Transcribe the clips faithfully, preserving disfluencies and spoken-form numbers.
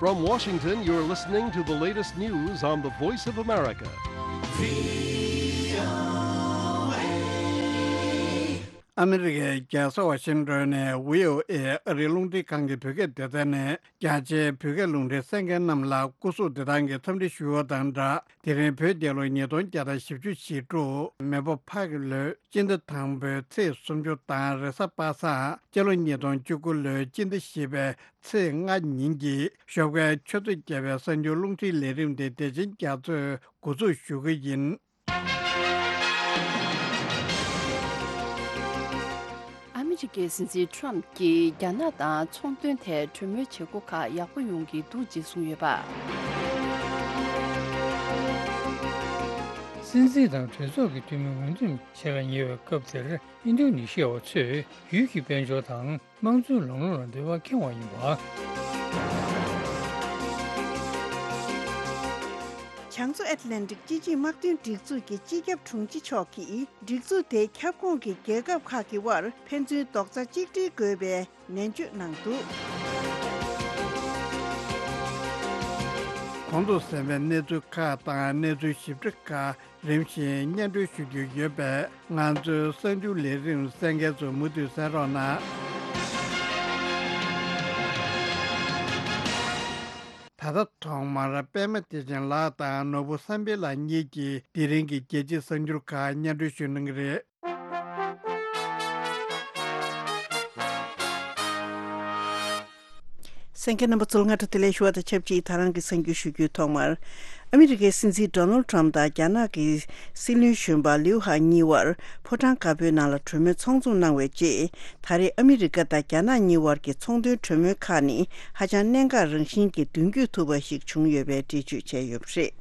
From Washington, you're listening to the latest news on the Voice of America. ཨ་མི་རི་ཀའི་རྒྱལ་ས་ཝ་ཤིང་ཏོན་ནས་བྷི་ཨོ་ཨེ་ཨ་རིའི་རླུང་འཕྲིན་ཁང་གི་བོད་སྐད་སྡེ་ཚན་ནས་རྒྱ་ཆེའི་བོད་སྐད་རླུང་འཕྲིན་གསན་མཁན་རྣམས་ལ་སྐུ་གཟུགས་བདེ་ཐང་གི་འཚམས་འདྲི་ཞུ་བ་དང་སྦྲགས། དེ་རིང་བོད་རྒྱལ་ལོ་ཉིས་སྟོང་བརྒྱ་དང་བཞི་བཅུ་ཞེ་དྲུག་མེ་ཕོ་ཕག་གི་ལོའི་སྤྱི་ཟླ་དང་པོའི་ཚེས་སུམ་ཅུ་དང་རེས་གཟའ་པ་སངས་སྤྱི་ལོ་ཉིས་སྟོང་བཅུ་དགུ་ལོའི་སྤྱི་ཟླ་བཞི་པའི་ཚེས་ལྔ་ཉིན་གྱི་ཞོགས་ཀའི་ཆུ་ཚོད་བརྒྱད་པའི་གསར་འགྱུར་རླུང་འཕྲིན་ལས་རིམ་དེ་བདེ་ཆེན་རྒྱ་མཚོས་འགོ་འཛུགས་ཞུ་གི་ཡིན། ཨ་མི་རི་ཀའི་སྲིད་འཛིན་ཁྲོམ་གྱིས་རྒྱ་ནག་དང་ཚོང་དོན་ཐད་གྲོས་མོལ་བྱེད་སྒོ་ཁག་ཡག་པོ་ཡོང་གི་འདུག་ཅེས་གསུངས་ཡོད་པ། སྲིད་འཛིན་དང་གྲོས་ཚོགས་ཀྱི་འཐུས་མི་ངོས་འཛིན་བྱེད་ལ་ཉེ་བའི་སྐབས་དེར། ཨིན་རྡུ་ནི་ཤི་ཡ་བ་ཚོས་ཡུལ་གྱི་དཔལ་འབྱོར་དང་དམངས་གཙོའི་ལམ་ལུགས་ལ་འབྲེལ་བ་འཁེལ་བ་ཡིན་པ། བྱང་མཚོ་ཨེཊ་ལན་ཊིག་སྤྱི་ཆིངས་དམག་དོན་སྒྲིག་འཛུགས་ཀྱི་སྤྱི་ཁྱབ་དྲུང་ཆེ་མཆོག་གིས། སྒྲིག་འཛུགས་དེའི་ཁྱབ་ཁོངས་ཀྱི་རྒྱལ་ཁབ་ཁག་གི་དབར་ཕན་ཚུན་རྡོག་རྩ་གཅིག་སྒྲིལ་དགོས་པའི་ནན་བརྗོད་གནང་འདུག། གོང་དུ་གསན་པའི་གནས་ཚུལ་ཁག་དང་གནས་ཚུལ་ཞིབ་ཕྲ་ཁག་རིམ་བཞིན་སྙན་སྒྲོན་ཞུ་རྒྱུ་ཡོད་པས། ང་ཚོའི་གསར་འགྱུར་ལས་རིམ་གསན་མཁན་ཚོ་མུ་མཐུད་གསན་རོགས་གནང་། ད་ལྟ་ཐོག་མར་པད་མ་བདེ་ཆེན་ལགས་དང་ནོར་བུ་བསམ་འཕེལ་ལགས་གཉིས་ཀྱིས་དེ་རིང་གི་རྒྱལ་སྤྱིའི་གསར་འགྱུར་ཁག་སྙན་སྒྲོན་ཞུ་གནང་གི་རེད། གསན་མཁན་རྣམ་པ་ཚོ་ལ་སྔ་དྲོ་བདེ་ལེགས་ཞུ་བ་དང་ཆབས་ཅིག་ད་རང་གི་གསར་འགྱུར་ཞུ་རྒྱུའི་ཐོག་མར། ཨ་མི་རི་ཀའི་སྲིད་འཛིན་ཌོ་ནལ་ཌི་ཊརམ་དང་རྒྱ་ནག་གི་སྲིད་བློན་གཞོན་པ་ལིའུ་ཧ་གཉིས་བར་ཕོ་བྲང་དཀར་པོའི་ནང་ལ་གྲོས་མོལ་ཚོགས་འཛོམས་གནང་བའི་རྗེས། ད་རེས་ཨ་མི་རི་ཀ་དང་རྒྱ་ནག་གཉིས་བར་གྱི་ཚོང་དོན་གྲོས་མོལ་ཁག་ནི་ཧ་ཅང་གནད་འགག་རང་བཞིན་གྱི་མདུན་སྐྱོད་ཐུབ་པ་ཞིག་བྱུང་ཡོད་པའི་འགྲེལ་བརྗོད་བྱས་ཡོད་པ་རེད།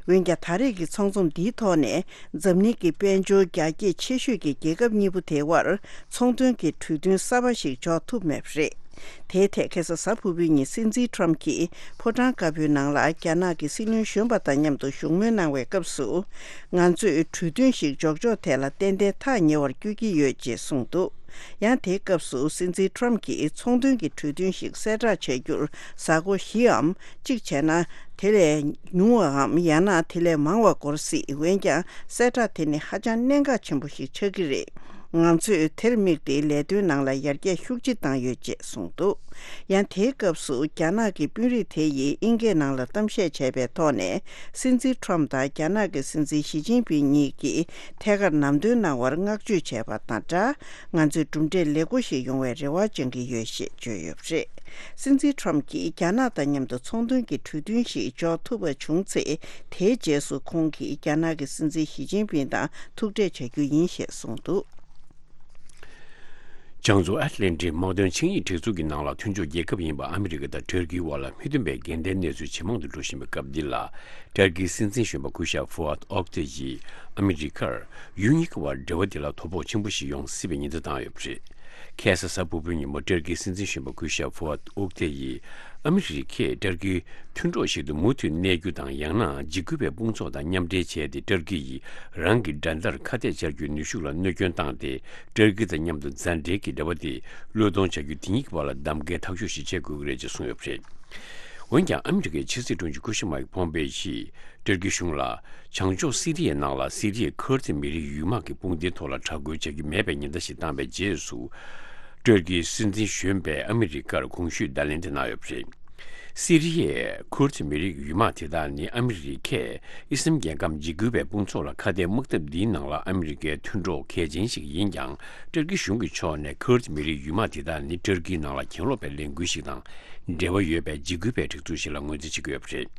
འོན་ཀྱང་། ད་རེས་ཀྱི་ཚོགས་འཛོམས་འདིའི་ཐོག་ནས་འཛམ་གླིང་གི་དཔལ་འབྱོར་རྒྱ་སྐྱེད་ཆེ་ཤོས་ཀྱི་རྒྱལ་ཁབ་གཉིས་པོ་དེའི་དབར་ཚོང་དོན་གྱི་གྲོས་མཐུན་གསར་པ་ཞིག་འཇོག་ཐུབ་མེད་པ་རེད། དེའི་ཐད་ཁ་སང་གཟའ་ཕུར་བུའི་ཉིན་སྲིད་འཛིན་ཊརམ་གྱིས་ཕོ་བྲང་དཀར་པོའི་ནང་ལ་རྒྱ་ནག་གི་སྲིད་བློན་གཞོན་པ་དང་མཉམ་དུ་བཞུགས་མོལ་གནང་བའི་སྐབས་སུ། ང་ཚོས་གྲོས་མཐུན་ཞིག་འཇོག་ཕྱོགས་ཐད་ལ་ཏན་ཏན་ཐག་ཉེ་བར་བསྐྱོད་ཀྱི་ཡོད་ཅེས་གསུངས་འདུག། ཡང་དེའི་སྐབས་སུ་སྲིད་འཛིན་ཊརམ་གྱིས་ཚོང་དོན་གྱི་གྲོས་མཐུན་ཞིག་གསལ་བསྒྲགས་བྱ་རྒྱུར་གཟའ་འཁོར་བཞིའམ་གཅིག་བྱས་ན་དེ་ལས་ཉུང་བའམ་ཡང་ན་དེ་ལས་མང་བ་འགོར་སྲིད། འོན་ཀྱང་གསལ་བསྒྲགས་དེ་ནི་ཧ་ཅང་གནད་འགག་ཆེན་པོ་ཞིག་ཆགས་ཀྱི་རེད། ང་ཚོས་དེར་དམིགས་ཏེ་ལས་དོན་ནང་ལ་ཡར་རྒྱས་ཤུགས་ཆེ་བཏང་ཡོད་ཅེས་གསུངས་འདུག། ཡང་དེའི་སྐབས་སུ་རྒྱ་ནག་གི་དཔོན་རིགས་དེ་ཡིས་དབྱིན་སྐད་ནང་ལ་གཏམ་བཤད་བྱས་པའི་ཐོག་ནས། སྲིད་འཛིན་ཊརམ་དང་རྒྱ་ནག་གི་སྲིད་འཛིན་ཞི་ཅིན་ཕིང་གཉིས་ཀྱིས་ཐད་ཀར་ལམ་སྟོན་གནང་བར་བསྔགས་བརྗོད་བྱས་པ་དང་སྦྲགས། ང་ཚོས་གྲུབ་འབྲས་ལེགས་པོ་ཞིག་ཡོང་བའི་རེ་བ་བཅངས་ཀྱི་ཡོད་ཞེས་བརྗོད་ཡོད་པ་རེད། སྲིད་འཛིན་ཊརམ་གྱིས་རྒྱ་ནག་དང་མཉམ་དུ་ཚོང་དོན་གྱི་གྲོས་མཐུན་ཞིག་འཇོག་ཐུབ་པ་བྱུང་ཚེ། དེའི་རྗེས་སུ་ཁོང་གིས་རྒྱ་ནག་གི་སྲིད་འཛིན་ཞི་ཅིན་ཕིང་དང་ཐུག་འཕྲད་བྱ་རྒྱུ་ཡིན་ཞེས་གསུངས་འདུག། བྱང་མཚོ་ཨེཊ་ལན་ཊིག་དམག་དོན་ཆིངས་ཡིག་སྒྲིག་འཛུགས་ཀྱི་ནང་ལ་མཐུན་ཕྱོགས་རྒྱལ་ཁབ་ཡིན་པ་ཨ་མི་རི་ཀ་དང་ཏུར་ཀིའི་དབར་ལ་མི་མཐུན་པའི་འགལ་ཟླའི་གནས་ཚུལ་ཇེ་མང་དུ་འགྲོ་བཞིན་པའི་སྐབས་འདི་ལ། ཏུར་ཀིའི་སྲིད་འཛིན་གཞོན་པ་སྐུ་ཞབས་ཧྥུ་ཨད་ཨོག་ཏེ་ཡིས་ཨ་མི་རི་ཀར་ཡུལ་གཉིས་ཀྱི་དབར་འབྲེལ་བ་འདི་ལ་དོ་ཕོག་ཆེན་པོ་ཞིག་ཡོང་སྲིད་པའི་ཉེན་བརྡ་བཏང་ཡོད་པ་རེད། ཁ་སང་གཟའ་ཕུར་བུའི་ཉིན་མོ་ཏུར་ཀིའི་སྲིད་འཛིན་གཞོན་པ་སྐུ་ཞབས་ཧྥུ་ཨད་ཨོག་ཏེ་ཡིས་ཨ་མི་རི་ཀས་ཏུར་ཀིའི་མཐུན་གྲོགས་ཤིག་ཏུ་མུ་མཐུད་གནས་རྒྱུ་དང་། ཡང་ན་འཇིགས་སྐུལ་བའི་དཔུང་ཚོགས་དང་མཉམ་འབྲེལ་བྱས་ཏེ་ཏུར་ཀི་ཡིས་རང་གི་འགྲན་ཟླར་ཁ་གཏད་བཅར་རྒྱུའི་ནུས་ཤུགས་ལ་གནོད་སྐྱོན་བཏང་སྟེ། ཏུར་ཀི་དང་མཉམ་དུ་མཛའ་འབྲེལ་གྱི་འབྲེལ་བ་དེ་བློས་གཏོང་བྱ་རྒྱུ་དེ་གཉིས་ཀྱི་བར་ལ་གདམ་གའི་ཐག་གཅོད་ཞིག་བྱེད་དགོས་ཀྱི་རེད་ཅེས་གསུངས་ཡོད་པ་རེད། འོན་ཀྱང་ཨ་མི་རི་ཀའི་ཕྱི་སྲིད་དྲུང་ཆེ་སྐུ་ཞབས་མཱིག་ཕོམ་པེ་ཡིས་ཏུར་ཀི་གཞུང་ལ་བྱང་ཕྱོགས་སི་རི་ཡའི་ནང་ལ་སི་རི་ཡའི་ཁུར་ཛི་མི་རིགས་ཡུལ་དམག་གི་དཔུང་སྡེའི་ཐོག་ལ་དྲག་རྒོལ་བྱ་རྒྱུ་མེད་པའི་ཉེན་བརྡ་ཞིག་བཏང་བའི་རྗེས་སུ། ཏུར་ཀིའི་སྲིད་འཛིན་གཞོན་པས་ཨ་མི་རི་ཀར་གོང་ཞུས་བརྡ་ལན་དེ་གནང་ཡོད་པ་རེད། སི་རི་ཡའི་ཁུར་ཛི་མི་རིགས་ཡུལ་དམག་དེ་དག་ནི་ཨ་མི་རི་ཀས་ཨི་སི་ལམ་རྒྱལ་ཁམས་འཇིགས་སྐུལ་བའི་དཔུང་ཚོགས་ལ་ཁ་གཏད་དམག་འཐབ་འདིའི་ནང་ལ་ཨ་མི་རི་ཀའི་མཐུན་གྲོགས་གལ་ཆེན་ཞིག་ཡིན་ཀྱང་། ཏུར་ཀི་གཞུང་གི་ཕྱོགས་ནས་ཁུར་ཛི་མི་རིགས་ཡུལ་དམག་དེ་དག་ནི་ཏུར་ཀིའི་ནང་ལ་གྱེན་ལོག་པའི་ལས་འགུལ་ཞིག་དང་འབྲེལ་བ་ཡོད་པའི་འཇིགས་སྐུལ་བའི་སྒྲིག་འཛུགས་ཤིག་ལ་ངོས་འཛིན་བྱེད་ཀྱི་ཡོད་པ་རེད།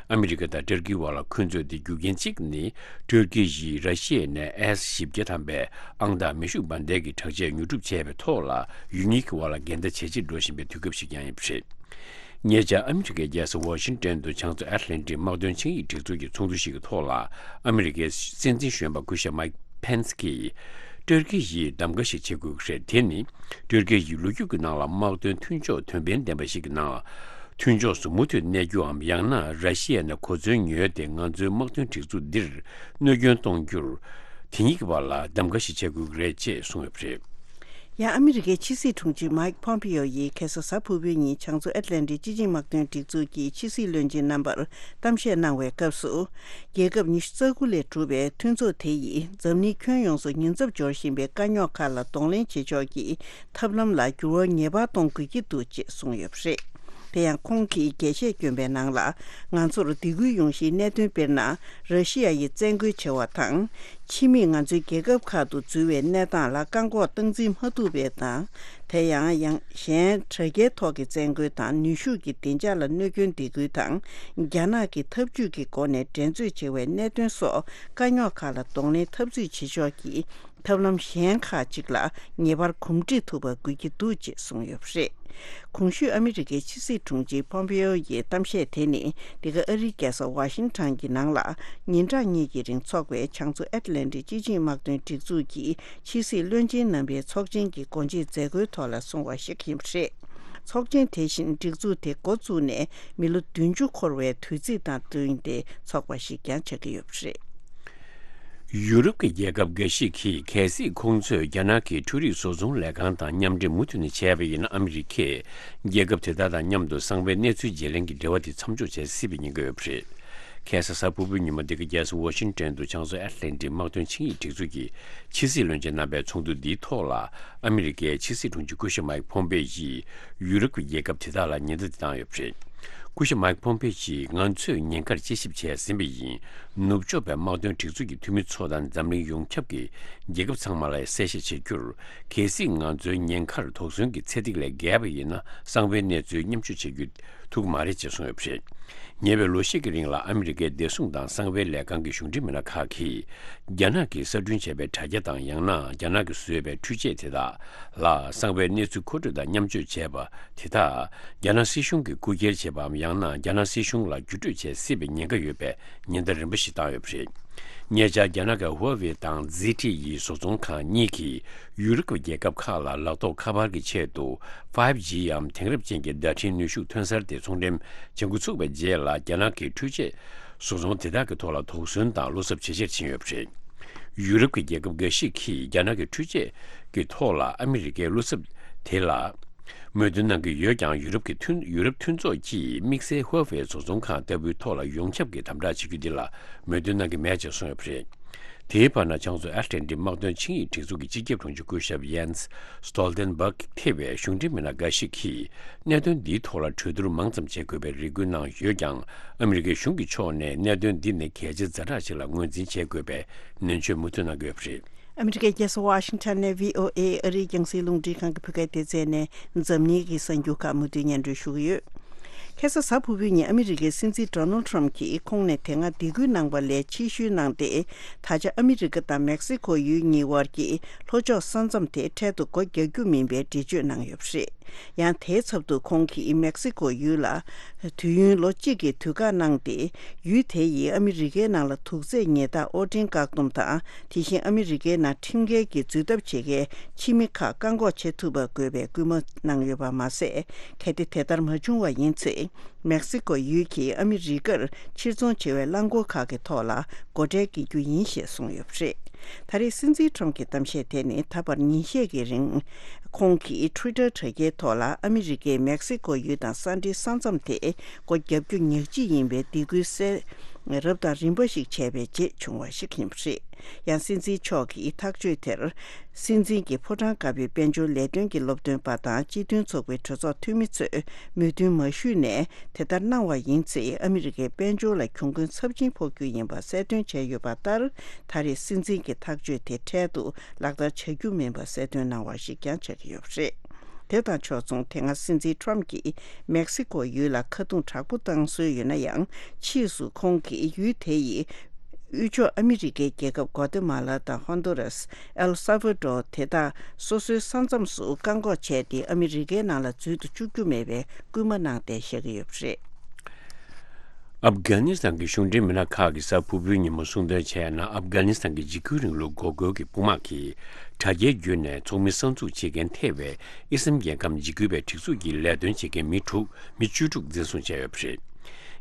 ཨ་མི་རི་ཀ་དང་ཏུར་ཀིའི་བར་ལ་འཁོན་རྩོད་དེ་རྒྱུ་རྐྱེན་གཅིག་ནི། ཏུར་ཀི་ཡིས་ར་ཤི་ཡ་ནས་ཨེ་ཨེས་བཞི་བརྒྱ་ཐམ་པའི་ཨང་དང་མེ་ཤུགས་འབར་མདེལ་གྱི་དྲག་ཆས་ཉོ་སྒྲུབ་བྱས་པའི་ཐོག་ལ་ཡུལ་གཉིས་ཀྱི་བར་ལ་འགལ་ཟླ་ཇེ་ཆེར་འགྲོ་བཞིན་པའི་དུས་སྐབས་ཤིག་ཀྱང་ཡིན་པ་རེད། ཉེ་ཆར་ཨ་མི་རི་ཀའི་རྒྱལ་ས་ཝ་ཤིང་ཏོན་དུ་བྱང་མཚོ་ཨེཊ་ལན་ཊིག་དམག་དོན་ཆིངས་ཡིག་སྒྲིག་འཛུགས་ཀྱི་ཚོགས་འདུ་ཞིག་གི་ཐོག་ལ་ཨ་མི་རི་ཀའི་སྲིད་འཛིན་གཞོན་པ་སྐུ་ཞབས་མཱིག་ཕེན་སི་ཀྱིས། ཏུར་ཀི་ཡིས་གདམ་ག་ཞིག་བྱེད་དགོས་ཀྱི་རེད། དེ་ནི་ཏུར་ཀི་ཡིས་ལོ་རྒྱུས་ཀྱི་ནང་ལ་དམག་དོན་མཐུན་ཕྱོགས་དོན་ཕན་ལྡན་པ་ཞིག་གི་ནང་མཐུན་ཕྱོགས་སུ་མུ་མཐུད་གནས་རྒྱུའམ། ཡང་ན་ར་ཤི་ཡ་ནས་གོ་མཚོན་ཉོས་ཏེ་ང་ཚོའི་དམག་དོན་སྒྲིག་འཛུགས་འདིར་གནོད་སྐྱོན་གཏོང་རྒྱུར་དེ་གཉིས་ཀྱི་བར་ལ་གདམ་ག་ཞིག་བྱེད་དགོས་ཀྱི་རེད་ཅེས་གསུངས་ཡོད་པ་རེད། ཡང་ཨ་མི་རི་ཀའི་ཕྱི་སྲིད་དྲུང་ཆེ་མཱིག་ཕོམ་པེ་ཡོ་ཡིས་ཁ་སང་གཟའ་ཕུར་བུའི་ཉིན་བྱང་མཚོ་ཨེཊ་ལན་ཊིག་སྤྱི་ཆིངས་དམག་དོན་སྒྲིག་འཛུགས་ཀྱི་ཕྱི་སྲིད་བློན་ཆེན་རྣམ་པར་གཏམ་བཤད་གནང་བའི་སྐབས་སུ། རྒྱལ་ཁབ་ཉི་ཤུ་རྩ་དགུ་ལས་གྲུབ་པའི་མཐུན་ཚོགས་དེ་ཡིས་འཛམ་གླིང་ཁྱོན་ཡོངས་སུ་ཉེན་ཚབས་འབྱོར་བཞིན་པའི་དཀའ་རྙོག་ཁག་ལ་གདོང་ལེན་བྱེད་ཕྱོགས་ཀྱི་ཐབས་ལམ་ལ་འགྱུར་བ་ངེས་པར་གཏོང་དགོས་ཀྱི་འདུག་ཅེས་གསུངས་ཡོད་པ་རེད། དེ་ཡང་ཁོང་གིས་རྒྱས་བཤད་བསྐྱོན་པའི་ནང་ལ། ང་ཚོར་སྡིགས་སྐུལ་ཡོང་གཞིའི་གནད་དོན། དཔེར་ན། ར་ཤི་ཡ་ཡིས་བཙན་རྒོལ་བྱེད་པ་དང་། ཕྱི་མིས་ང་ཚོའི་རྒྱལ་ཁབ་ཁག་ཏུ་འཛུལ་བའི་གནས་སྟངས་ལ་བཀག་འགོག་སྟངས་འཛིན་མ་ཐུབ་པའི་དང་། དེ་ཡང་ཡང་གཞན་དྲ་རྒྱའི་ཐོག་གི་བཙན་རྒོལ་དང་ནུས་ཤུགས་ཀྱི་བདེ་འཇགས་ལ་གནོད་སྐྱོན་སྡིགས་སྐུལ་དང་། རྒྱ་ནག་གི་འཐབ་ཇུས་ཀྱི་སྒོ་ནས་འགྲན་རྩོད་བྱེད་པའི་གནད་དོན་སོགས་དཀའ་རྙོག་ཁག་ལ་གདོང་ལེན་འཐབ་རྩོད་བྱེད་ཕྱོགས་ཀྱི་ཐབས་ལམ་གཞན་ཁག་ཅིག་ལ་ངེས་པར་གོམས་འདྲིས་ཐུབ་པ་དགོས་ཀྱི་འདུག་ཅེས་གསུངས་ཡོད་པ་རེད། གོང་ཞུས་ཨ་མི་རི་ཀའི་ཕྱི་སྲིད་དྲུང་ཆེ་ཕོམ་པེ་ཡོ་ཡི་གཏམ་བཤད་དེ་ནི། འདི་ག་ཨ་རིའི་རྒྱལ་ས་ཝ་ཤིང་ཊོན་གྱི་ནང་ལ་ཉིན་གྲངས་གཉིས་ཀྱི་རིང་འཚོགས་པའི་བྱང་མཚོ་ཨེཊ་ལན་ཊིག་སྤྱི་ཆིངས་དམག་དོན་སྒྲིག་འཛུགས་ཀྱི་ཕྱི་སྲིད་བློན་ཆེན་རྣམ་པའི་ཚོགས་ཆེན་གྱི་སྒོ་འབྱེད་མཛད་སྒོའི་ཐོག་ལ་གསུངས་པ་ཞིག་ཡིན་པ་རེད། ཚོགས་ཆེན་དེ་བཞིན་སྒྲིག་འཛུགས་དེ་འགོ་བཙུགས་ནས་མི་ལོ་བདུན་ཅུ་འཁོར་བའི་དུས་ཚིགས་དང་བསྟུན་ཏེ་འཚོགས་པ་ཞིག་ཀྱང་ཆགས་ཀྱི་ཡོད་པ་རེད། ཡུ་རོབ་ཀྱི་རྒྱལ་ཁབ་འགའ་ཞིག་གིས་གལ་སྲིད་ཁོང་ཚོས་རྒྱ་ནག་གི་འཕྲུལ་རིག་བཟོ་ཚོང་ལས་ཁང་དང་མཉམ་འབྲེལ་མུ་མཐུད་ནས་བྱས་པ་ཡིན་ན། ཨ་མི་རི་ཀས་རྒྱལ་ཁབ་དེ་དག་དང་མཉམ་དུ་གསང་བའི་གནས་ཚུལ་བརྗེ་ལེན་གྱི་འབྲེལ་བ་དེ་མཚམས་འཇོག་བྱེད་སྲིད་པའི་ཉེན་ཁ་ཡོད་པ་རེད། ཁ་སང་གཟའ་ཕུར་བུའི་ཉིན་མོ་འདི་ག་རྒྱལ་ས་ཝ་ཤིང་ཊོན་དུ་བྱང་མཚོ་ཨེཊ་ལན་ཊིག་དམག་དོན་ཆིངས་ཡིག་སྒྲིག་འཛུགས་ཀྱི་ཕྱི་སྲིད་བློན་ཆེན་རྣམ་པའི་ཚོགས་འདུ་འདིའི་ཐོག་ལ། ཨ་མི་རི་ཀའི་ཕྱི་སྲིད་དྲུང་ཆེ་སྐུ་ཞབས་མཱིག་ཕོམ་པེ་ཡིས་ཡུ་རོབ་ཀྱི་རྒྱལ་ཁབ་དེ་དག་ལ་ཉེན་བརྡ་འདི་བཏང་ཡོད་པ་རེད། སྐུ་ཞབས་མཱིག་ཕོམ་པེ་ཡིས། ང་ཚོས་ཉེན་ཁར་དཔྱད་ཞིབ་བྱས་ཟིན་པ་ཡིན། ནུབ་ཕྱོགས་པའི་དམག་དོན་སྒྲིག་འཛུགས་ཀྱི་འཐུས་མི་ཚོ་དང་འཛམ་གླིང་ཡོངས་ཁྱབ་ཀྱི་རྒྱལ་ཁབ་ཚང་མ་ལ་གསལ་བཤད་བྱེད་རྒྱུར། གལ་སྲིད་ང་ཚོའི་ཉེན་ཁར་དོགས་ཟོན་གྱི་ཚད་ཐིག་ལས་བརྒལ་བ་ཡིན་ན། གསང་བའི་གནས་ཚུལ་མཉམ་སྤྱོད་བྱེད་རྒྱུ་ཐུབ་ཀྱི་མ་རེད་ཅེས་གསུངས་ཡོད་པ་རེད། ཉེ་བའི་ལོ་ཤས་ཀྱི་རིང་ལ་ཨ་མི་རི་ཀའི་བདེ་སྲུང་དང་གསང་བའི་ལས་ཁང་གི་གཞུང་འབྲེལ་མི་སྣ་ཁག་གིས། རྒྱ་ནག་གིས་གསར་སྐྲུན་བྱས་པའི་དྲ་རྒྱ་དང་། ཡང་ན་རྒྱ་ནག་གིས་བཟོས་པའི་འཕྲུལ་ཆས་དེ་དག་ལ་གསང་བའི་གནས་ཚུལ་མཁོ་སྤྲོད་དང་མཉམ་སྤྱོད་བྱས་པ་དེ་དག་རྒྱ་ནག་སྲིད་གཞུང་གིས་རྐུ་འཁྱེར་བྱས་པའམ། ཡང་ན་རྒྱ་ནག་སྲིད་གཞུང་ལ་བརྒྱུད་སྤྲོད་བྱེད་སྲིད་པའི་ཉེན་ཁ་ཡོད་པའི་ཉེན་བརྡ་རིམ་པ་ཞིག་བཏང་ཡོད་པ་རེད། ཉེ་ཆར་རྒྱ་ནག་གི་ཧུའེ་ཝེ་དང་ཛི་ཊི་ཡི་བཟོ་ཚོང་ཁང་གཉིས་ཀྱིས་ཡུ་རོབ་ཀྱི་རྒྱལ་ཁབ་ཁག་ལ་ལག་ཐོགས་ཁ་པར་གྱི་ཆེད་དུ་ཕའིབ་ཇི་འམ་དེང་རབས་ཅན་གྱི་བརྡ་འཕྲིན་ནུས་ཤུགས་ཐོན་གསར་དེ་ཚོང་འགྲེམས་བྱེད་འགོ་ཚུགས་པའི་རྗེས་ལ། རྒྱ་ནག་གི་འཕྲུལ་ཆས་བཟོ་ཚོང་དེ་དག་གི་ཐོག་ལ་དོགས་ཟོན་དང་བློ་འཚབ་ཇེ་ཆེར་ཕྱིན་ཡོད་པ་རེད། ཡུ་རོབ་ཀྱི་རྒྱལ་ཁབ་འགའ་ཞིག་གིས་རྒྱ་ནག་གི་འཕྲུལ་ཆས་ཀྱི་ཐོག་ལ་ཨ་མི་རི་ཀའི་བློ་འཚབ་དེ་ལ་མོས་མཐུན་གནང་གི་ཡོད་ཀྱང་། ཡུ་རོབ་ཀྱི་མཐུན། ཡུ་རོབ་མཐུན་ཚོགས་ཀྱིས་དམིགས་བསལ་ཧུའེ་ཝེ་བཟོ་ཚོང་ཁང་ལྟ་བུའི་ཐོག་ལ་ཡོངས་ཁྱབ་ཀྱི་དམ་དྲག་བྱེད་རྒྱུ་འདི་ལ་མོས་མཐུན་གནང་གི་མེད་ཅེས་གསུངས་ཡོད་པ་རེད། དེའི་བར་ན། བྱང་མཚོ་ཨེཊ་ལན་ཊིག་དམག་དོན་ཆིངས་ཡིག་སྒྲིག་འཛུགས་ཀྱི་སྤྱི་ཁྱབ་དྲུང་ཆེ་སྐུ་ཞབས་ཡན་སི་སྟོལ་ཏན་སྦག་ཐེ་བའི་གཞུང་འབྲེལ་མི་སྣ་འགའ་ཞིག་གིས། གནད་དོན་འདིའི་ཐོག་ལ་གྲོས་བསྡུར་མང་ཙམ་བྱེད་དགོས་པའི་རེ་སྐུལ་གནང་ཡོད་ཀྱང་། ཨ་མི་རི་ཀའི་གཞུང་གི་ཕྱོགས་ནས་གནད་དོན་འདི་ནི་གལ་ཆེ་ཛ་དྲག་ཅིག་ལ་ངོས་འཛིན་བྱེད་དགོས་པའི་ནན་བརྗོད་མུ་མཐུད་གནང་གི་ཡོད་པ་རེད། ཨ་མི་རི་ཀའི་རྒྱལ་ས་ཝ་ཤིང་ཊོན་ནས་བྷི་ཨོ་ཨེ་ཨ་རིའི་རྒྱང་སྲིང་རླུང་འཕྲིན་ཁང་གི་བོད་སྐད་སྡེ་ཚན་ནས་འཛམ་གླིང་གི་གསར་འགྱུར་ཁག་མུ་མཐུད་སྙན་སྒྲོན་ཞུ་གི་ཡོད། ཁ་སང་གཟའ་ཕུར་བུའི་ཉིན་ཨ་མི་རི་ཀའི་སྲིད་འཛིན་ཌོ་ནལ་ཊམ་གྱིས་ཁོང་ནས་དེ་སྔ་སྡིགས་སྐུལ་གནང་བ་ལས་ཕྱིར་བཤོལ་གནང་སྟེ། ད་ཆ་ཨ་མི་རི་ཀ་དང་མེག་སི་ཁོ་ཡུལ་གཉིས་དབར་གྱི་ལྷོ་ཕྱོགས་ས་མཚམས་དེ་འཕྲལ་དུ་སྒོ་རྒྱག་རྒྱུ་མིན་པའི་འགྲེལ་བརྗོད་གནང་ཡོད་པ་རེད། ཡང་དེའི་ཚབ་ཏུ་ཁོང་གིས་མེག་སི་ཀོ་ཡུལ་ལ་དུས་ཡུན་ལོ་གཅིག་གི་དུས་བཀག་གནང་སྟེ། ཡུལ་དེ་ཡིས་ཨ་མི་རི་ཀའི་ནང་ལ་དུག་རྫས་ཉལ་ཐ་དབོར་འདྲེན་བཀག་སྡོམ་དང་། དེ་བཞིན་ཨ་མི་རི་ཀའི་ནང་ཁྲིམས་འགལ་གྱི་འཛུལ་ཐབས་བྱེད་མཁན་ཕྱི་མི་ཁག་བཀག་འགོག་བྱེད་ཐུབ་པ་དགོས་པའི་སྐུལ་མ་གནང་ཡོད་པ་མ་ཟད། གལ་ཏེ་དེ་ལྟར་མ་བྱུང་བ་ཡིན་ཚེ། མེག་སི་ཀོ་ཡུལ་གྱིས་ཨ་མི་རི་ཀར་ཕྱིར་ཚོང་བྱེད་པའི་རླངས་འཁོར་ཁག་གི་ཐོག་ལ་སྒོ་ཁྲལ་འགེལ་རྒྱུ་ཡིན་ཞེས་གསུངས་ཡོད་པ་རེད། ད་རེས་སྲིད་འཛིན་ཊམ་གྱི་གཏམ་བཤད་དེ་ནི་ད་བར་ཉིན་ཤས་ཀྱི་རིང་། ཁོང་གིས་ཊུའི་ཊར་དྲ་རྒྱའི་ཐོག་ལ་ཨ་མི་རི་ཀས་མེག་སི་ཀོ་ཡུལ་དང་ས་འབྲེལ་ས་མཚམས་དེ་སྒོ་བརྒྱབ་རྒྱུ་ཉག་གཅིག་ཡིན་པའི་སྡིགས་སྐུལ་གསལ་རབ་དང་རིམ་པ་ཞིག་བྱས་པའི་རྗེས་བྱུང་བ་ཞིག་ཡིན་པ་རེད། ཡང་སྲིད་འཛིན་མཆོག་གིས་ཐག་གཅོད་དེར། སྲིད་འཛིན་གྱི་ཕོ་བྲང་དཀར་པོའི་དཔལ་འབྱོར་ལས་དོན་གྱི་སློབ་སྟོན་པ་དང་སྤྱི་མཐུན་ཚོགས་པའི་གྲོས་ཚོགས་འཐུས་མི་ཚོས་མོས་མཐུན་མ་ཞུས་ནས། དེ་ལྟར་གནང་བ་ཡིན་ཚེ། ཨ་མི་རི་ཀའི་དཔལ་འབྱོར་ལ་གྱོང་གུན་ཚབས་ཆེན་ཕོག་རྒྱུ་ཡིན་པ་གསལ་སྟོན་བྱས་ཡོད་པ་ལྟར། ད་རེས་སྲིད་འཛིན་གྱི་ཐག་གཅོད་དེ་འཕྲལ་དུ་ལག་བསྟར་བྱ་རྒྱུ་མིན་པ་གསལ་སྟོན་གནང་བ་ཞིག་ཀྱང་ཆགས་ཀྱི་ཡོད་པ་རེད། དེ་དང་ཕྱོགས་མཚུངས། དེ་སྔ་སྲིད་འཛིན་ཊམ་གྱིས་མེག་སི་ཀོ་ཡུལ་ལ་ཁ་རྡུང་དྲག་པོ་བཏང་སྲོལ་ཡོད་ན་ཡང་། ཕྱིས་སུ་ཁོང་གིས་ཡུལ་དེ་ཡི་དབུས་ཕྱོགས་ཨ་མི་རི་ཀའི་རྒྱལ་ཁབ་གོ་ཏེ་མ་ལ་དང་ཧོན་དུ་རཱས། ཨེལ་སཱ་ཝ་ཌོར་དེ་དག་སོ་སོའི་ས་མཚམས་སུ་བཀག་འགོག་བྱས་ཏེ། ཨ་མི་རི་ཀའི་ནང་ལ་འཛུལ་དུ་བཅུག་རྒྱུ་མེད་པའི་སྐུལ་མ་གནང་སྟེ་བཞག་གི་ཡོད་པ་རེད། ཨབ་གྷ་ནི་སི་ཐན་གྱི་གཞུང་འབྲེལ་མི་སྣ་ཁག་གིས་གཟའ་ཕུར་བུའི་ཉིན་མོ་གསུངས་དོན་བྱས་ན། ཨབ་གྷ་ནི་སི་ཐན་གྱི་འཇིགས་སྐུལ་རིང་ལུགས་འགོག་རྒོལ་གྱི་དཔུང་དམག་གིས་དྲ་རྒྱའི་བརྒྱུད་ནས་ཚོགས་མི་གསར་འཛུགས་བྱེད་མཁན་ཐེ་བའི་ཨི་སམ་རྒྱལ་ཁམས་འཇིགས་སྐུལ་བའི་སྒྲིག་འཛུགས་ཀྱི་ལས་དོན་བྱེད་མཁན་མི་དྲུག་མི་བཅུ་དྲུག་འཛིན་བཟུང་བྱས་ཡོད་པ་རེད།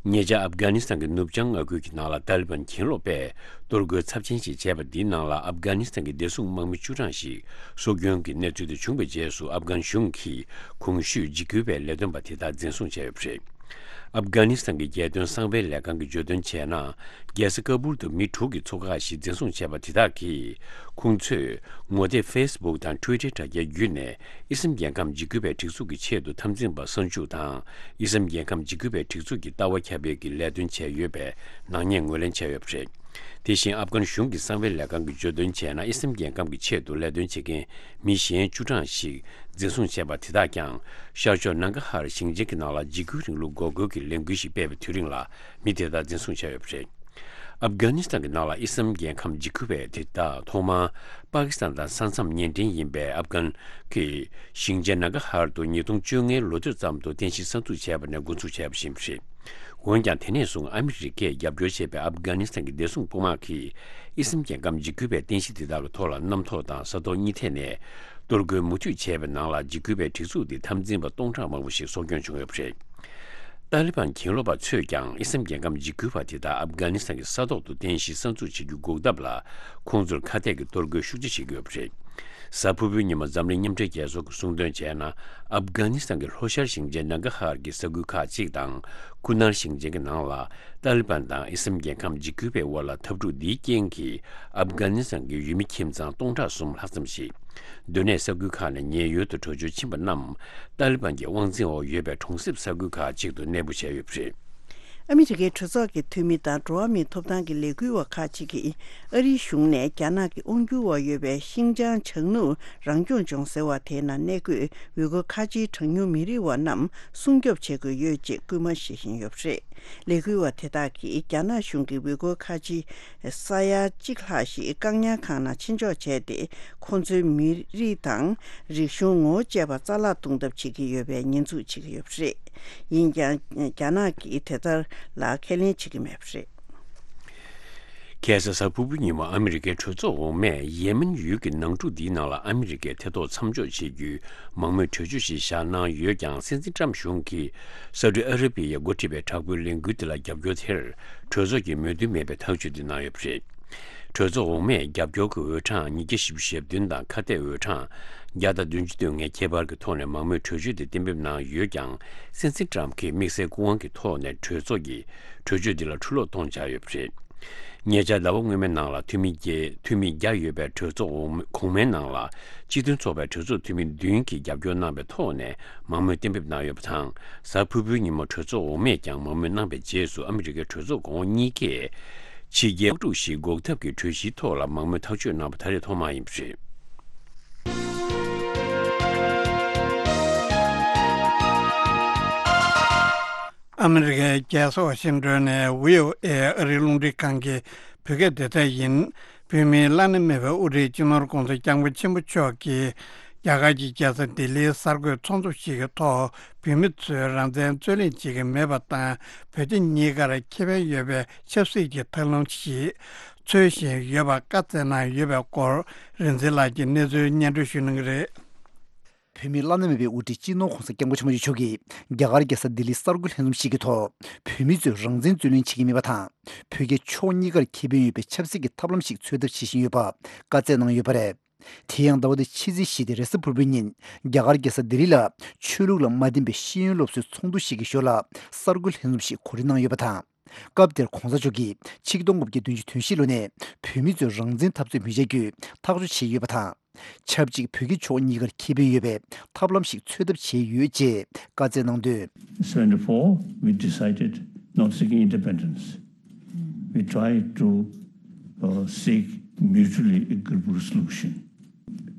ཉེ་ཆར་ཨབ་གྷ་ནི་སི་ཐན་གྱི་ནུབ་བྱང་མངའ་ཁུལ་གྱི་ནང་ལ་ཏཱ་ལི་བན་གྱེན་ལོག་པས་གཏོར་རྒོལ་ཚབས་ཆེན་ཞིག་བྱས་པ་འདིའི་ནང་ལ་ཨབ་གྷ་ནི་སི་ཐན་གྱི་བདེ་སྲུང་དམག་མི་བཅུ་གྲངས་ཤིག་སྲོག་སྐྱོན་གྱི་གནས་ཚུལ་དེ་བྱུང་བའི་རྗེས་སུ་ཨབ་གྷན་གཞུང་གིས་གོང་ཞུས་འཇིགས་སྐུལ་བའི་ལས་དོན་པ་དེ་དག་འཛིན་བཟུང་བྱས་ཡོད་པ་རེད། ཨབ་གྷ་ནི་སི་ཐན་གྱི་རྒྱལ་དོན་གསང་བའི་ལས་ཁང་གིས་བརྗོད་དོན་བྱས་ན། རྒྱལ་ས་ཀ་བུལ་དུ་མི་དྲུག་གི་ཚོ་ཁག་ཞིག་འཛིན་བཟུང་བྱས་པ་དེ་དག་གིས། ཁོང་ཚོས་ངོ་དེབ་ཕེ་སི་བུག་དང་ཊུའི་ཊར་དྲ་རྒྱའི་བརྒྱུད་ནས་ཨི་སམ་རྒྱལ་ཁམས་འཇིགས་སྐུལ་བའི་སྒྲིག་འཛུགས་ཀྱི་ཆེད་དུ་འཐབ་འཛིང་པ་གསར་འཇུག་དང་། ཨི་སམ་རྒྱལ་ཁམས་འཇིགས་སྐུལ་བའི་སྒྲིག་འཛུགས་ཀྱི་ལྟ་བ་ཁྱབ་སྤེལ་གྱི་ལས་དོན་བྱས་ཡོད་པའི་ནག་ཉེས་ངོས་ལེན་བྱས་ཡོད་པ་རེད། དེ་བཞིན་ཨབ་གྷན་གཞུང་གི་གསང་བའི་ལས་ཁང་གིས་བརྗོད་དོན་བྱས་ན། ཨི་སམ་རྒྱལ་ཁམས་ཀྱི་ཆེད་དུ་ལས་དོན་བྱེད་མཁན་མི་གཞན་བཅུ་གྲངས་ཤིག་འཛིན་བཟུང་བྱས་པ་དེ་དག་ཀྱང་། ཤར་ཕྱོགས་ནང་ག་ཧར་ཞིང་ཆེན་གྱི་ནང་ལ་འཇིགས་སྐུལ་རིང་ལུགས་འགོག་རྒོལ་གྱི་ལས་འགུལ་ཞིག་སྤེལ་བའི་དུས་རིང་ལ་མི་དེ་དག་འཛིན་བཟུང་བྱས་ཡོད་པ་རེད། ཨབ་གྷ་ནི་སི་ཐན་གྱི་ནང་ལ་ཨི་སམ་རྒྱལ་ཁམས་འཇིགས་སྐུལ་བས་དེ་དག་ཐོག་མར་པ་ཀི་སི་ཐན་དང་ས་མཚམས་གཉེན་འཕྲད་ཡིན་པའི་ཨབ་གྷན་གྱི་ཞིང་ཆེན་ནང་ག་ཧར་དུ་ཉིས་སྟོང་བཅོ་ལྔའི་ལོ་སྟོད་ཙམ་དུ་རྟེན་གཞི་གསར་འཛུགས་བྱས་པ་ནས་འགོ་འཛུགས་བྱས་པ་ཞིག་ཡིན་པ་རེད། འོན་ཀྱང་། དེ་ནས་བཟུང་ཨ་མི་རི་ཀས་རྒྱབ་སྐྱོར་བྱས་པའི་ཨབ་གྷ་ནི་སི་ཐན་གྱི་བདེ་སྲུང་དཔུང་དམག་གིས་ཨི་སམ་རྒྱལ་ཁམས་འཇིགས་སྐུལ་བའི་རྟེན་གཞི་དེ་དག་གི་ཐོག་ལ་གནམ་ཐོག་དང་ས་ཐོག་གཉིས་ཐད་ནས་གཏོར་རྒོལ་མུ་མཐུད་བྱས་པའི་ནང་ལ། འཇིགས་སྐུལ་བའི་སྒྲིག་འཛུགས་དེའི་འཐབ་འཛིང་པ་སྟོང་ཕྲག་མང་པོ་ཞིག་སྲོག་སྐྱོན་བྱུང་ཡོད་པ་རེད། ཏཱ་ལི་བན་གྱེན་ལོག་པ་ཚོས་ཀྱང་ཨི་སམ་རྒྱལ་ཁམས་འཇིགས་སྐུལ་བ་དེ་དག་ཨབ་གྷ་ནི་སི་ཐན་གྱི་ས་ཐོག་ཏུ་རྟེན་གཞི་གསར་འཛུགས་བྱེད་རྒྱུ་འགོག་ཐབས་ལ་ཁོང་ཚོར་ཁ་གཏད་ཀྱི་གཏོར་རྒོལ་ཤུགས་ཆེ་བྱེད་ཀྱི་ཡོད་པ་རེད། གཟའ་ཕུར་བུའི་ཉིན་མོ་འཛམ་གླིང་མཉམ་འབྲེལ་རྒྱལ་ཚོགས་ཀྱིས་གསུངས་དོན་བྱས་ན། ཨབ་གྷ་ནི་སི་ཐན་གྱི་ལྷོ་ཤར་ཞིང་ཆེན་ནང་ག་ཧར་གྱི་ས་ཁུལ་ཁག་ཅིག་དང་། ཁུ་ནར་ཞིང་ཆེན་གྱི་ནང་ལ་ཏཱ་ལི་བན་དང་ཨི་སམ་རྒྱལ་ཁམས་འཇིགས་སྐུལ་བའི་དབར་ལ་འཐབ་འཁྲུག་འདིའི་རྐྱེན་གྱིས་ཨབ་གྷ་ནི་སི་ཐན་གྱི་ཡུལ་མི་ཁྱིམ་ཚང་སྟོང་ཕྲག་གསུམ་ལྷག་ཙམ་ཞིག་སྡོད་གནས་ས་ཁུལ་ཁག་ནས་ཉེན་གཡོལ་དུ་བྲོས་བྱོལ་ཕྱིན་པ་རྣམས་ཏཱ་ལི་བན་གྱི་དབང་འཛིན་འོག་ཡོད་པའི་གྲོང་གསེབ་ས་ཁུལ་ཁག་ཅིག་ཏུ་གནས་སྤོ་བྱས་ཡོད་པ་རེད། ཨ་མི་རི་ཀའི་གྲོས་ཚོགས་ཀྱི་འཐུས་མི་དང་འགྲོ་བ་མིའི་ཐོབ་ཐང་གི་ལས་འགུལ་བ་ཁག་ཅིག་གིས་ཨ་རིའི་གཞུང་ནས་རྒྱ་ནག་གི་དབང་སྒྱུར་འོག་ཡོད་པའི་ཤིན་ཅང་བྱང་ནུབ་རང་སྐྱོང་ལྗོངས་ཟེར་བ་དེའི་ནང་གནས་འཁོད་ཝུ་གུར་ཁ་ཆེའི་གྲངས་ཉུང་མི་རིགས་བ་རྣམས་སྲུང་སྐྱོབ་བྱེད་དགོས་ཡོད་ཅེས་སྐུལ་མ་བྱེད་བཞིན་ཡོད་པ་རེད། ལས་འགུལ་བ་དེ་དག་གིས་རྒྱ་ནག་གཞུང་གིས་ཝུ་གུར་ཁ་ཆེ་ས་ཡ་གཅིག་ལྷག་ཞིག་བཀག་ཉར་ཁང་ནང་ཕྱིར་འཇོག་བྱས་ཏེ། ཁོང་ཚོའི་མི་རིགས་དང་རིག་གཞུང་ངོ་བོ་བཅས་པ་རྩ་བརླག་གཏོང་ཐབས་བྱེད་ཀྱི་ཡོད་པའི་ཉེས་འཛུགས་བྱེད་ཀྱི་ཡོད་པ་རེད། ཡིན་ཀྱང་། རྒྱ་ནག་གིས་དེ་ལྟར་ལ་ཁས་ལེན་བྱེད་ཀྱི་མེད་པ་རེད། ཁ་སང་གཟའ་ཕུར་བུའི་ཉིན་མོ་ཨ་མི་རི་ཀའི་གྲོས་ཚོགས་འོག་མས་ཡེ་མེན་ཡུལ་གྱི་ནང་འཁྲུག་འདིའི་ནང་ལ་ཨ་མི་རི་ཀས་ཐེ་གཏོགས་མཚམས་འཇོག་བྱེད་རྒྱུའི་མང་མོས་གྲོས་ཆོད་ཞིག་བཞག་གནང་ཡོད་ཀྱང་། སྲིད་འཛིན་ཏྲམ་གཞུང་གིས་སའུ་ཏི་ཨ་ར་བི་ཡས་འགོ་ཁྲིད་པའི་དྲག་པོའི་ལས་འགུལ་འདི་ལ་རྒྱབ་སྐྱོར་དེར་གྲོས་ཚོགས་ཀྱིས་མོས་མཐུན་མེད་པའི་ཐག་གཅོད་དེ་གནང་ཡོད་པ་རེད། གྲོས་ཚོགས་འོག་མས་རྒྱབ་སྐྱོར་གྱི་འོས་གྲངས་ཉིས་བརྒྱ་བཞི་བཅུ་ཞེ་བདུན་དང་ཁ་གཏད་འོས་གྲངས་བརྒྱ་དང་བདུན་ཅུ་དོན་ལྔའི་ཁྱད་པར་གྱི་ཐོག་ནས་མང་མོས་གྲོས་ཆོད་དེ་གཏན་འབེབས་གནང་ཡོད་ཀྱང་། སྲིད་འཛིན་ཏྲམ་གྱིས་དམིགས་བསལ་སྐུ་དབང་གི་ཐོག་ནས་གྲོས་ཚོགས་ཀྱིས་གྲོས་ཆོད་འདི་ལ་འཁྲུལ་སློག་གཏོང་འཆར་ཡོད་པ་རེད། ཉེ་ཆར་ཟླ་བ་སྔོན་མའི་ནང་ལ་འཐུས་མི་བརྒྱད་འཐུས་མི་བརྒྱ་ཡོད་པའི་གྲོས་ཚོགས་འོག་གོང་མའི་ནང་ལ། སྤྱི་མཐུན་ཚོགས་པའི་གྲོས་ཚོགས་འཐུས་མི་བདུན་གྱིས་རྒྱབ་སྐྱོར་གནང་བའི་ཐོག་ནས་མང་མོས་གཏན་འབེབས་གནང་ཡོད་པ་དང་། གཟའ་ཕུར་བུའི་ཉིན་མོ་གྲོས་ཚོགས་འོག་མས་ཀྱང་མང་མོས་གནང་བའི་རྗེས་སུ། ཨ་མི་རི་ཀའི་གྲོས་ཚོགས་གོང་འོག་གཉིས་ཀས་ཕྱི་རྒྱལ་དམག་འཁྲུག་ཞིག་འགོག་ཐབས་ཀྱི་གྲོས་གཞིའི་ཐོག་ལ་མང་མོས་ཐག་གཅོད་གནང་བ་ད་རེས་ཐོག་མ་ཡིན་པ་རེད། ཨ་མི་རི་ཀའི་རྒྱལ་ས་ཝ་ཤིང་ཏོན་ནས་བྷི་ཨོ་ཨེ་ཨ་རིའི་རླུང་འཕྲིན་ཁང་གི་བོད་སྐད་སྡེ་ཚན་ཡིན། བོད་མིའི་བླ་ན་མེད་པའི་དབུ་ཁྲིད་སྤྱི་ནོར་༧གོང་ས་༧སྐྱབས་མགོན་ཆེན་པོ་མཆོག་གིས་རྒྱ་གར་གྱི་རྒྱལ་ས་ལྡི་ལིའི་གསར་འགོད་ཚོགས་འདུ་ཞིག་གི་ཐོག་བོད་མི་ཚོས་རང་བཙན་རྩོད་ལེན་བྱེད་ཀྱི་མེད་པ་དང་། བོད་རྒྱ་གཉིས་ཀར་ཁེ་ཕན་ཡོད་པའི་ཆབ་སྲིད་ཀྱི་ཐབས་ལམ་ཞིག་འཚོལ་བཞིན་ཡོད་པ་བཀའ་སྩལ་གནང་ཡོད་པའི་སྐོར། རིག་འཛིན་ལགས་ཀྱིས་གནས་ཚུལ་སྙན་སྒྲོན་ཞུ་གནང་གི་རེད། བོད་མིའི་བླ་ན་མེད་པའི་དབུ་ཁྲིད་སྤྱི་ནོར་༧གོང་ས་༧སྐྱབས་མགོན་ཆེན་པོ་མཆོག་གིས་རྒྱ་གར་རྒྱལ་ས་ལྡི་ལིའི་གསར་འགོད་ལྷན་འཛོམས་ཤིག་གི་ཐོག་བོད་མི་ཚོས་རང་བཙན་རྩོད་ལེན་བྱེད་ཀྱི་མེད་པ་དང་། བོད་རྒྱ་ཕྱོགས་གཉིས་ཀར་ཁེ་ཕན་ཡོད་པའི་ཆབ་སྲིད་ཀྱི་ཐབས་ལམ་ཞིག་འཚོལ་ཐབས་བྱེད་བཞིན་ཡོད་པ་བཀའ་སྩལ་གནང་ཡོད་པ་རེད། དེ་ཡང་ཟླ་བ་འདིའི་ཕྱི་ཚེས་བཞི་སྟེ་རེས་གཟའ་ཕུར་བུའི་ཉིན་རྒྱ་གར་རྒྱལ་ས་ལྡི་ལི་ལ་ཆོས་ལུགས་ལ་མ་བརྟེན་པའི་ཤེས་ཡོན་སློབ་གསོའི་ཚོགས་འདུ་ཞིག་གི་ཞོར་ལ་གསར་འགོད་ལྷན་འཛོམས་ཤིག་གོ་སྒྲིག་གནང་ཡོད་པ་དང་། སྐབས་དེར་༧གོང་ས་མཆོག་གིས་ཆིག་སྟོང་དགུ་བརྒྱ་བདུན་ཅུ་དོན་བཞི་ལོ་ནས་བོད་མི་ཚོས་རང་བཙན་འཐབ་རྩོད་མི་བྱ་རྒྱུའི་ཐག་གཅོད་བྱས་ཡོད་པ་དང་། ཆབས་ཅིག་བོད་རྒྱ་ཕྱོགས་གཉིས་ཀར་ཁེ་ཕན་ཡོད་པའི་ཐབས་ལམ་ཞིག་འཚོལ་ཐབས་བྱས་ཡོད་ཅེས་བཀའ་སྩལ་གནང་དོན། Seventy-four, we decided not seeking independence. We tried to uh, seek mutually agreeable solution.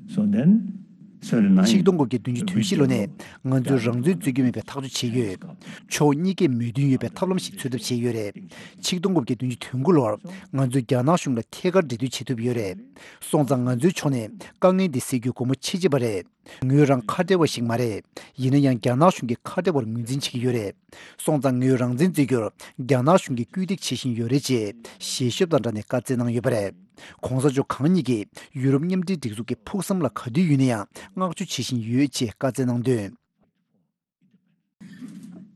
So then, seventy-nine, ཆིག་སྟོང་དགུ་བརྒྱ་བདུན་ཅུ་དོན་བཞི་ལོ་ནས་ང་ཚོས་རང་བཙན་རྩོད་རྒྱུ་མེད་པའི་ཐག་གཅོད་བྱས་ཡོད། ཕྱོགས་གཉིས་ཀས་མོས་མཐུན་ཡོད་པའི་ཐབས་ལམ་ཞིག་འཚོལ་ཐབས་བྱས་ཡོད་རེད། ཆིག་སྟོང་དགུ་བརྒྱ་བདུན་ཅུ་དོན་དགུ་ལོར་ང་ཚོས་རྒྱ་ནག་གཞུང་ལ་ཐད་ཀར་འབྲེལ་མཐུད་བྱེད་ཐུབ་ཡོད་རེད། སོང་ཙང་ང་ཚོའི་ཕྱོགས་ནས་དཀའ་ངལ་འདི་སེལ་རྒྱུའི་སྒོ་མོ་ཕྱེ་བྱས་པ་རེད། ངོས་རང་ཁ་བྲལ་བ་ཞིག་མ་རེད། ཡིན་ན་ཡང་རྒྱ་ནག་གཞུང་གིས་ཁ་བྲལ་བར་ངོས་འཛིན་བྱེད་ཀྱི་ཡོད་རེད། སོང་ཙང་ངོས་རང་བཙན་རྩོད་རྒྱུར་རྒྱ་ནག་གཞུང་གིས་སྐུལ་འདེད་བྱེད་བཞིན་ཡོད་རེད་ཅེས་ཞལ་ཤོབ་དང་སྦྲགས་ནས་བཀའ་སྩལ་གནང་ཡོད་པ་རེད།༧གོང་ས་མཆོག་གང་ཉིད་ཀྱིས་ཡུ་རོབ་མཉམ་འབྲེལ་སྒྲིག་འཛུགས་ཀྱི་ཕུགས་བསམ་ལ་ག་དུས་ཡོད་ན་ཡང་བསྔགས་བརྗོད་བྱེད་བཞིན་ཡོད་ཅེས་བཀའ་སྩལ་གནང་དོན།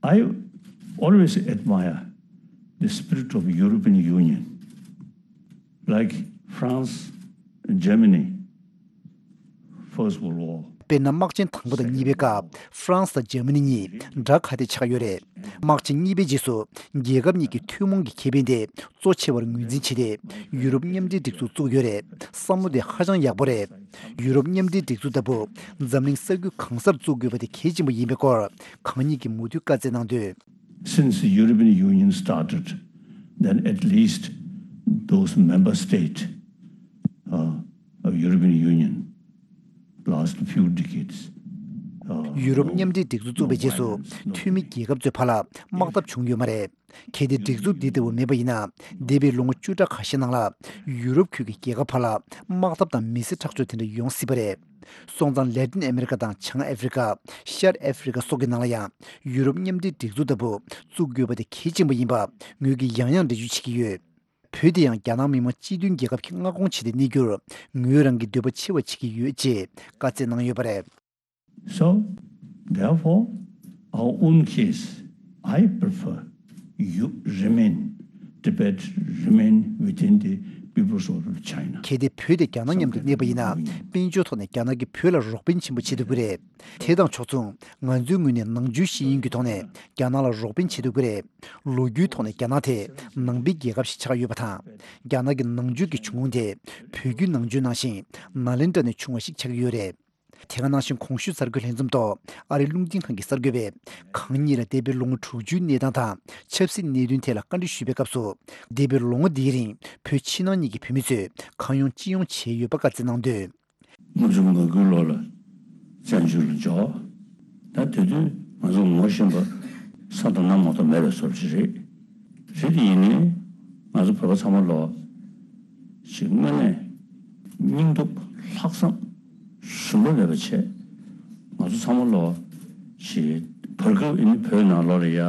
I always admire the spirit of European Union, like France and Germany, First World War. དཔེར་ན། དམག་ཆེན་དང་པོ་དང་གཉིས་པའི་སྐབས་ཧྥ་རན་སི་དང་འཇར་མ་ནི་གཉིས་དགྲ་ཁ་གཏད་ཆགས་ཡོད་རེད། དམག་ཆེན་གཉིས་པའི་རྗེས་སུ་རྒྱལ་ཁབ་གཉིས་ཀྱི་ཐུན་མོང་གི་ཁེ་ཕན་དེ་གཙོ་ཆེ་བར་ངོས་འཛིན་བྱས་ཏེ། ཡུ་རོབ་མཉམ་འབྲེལ་སྒྲིག་འཛུགས་བཙུགས་ཡོད་རེད། བསམ་བློ་དེ་ཧ་ཅང་ཡག་པོ་རེད། ཡུ་རོབ་མཉམ་འབྲེལ་སྒྲིག་འཛུགས་ལྟ་བུ་འཛམ་གླིང་ས་ཁུལ་གང་སར་བཙུགས་དགོས་པ་དེ་གལ་ཆེན་པོ་ཡིན་པའི་སྐོར་གང་ཉིད་ཀྱིས་མུ་མཐུད་བཀའ་སྩལ་གནང་དོན། Since the European Union started, then at least those member states uh, of European Union last few decades. Uh, ཡུ་རོབ་མཉམ་འབྲེལ་སྒྲིག་འཛུགས་བཙུགས་པའི་རྗེས་སུ་འཐུས་མི་རྒྱལ་ཁབ་ཚོའི་བར་ལ་དམག་འཐབ་བྱུང་ཡོད་མ་རེད། གལ་ཏེ་སྒྲིག་འཛུགས་འདི་ལྟ་བུ་མེད་པ་ཡིན་ན། འདས་པའི་ལོ་ངོ་བཅུ་ཕྲག་ཁ་ཤས་ནང་ལ་ཡུ་རོབ་ཁུལ་གྱི་རྒྱལ་ཁབ་བར་ལ་དམག་འཐབ་དང་མི་སེར་ཁྲག་སྦྱོར་དེ་འདྲ་ཡོང་སྲིད་པ་རེད། སོང་ཙང་ལེ་ཏིན་ཨ་མེ་རི་ཀ་དང་བྱང་ཨ་ཧྥེ་རི་ཀ། ཤར་ཨ་ཧྥེ་རི་ཀ་སོགས་ཀྱི་ནང་ལ་ཡང་ཡུ་རོབ་མཉམ་འབྲེལ་སྒྲིག་འཛུགས་ལྟ་བུ་བཙུགས་དགོས་པ་དེ་གལ་ཆེན་པོ་ཡིན་པ་ངོས་ཀྱིས་ཡང་ཡང་འགྲེལ་བརྗོད་བྱེད་ཀྱི་ཡོད། བོད་དེ་ཡང་རྒྱ་ནག་མི་དམངས་སྤྱི་མཐུན་རྒྱལ་ཁབ་ཀྱིས་མངའ་ཁོངས་བྱས་ཏེ་གནས་རྒྱུར་ངོས་རང་གིས་འདོད་པ་ཆེ་བ་བྱེད་ཀྱི་ཡོད་ཅེས་བཀའ་སྩལ་གནང་ཡོད་པ་རེད། So, therefore, our own case, I prefer you remain, Tibet remain within the People's Republic of China. གལ་ཏེ་བོད་དེ་རྒྱ་ནག་མཉམ་དུ་གནས་པ་ཡིན་ན། དཔལ་འབྱོར་ཐོག་ནས་རྒྱ་ནག་གིས་བོད་ལ་རོགས་ཕན་ཆེན་པོ་བྱེད་ཐུབ་ཀྱི་རེད། དེ་དང་ཕྱོགས་མཚུངས་ང་ཚོའི་ངོས་ནས་ནང་ཆོས་ཤེས་ཡོན་གྱི་ཐོག་ནས་རྒྱ་ནག་ལ་རོགས་ཕན་བྱེད་ཐུབ་ཀྱི་རེད། ལོ་རྒྱུས་ཐོག་ནས་རྒྱ་ནག་དེ་ནང་པའི་རྒྱལ་ཁབ་ཞིག་ཆགས་ཡོད་པ་དང་། རྒྱ་ནག་གི་ནང་ཆོས་ཀྱི་བྱུང་ཁུངས་དེ་བོད་བརྒྱུད་ནང་ཆོས་ནང་བཞིན་ནཱ་ལེནྡྲ་ནས་བྱུང་བ་ཞིག་ཆགས་ཀྱི་ཡོད་རེད། དེ་ག་ནང་བཞིན་གོང་ཞུས་གསར་འགོད་ལྷན་འཛོམས་ཐོག་ཨ་རིའི་རླུང་འཕྲིན་ཁང་གི་གསར་འགོད་པས་གང་ཉིད་ལ་འདས་པའི་ལོ་ངོ་དྲུག་ཅུའི་གནས་སྟངས་དང་ཆབ་སྲིད་གནད་དོན་ཐད་ལ་བཀའ་འདྲི་ཞུས་པའི་སྐབས་སུ། འདས་པའི་ལོ་ངོ་འདིའི་རིང་བོད་ཕྱི་ནང་གཉིས་ཀྱི་བོད་མི་ཚོས་གང་ཡོང་ཅི་ཡོང་བྱས་ཡོད་པ་བཀའ་སྩལ་གནང་དོན། ལྔ་བཅུ་ང་དགུའི་ལོ་ལ་བཙན་བྱོལ་ལ་འབྱོར། ད་དེ་དུས་ང་ཚོ་ངོ་ཤེས་པ་ས་དང་གནམ་མ་གཏོགས་མེད་པའི་བཟོ་འདྲ་ཞིག་རེད། རེད་དེ་ཡིན་ནའི་ང་ཚོ་བོད་པ་ཚང་མ་ལོ་ཞིག་དངོས་གནས་སྙིང་སྟོབས་ལྷག་བསམ་ཞུམ་པ་མེད་པ་བྱས། ང་ཚོ་ཚང་མ་ལོ་ཞིག་བར་སྐབས་ཨ་ནི་བོད་ནང་ལོགས་ལ་ཡ་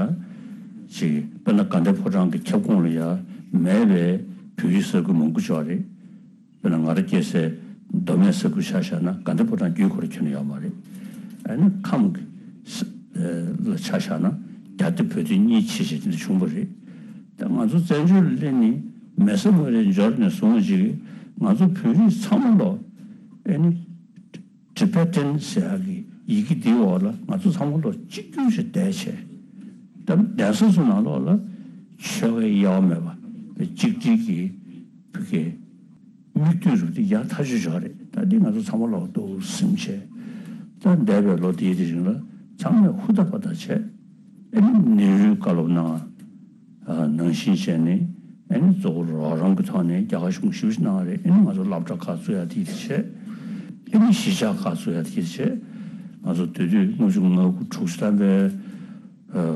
ཞིག་དཔེར་ན་དགའ་ལྡན་ཕོ་བྲང་གི་ཁྱབ་ཁོངས་ལ་ཡ་མེད་པའི་བོད་རིགས་ས་ཁུལ་མང་པོ་ཅིག་ཡོད་རེད། དཔེར་ན་ང་རང་སྐྱེས་སའི་མདོ་སྨད་ས་ཁུལ་ཆ་བཞག་ན་དགའ་ལྡན་ཕོ་བྲང་བརྒྱུད་ཁོ་རང་ཁྱོན་ནས་ཡོད་མ་རེད། ཨ་ནི་ཁམས་ཀྱི་ས་ལ་ཆ་བཞག་ན་རྒྱ་སྡེ་བོད་སྡེ་གཉིས་ཕྱེ་བྱས་དེ་འདྲ་བྱུང་བ་རེད། ད་ང་ཚོ་བཙན་བྱོལ་ལ་སླེབས་ནས་མེ་བཟའ་མ་རེད་འབྱོར་ནས་བཟུང་ཅིག་ང་ཚོ་བོད་རིགས་ཚང་མ་ལོ་ཨ་ནི་ཊི་བེ་ཊན་ཟེར་ཡག་གི་ཡི་གེ་འདིའི་འོག་ལ་ང་ཚོ་ཚང་མ་ལོ་གཅིག་གྱུར་ཞིག་བསྡད་བྱས། ད་གདན་ས་ཚོ་ནང་ལོགས་ལ་ཆོལ་ཁའི་དབྱེ་བ་མེད་པ་གཅིག་སྒྲིལ་གྱི་བོད་སྐད་མིག་ལྟོས་རུ་དེ་ཡག་ཐག་ཆོད་ཆོག་རེད། ད་འདི་ང་ཚོ་ཚང་མ་ལོག་འདུག་སེམས་བྱས། ད་འདས་པའི་ལོ་འདིའི་དེ་རིང་ལ་ཚང་མས་ཧུར་ཐག་པ་ཐག་བྱས། ཨ་ནི་ནེ་རུས་བཀའ་སློབ་གནང་། ནང་བཞིན་བྱས་ནས་ཨ་ནི་གཙོ་བོ་རོགས་རམ་གྱི་ཐོག་ནས་རྒྱ་གར་གཞུང་ཞེ་པོ་ཅིག་གནང་བ་རེད། ཨ་ནི་ང་ཚོ་སློབ་གྲྭ་ཁག་བཙུགས་ཡག་དེ་བྱས། ཨ་ནི་གཞིས་ཆགས་ཁག་བཙུགས་ཡག་དེ་བྱས། ང་ཚོ་དེ་དུས་ལྔ་བཅུ་ང་དགུ་དྲུག་ཅུ་ཐམ་པའི་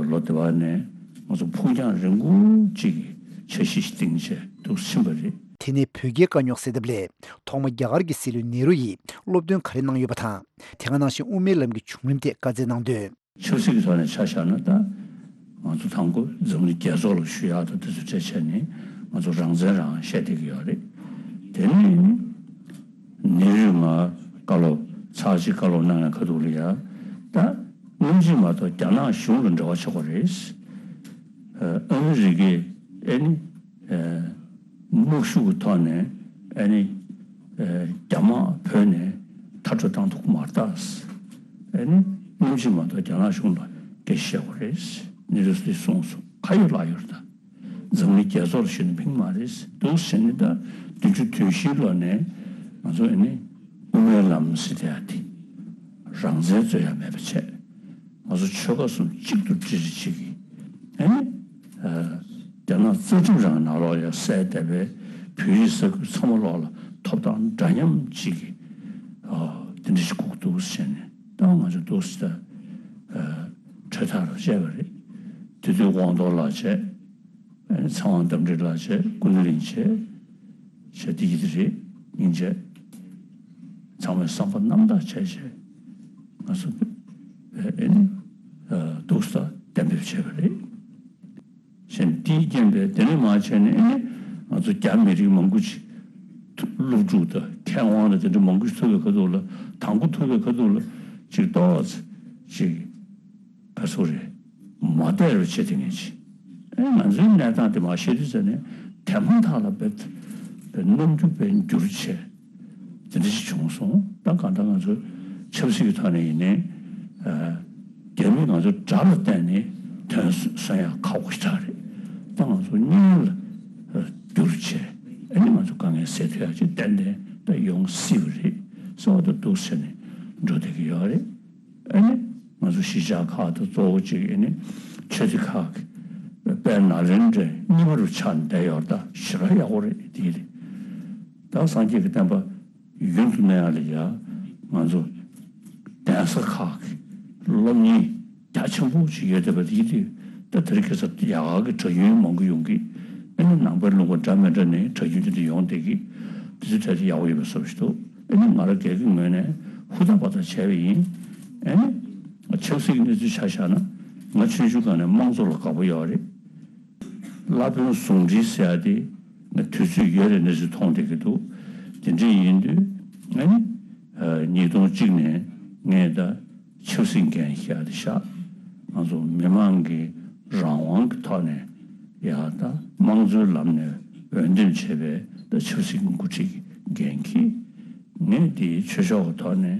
ལོ་དེ་བར་ནས་ང་ཚོ་ཕུགས་རྒྱང་རིང་པོ་ཅིག་གི་འཆར་གཞི་ཞིག་བཏིང་བྱས་འདུག་ཕྱིན་པ་རེད། དེ་ནས་བོད་རྒྱའི་དཀའ་རྙོག་སེལ་ཐབས་སླད་ཐོག་མ་རྒྱ་གར་གྱི་སྲིད་བློན་ནེ་རུ་ཡིས་སློབ་སྟོན་ག་རེ་གནང་ཡོད་པ་དང་། དེ་ག་ནང་བཞིན་དབུ་མའི་ལམ་གྱི་བྱུང་རིམ་ཐད་བཀའ་སྩལ་གནང་དོན། ཆབ་སྲིད་ཀྱི་ཐོག་ནས་ཆ་བཞག་ན་ད་ང་ཚོ་དང་པོ་འཛམ་གླིང་རྒྱལ་ཚོགས་ལ་ཞུ་ཡག་དང་དེ་ཚོ་གྲས་བྱས་ནས་ང་ཚོ་རང་བཙན་རང་བཤད་བསྡད་ཀྱི་ཡོད་རེད། དེ་ནས་ནི་ནེ་རུས་ང་བཀའ་སློབ་ཚར་གཅིག་བཀའ་སློབ་གནང་ཡག་ཁ་ཐུག་ལ་ཡ་ད་སྔོན་ཆད་མ་གཏོགས་རྒྱ་ནག་གཞུང་ལ་འབྲེལ་བ་ཆགས་པ་རེད། ཨ་མི་རི་ཀས་ཨ་ནི་དམག་ཤུགས་ཀྱི་ཐོག་ནས་ཨ་ནི་རྒྱ་དམག་བོད་ནས་མཐར་སྐྲོད་བཏང་ཐུབ་ཀྱི་མ་རེད་ད། ཨ་ནི་སྔོན་ཆད་མ་གཏོགས་རྒྱ་ནག་གཞུང་ལ་སྐད་ཆ་བཤད་དགོས་རེད། ནེ་རུས་ལས་གསུངས་སོང་། ག་ཡོད་ལ་ཡོད་རེད་ད། འཛམ་གླིང་རྒྱལ་ཚོགས་ལ་ཞུས་ན་ཕན་གྱི་མ་རེད། འདུག་ཟེར་ནས་ད་བདུན་ཅུ་དོན་བཞིའི་ལོ་ནས་ང་ཚོ་ཨ་ནི་དབུ་མའི་ལམ་ཟེར་དེ་ཡ་དེ་རང་བཙན་རྩོད་ཡ་མེད་པ་བྱས། ང་ཚོ་ཆོལ་ཁ་གསུམ་གཅིག་ཏུ་སྒྲིལ་གཅིག་གིས་ཨ་ནི་རྒྱ་ནག་རྩ་ཁྲིམས་རང་ནང་ལོགས་ཡ་གསལ་བསྡད་པའི་བོད་རིགས་ས་ཁུལ་ཚང་མ་ལོགས་ལ་ཐོབ་ཐང་འདྲ་མཉམ་གཅིག་གིས་དེ་འདྲ་ཞིག་དགོས་ཀྱི་འདུག་ཟེར་ནས་ད་ང་ཚོ་འདུག་ཟེར་ད་གྲོས་ཐག་རུ་བཅད་པ་རེད། དེ་དུས་དབང་རྡོར་ལགས་བྱས། ཨ་ནི་ཚེ་དབང་རྟ་མགྲིན་ལགས་བྱས། ཀུན་གླིང་བྱས། བྱས་དེ་ཡིན་དེ་རེད། སྙིང་རྗེ། ཚང་མས་བསམ་པ་རྣམ་དག་བྱས་བྱས་ང་ཚོ་ཨ་ནི་འདུག་ས་གཏན་འབེབས་བྱས་པ་རེད། བྱས་ནས་དེའི་རྐྱེན་པས་དེ་ནས་མར་བྱས་ནས་ཨ་ནི་ང་ཚོ་རྒྱ་མི་རིགས་མང་པོ་ཅིག་སློབ་ཕྲུག་དང་མཁས་དབང་དང་དེ་འདྲ་མང་པོ་ཞིག་ཐུག་པའི་ཁ་ཐུག་ལ། དང་པོ་ཐུག་པའི་ཁ་ཐུག་ལ་ཅིག་ཏོག་ཙམ་ཅིག་ག་ཚོད་རེད། མ་བསྡད་རུ་བྱེད་དེ་ངས་ཅིག་ཨེ་ང་ཚོའི་གནས་སྟངས་དེ་མར་བཤད་དུས་ཙམ་ནས་དེ་མ་ཐག་ལ་དཔེ་དཔེ་རྣམ་འགྱུར་དཔེ་འགྱུར་བྱས་དེ་འདྲ་ཞིག་བྱུང་སོང་། ད་གང་ལྟར་ང་ཚོ་ཆབ་སྲིད་ཀྱི་ཐོག་ནས་ཡིན་ནའི་ཨ་རྒྱ་མིས་ང་ཚོ་དགྲ་ལ་བརྟེན་ནས་དོན་སོན་ཡག་ཁག་པོ་ཞིག་རེད། ད་ང་ཚོ་གཉེན་ལ་ཨ་བསྒྱུར་བྱས་ཨ་ནི་ང་ཚོ་དཀའ་ངལ་སེལ་ཐུབ་ཡག་ཅིག་ཏན་ཏན་ད་ཡོང་སྲིད་པ་རེད་བསམ་པ་ད་འདུག་ཟེར་ནས་འགྲོ་བསྡད་ཀྱི་ཡོད་རེད། ཨ་ནི་ང་ཚོ་གཞིས་ཆགས་ཁག་དང་གཙོ་བོ་གཅིག་ཨ་ནི་ཆོས་སྡེ་ཁག་གི་དཔལ་ནཱ་ལེནྡྲའི་རྙིང་པ་རུ་ཆགས་ནས་བསྡད་ཡོད་རེད། ད་ཞེ་དྲག་ཡག་པོ་རེད། དེ་རེད། ད་སངས་རྒྱས་ཀྱི་བསྟན་པ་ཡུན་དུ་གནས་ཡག་ལ་ཡ་ང་ཚོ་གདན་ས་ཁག་གི་སློབ་གཉེར་རྒྱ་ཆེན་པོ་ཞིག་ཡོད་བསྡད་པ་དེ་དུས་ད་དེ་རིང་ཁ་སང་རྒྱ་གར་གྱི་གྲྭ་རྒྱུན་མང་པོ་ཡོང་གི། ཨ་ནི་ནང་པའི་ལུང་པ་འདྲ་མི་འདྲ་ནས་གྲྭ་རྒྱུན་དེ་འདྲ་ཡོང་བསྡད་ཀྱི། དེ་ཚོའི་གྲས་དེ་ཡག་པོ་ཡོད་པའི་བཟོ་ཞིག་འདུག་ཨ་ནི་ང་རང་སྒེར་གྱི་ངོས་ནས་ཧུར་ཐག་འབད་ཐག་བྱས་པ་ཡིན། ཨ་ནི་ཆབ་སྲིད་ཀྱི་གནས་ཚུལ་ཆ་བཞག་ན་ང་ཆུང་ཆུང་སྒང་ནས་དམངས་གཙོ་ལ་དགའ་པོ་ཡོད་རེད། བླ་དཔོན་ཟུང་འབྲེལ་ཟེར་ཡ་དེ་ང་དུས་ཚོད་ཡོལ་བའི་གནས་ཚུལ་མཐོང་བསྡད་ཀྱི་འདུག་དེ་འདྲ་ཡིན་དུས་ཨ་ནི་ཉིས་སྟོང་གཅིག་ནས་ངས་ད་ཆབ་སྲིད་འགན་བཞེས་ཏེ་བཞག་ང་ཚོ་མི་མང་གི་རང་དབང་གི་ཐོག་ནས་ཡ་ད་དམངས་གཙོའི་ལམ་ནས་འོས་འདེམས་བྱས་པའི་ད་ཆབ་སྲིད་ཀྱི་འགོ་ཁྲིད་ཀྱི་འགན་འཁྱེར། ངས་དེའི་ཆོས་ཕྱོགས་ཀྱི་ཐོག་ནས་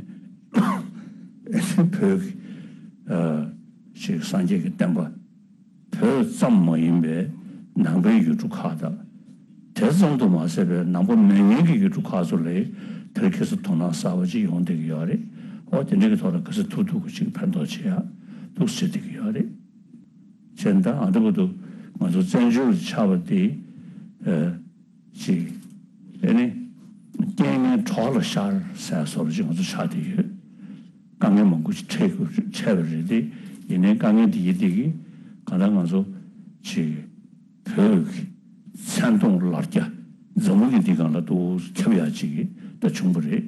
བོད་ཀྱི་ཅིག་སངས་རྒྱས་ཀྱི་བསྟན་པ་བོད་ཙམ་མ་ཡིན་པའི་ནང་པའི་ཡུལ་གྲུ་ཁག་དང་། དེ་ཙམ་དུ་མ་ཟད་པའི་ནང་པ་མེད་མཁན་གྱི་ཡུལ་གྲུ་ཁག་ཚོ་ལ་དེར་ཁ་སང་དོ་སྣང་གསར་པ་ཅིག་ཡོང་བསྡད་ཀྱི་ཡོད་རེད། འོ་དེ་འདྲ་གི་ཐོག་ལ་ག་ཚོད་ཐུབ་ཐུབ་ཀྱི་ཅིག་ཕན་ཐོགས་བྱེད་ཡག་འདུག་ཟེར་བསྡད་ཀྱི་ཡོད་རེད། བྱས་ཙང་ཨ་འདྲ་པོ་འདུག་ང་ཚོ་བཙན་བྱོལ་ལ་ཆགས་པ་དེ་ཨ་ཅིག་ཨེ་ནི་རྐྱེན་ངན་གྲོགས་ལ་ཤར་ཟེར་བཟོ་འདྲ་ཅིག་ང་ཚོ་ཆགས་བསྡད་ཡོད། དཀའ་ངལ་མང་པོ་ཞིག་འཕྲད་དགོས་འཕྲད་པ་རེད་དེ། ཡིན་ནའི་དཀའ་ངལ་འདི་ཡི་སྟེང་གི་གང་ལྟར་ང་ཚོ་ཅིག་བོད་ཀྱི་མཚན་མཐོང་ལ་རྒྱ་འཛམ་བུ་གླིང་འདི་སྒང་ལ་ཏོག་ཙམ་ཁྱབ་ཡག་ཅིག་ད་བྱུང་བ་རེད།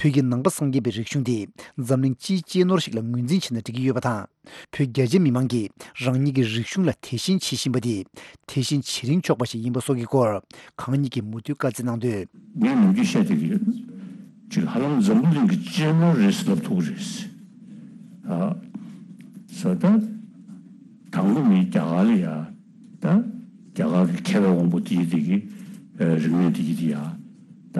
བོད་ཀྱི་ནང་པ་སངས་རྒྱས་པའི་རིག་གཞུང་དེ་འཛམ་གླིང་སྤྱིའི་གཅེས་ནོར་ཞིག་ལ་ངོས་འཛིན་བྱས་ན་འགྲིག་གི་ཡོད་པ་དང་། བོད་རྒྱ་ཆེ་མི་མང་གིས་རང་ཉིད་ཀྱི་རིག་གཞུང་ལ་དད་ཞེན་བྱེད་བཞིན་པ་དེ་དད་ཞེན་བྱེད་རིན་ཆོག་པ་ཞིག་ཡིན་པ་སོགས་ཀྱི་སྐོར་གང་ཉིད་ཀྱིས་མུ་མཐུད་བཀའ་སྩལ་གནང་དོན། ངས་ནམ་རྒྱུན་བཤད་བསྡད་ཀྱི་ཡོད། ཅིག་ཧ་ལམ་འཛམ་བུ་གླིང་གི་གཅེས་ནོར་རེད་ཟེར་ལབ་ཐུབ་ཀྱི་རེད། ཨ། ས་ད་དང་པོ་ནི་རྒྱ་གར་ལ་ཡ། ད་རྒྱ་གར་གྱི་མཁས་པའི་དབང་པོ་དེ་ཡི་དེ་གི་རིག་གནས་དེ་ཡི་དེ་ཡ། ད་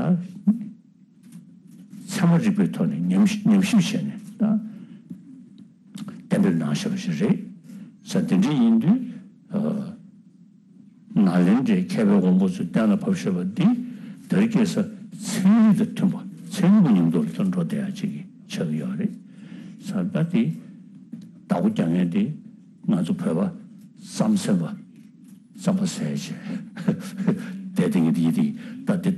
ཚད་མ་རིག་པའི་ཐོག་ནས་ཉམས་ཉམས་ཞིབ་བྱས་ནས་ད་གཏན་འབེབས་གནང་བཞག་པ་ཞིག་རེད། ས་དེ་འདྲ་ཡིན་དུས་ཨ། ནཱ་ལེནྡྲའི་མཁས་པའི་དབང་པོ་ཚོས་གཏན་ལ་ཕབ་བཞག་པ་འདི་དེ་རིང་ཁ་སང་ཚན་རིག་དང་མཐུན་པ་ཚན་རིག་པ་མཉམ་དུ་ལ་འགྲོ་བསྡད་ཡག་ཅིག་ཆགས་ཀྱི་ཡོད་རེད། ས་ད་དེ་བདག་པོ་རྒྱག་མཁན་དེ་ང་ཚོ་བོད་པ་བསམ་གཟན་པ་རྩམ་པ་ཟས་བྱས་བསྡད་དེ་ངས་དེ་ཡི་དེ་ད་དེ་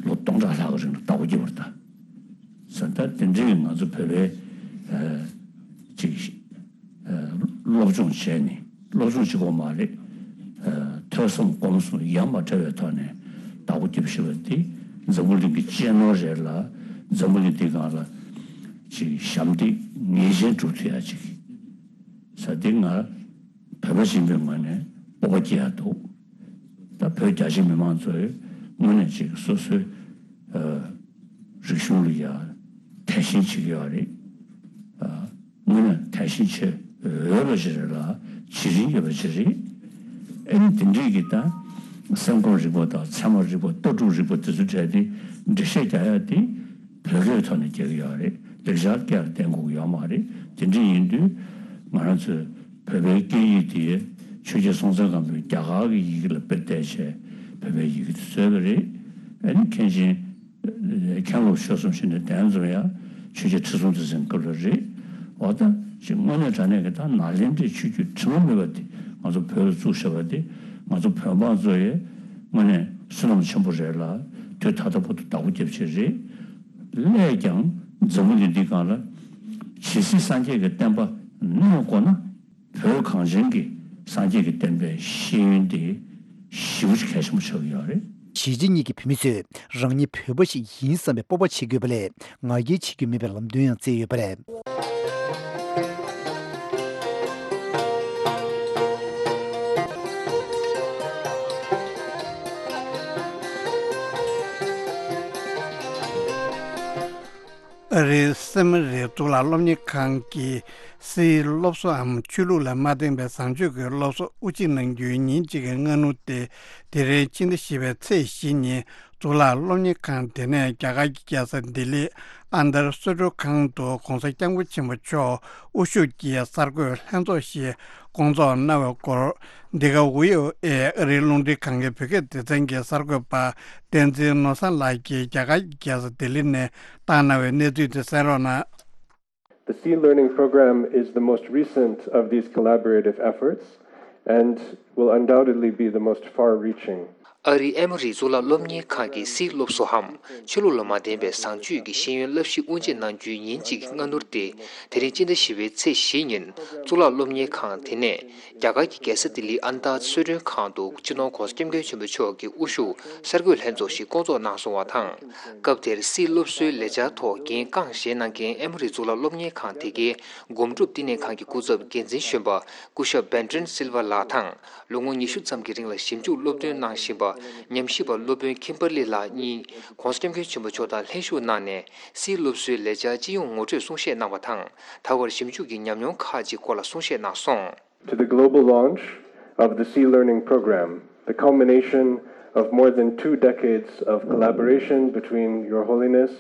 ལོ་སྟོང་ཕྲག་ལྷག་གི་རིང་ལ་བདག་པོ་རྒྱབ་པ་རེད་ད། ས་ད་དེ་འདྲའི་ང་ཚོ་བོད་པའི་ཨ་ཅིག་ཨ་སློབ་སྦྱོང་བྱས་ནས་སློབ་སྦྱོང་བྱེད་དགོས་མ་རེད། ཨ་ཐོས་བསམ་སྒོམ་གསུམ་ཡ་མ་བྲལ་བའི་ཐོག་ནས་བདག་པོ་རྒྱབ་ཤེས་པ་འདི་འཛམ་བུ་གླིང་གི་གཅེས་ནོར་རེད་ལ། འཛམ་བུ་གླིང་འདི་སྒང་ལ་ཅིག་ཞབས་འདེགས་ངེས་ཅན་སྒྲུབ་ཐུབ་ཡ་ཅིག་ས་འདི་ང་བོད་པ་ཡིན་པའི་ངོས་ནས་སྤོབས་པ་སྐྱེ་ཡ་འདུག་ད་བོད་རྒྱ་ཆེ་མི་མང་ཚོས་དངོས་གནས་ཅིག་སོ་སོའི་ཨ་རིག་གཞུང་ལ་ཡ་དད་ཞེན་བྱེད་ཀྱི་ཡོད་རེད། ཨ་དངོས་གནས་དད་ཞེན་བྱེད་འོས་པ་ཞིག་རེད་ལ་བྱེད་རིན་ཡོད་པ་ཞིག་རེད། ཨེ་ནི་དེ་འདྲའི་གི་ད་སེམས་ཁམས་རིག་པ་དང་ཚད་མ་རིག་པ་ལྟ་གྲུབ་རིག་པ་དེ་ཚོ་བྲལ་ཏེ་འགྲེལ་བཤད་རྒྱག་ཡ་དེ་བོད་སྐད་ཐོག་ནས་རྒྱག་གི་ཡོད་རེད། ལེགས་སྦྱར་སྐད་ལ་བརྟེན་དགོས་ཀྱི་ཡོད་མ་རེད། དེ་འདྲ་ཡིན་དུས་ང་རང་ཚོས་བོད་པའི་སྐད་ཡིག་དེ་ཆོས་རྒྱལ་སྲོང་བཙན་སྒམ་པོས་རྒྱ་གར་གྱི་ཡི་གེ་ལ་དཔེ་བལྟས་བྱས་བོད་པའི་ཡི་གེ་དེ་བཟོས་པ་རེད། ཨ་ནི་མཁན་ཆེན་མཁན་སློབ་ཆོས་གསུམ་ཞིག་ནས་གདན་འཛོམས་ཡ་ཆོས་རྒྱལ་ཁྲི་སྲོང་ལྡེ་བཙན་སྐབས་ལ་རེད། འོ་ད་ཅིག་དངོས་གནས་དྲང་གནས་ཀྱི་ད་ནཱ་ལེནྡྲའི་ཆོས་བརྒྱུད་དྲི་མ་མེད་པ་དེ་ང་ཚོ་བོད་ལ་བཙུགས་བཞག་པ་དེ་ང་ཚོ་བོད་འབངས་ཚོ་ཡི་དངོས་གནས་བསོད་ནམས་ཆེན་པོ་རེད་ལ། དུས་ད་ལྟ་བར་དུ་བདག་པོ་རྒྱབ་བྱས་རེད། སླད་ཀྱང་འཛམ་བུ་གླིང་འདི་སྒང་ལ་ཇི་སྲིད་སངས་རྒྱས་ཀྱི་བསྟན་པ་གནས་དགོས་ན། བོད་གངས་ཅན་གྱི་སངས་རྒྱས་ཀྱི་བསྟན་པའི་ཤེས་ཡོན་དེ་ཞེ་པོ་ཅིག་གལ་ཆེན་པོ་ཆགས་ཀྱི་ཡོད་རེད། གཞིས་བྱེས་གཉིས་ཀྱི་བོད་མི་ཚོས་རང་ཉིད་བོད་པ་ཞིག་ཡིན་བསམ་པའི་སྤོབས་པ་བྱེད་དགོས་པ་ལས་ང་རྒྱལ་བྱེད་རྒྱུ་མེད་པའི་ལམ་སྟོན་ཡང་བསྩལ་ཡོད་པ་རེད། ཨ་རིའི་སེ་མི་རི་གཙུག་ལག་སློབ་གཉེར་ཁང་གི་སིའི་སློབ་གསོའམ་ཆོས་ལུགས་ལ་མ་བརྟེན་པའི་བཟང་སྤྱོད་ཀྱི་སློབ་གསོ་དབུ་འབྱེད་གནང་རྒྱུའི་ཉིན་གཅིག་གི་སྔ་སྣུར་དེ་དེ་རིང་ཕྱི་ཟླ་བཞི་པའི་ཚེས་བཞི་ཉིན་གཙུག་ལག་སློབ་གཉེར་ཁང་དེ་ནས་རྒྱ་གར་གྱི་རྒྱལ་ས་ལྡི་ལི་ཨན་དར་གསོལ་མགྲོན་ཁང་དུ་༧གོང་ས་༧སྐྱབས་མགོན་ཆེན་པོ་མཆོག་དབུ་བཞུགས་ཀྱིས་གསར་འགོད་ལྷན་ཚོགས་ཤིག་བསྐོང་ཚོགས་གནང་བའི་སྐོར། འདི་ག་ཝི་ཨོ་ཨེ་ཨ་རིའི་རླུང་འཕྲིན་ཁང་གི་བོད་སྐད་སྡེ་ཚན་གྱི་གསར་འགོད་པ་བསྟན་འཛིན་ནོར་བཟང་ལགས་ཀྱིས་རྒྱ་གར་གྱི་རྒྱལ་ས་ལྡི་ལི་ནས་བཏང་གནང་བའི་གནས་ཚུལ་དེ་གསན་རོགས་གནང་། The Sea Learning Program is the most recent of these collaborative efforts and will undoubtedly be the most far-reaching. ཨ་རིའི་ཨེ་མོ་རི་གཙུག་ལག་སློབ་གཉེར་ཁང་གི་སིའི་སློབ་གསོའམ་ཆོས་ལུགས་ལ་མ་བརྟེན་པའི་བཟང་སྤྱོད་ཀྱི་ཤེས་ཡོན་བསླབ་གཞི་དབུ་འབྱེད་གནང་རྒྱུའི་ཉིན་གཅིག་སྔ་སྣུར་དེ་དེ་རིང་སྤྱི་ཟླ་བཞི་པའི་ཚེས་བཞི་ཉིན་གཙུག་ལག་སློབ་གཉེར་ཁང་དེ་ནས་རྒྱ་གར་གྱི་རྒྱལ་ས་ལྡི་ལིའི་ཨན་དར་གསོལ་མགྲོན་ཁང་དུ་སྤྱི་ནོར་༧གོང་ས་༧སྐྱབས་མགོན་ཆེན་པོ་མཆོག་གི་དབུ་བཞུགས་གསར་འགོད་ལྷན་ཚོགས་ཤིག་བསྐོང་ཚོགས་གནང་སོང་བ་དང་། སྐབས་དེར་སིའི་སློབ་གསོའི་ལས་འཆར་ཐོག་འགན་རྐང་བཞེས་གནང་མཁན་ཨེ་མོ་རི་གཙུག་ལག་སློབ་གཉེར་ཁང་དེ་གའི་སྒོམ་སྒྲུབ་བསྟི་གནས་ཁང་གི་སྐུ་ཚབ་འགན་འཛིན་གཞོན་པ་སྐུ་ཞབས་བེན་ཏྲན་སིལ་ཝ་ལགས་དང་། ལོ་ངོ་ཉི་ཤུ་ཙམ་གྱི་རིང་ལ་ཞིབ་འཇུག་སློབ་སྟོན་གནང་བཞིན་པ། ཉམས་ཞིབ་པ་སློབ་དཔོན་ཁིམ་བར་ལི་ལགས་གཉིས་༧གོང་ས་༧སྐྱབས་མགོན་ཆེན་པོ་མཆོག་དང་ལྷན་ཞུགས་གནང་ནས་སིའི་སློབ་གསོའི་ལས་འཆར་སྤྱི་ཡོངས་ངོ་སྤྲོད་གསུང་བཤད་གནང་བ་དང་། ད་བར་ཞིབ་འཇུག་གི་ཉམས་མྱོང་ཁག་ཅིག་སྐོར་ལ་གསུང་བཤད་གནང་སོང་། To the global launch of the Sea Learning Program, the culmination of more than two decades of collaboration between Your Holiness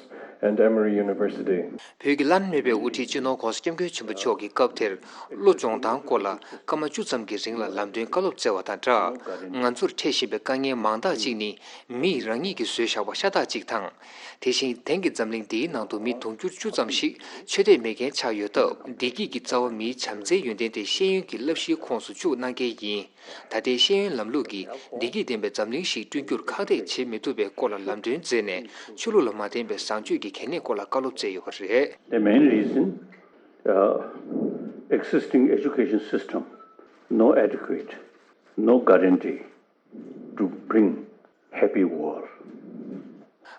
and Emory University. བོད་ཀྱི་བླ་ན་མེད་པའི་དབུ་ཁྲིད་སྤྱི་ནོར་༧གོང་ས་༧སྐྱབས་མགོན་ཆེན་པོ་མཆོག་གིས་སྐབས་དེར་བློ་སྦྱོང་སྟངས་སྐོར་ལ་སྐར་མ་བཅུ་ཙམ་གྱི་རིང་ལ་ལམ་སྟོན་བཀའ་སློབ་སྩལ་བ་དང་སྦྲགས། ང་ཚོར་འཕྲད་བཞིན་པའི་དཀའ་ངལ་མང་དག་ཅིག་ནི་མིས་རང་ཉིད་ཀྱིས་བཟོས་བཞག་པ་ཤ་སྟག་ཅིག་དང་། དེ་བཞིན་དེང་གི་འཛམ་གླིང་འདིའི་ནང་དུ་མི་དུང་ཕྱུར་བཅུ་ཙམ་ཞིག་ཆོས་དད་མེད་མཁན་ཆགས་ཡོད་སྟབས། བདེ་སྐྱིད་ཀྱི་རྩ་བ་མིའི་བྱམས་བརྩེའི་ཡོན་ཏན་དེ་ཤེས་ཡོན་གྱི་བསླབ་གཞིའི་ཁོངས་སུ་བཅུག་གནང་གལ་ཡིན། ད་ལྟའི་ཤེས་ཡོན་ལམ་ལུགས་ཀྱིས་བདེ་སྐྱིད་ལྡན་པའི་འཛམ་གླིང་ཞིག་བསྐྲུན་རྒྱུར་ཁག་ཐེག་བྱེད་མི་ཐུབ་པའི་སྐོར་ལ་ལམ་སྟོན་མཛད་ནས། ཆོས་ལུགས་ལ་མ་བརྟེན་པའི་བཟང་སྤྱོད་ཀྱི་གལ་གནད་སྐོར་ལ་བཀའ་སློབ་སྩལ་ཡོད་པ་རེད། The main reason, uh, existing education system, no adequate, no guarantee to bring happy world.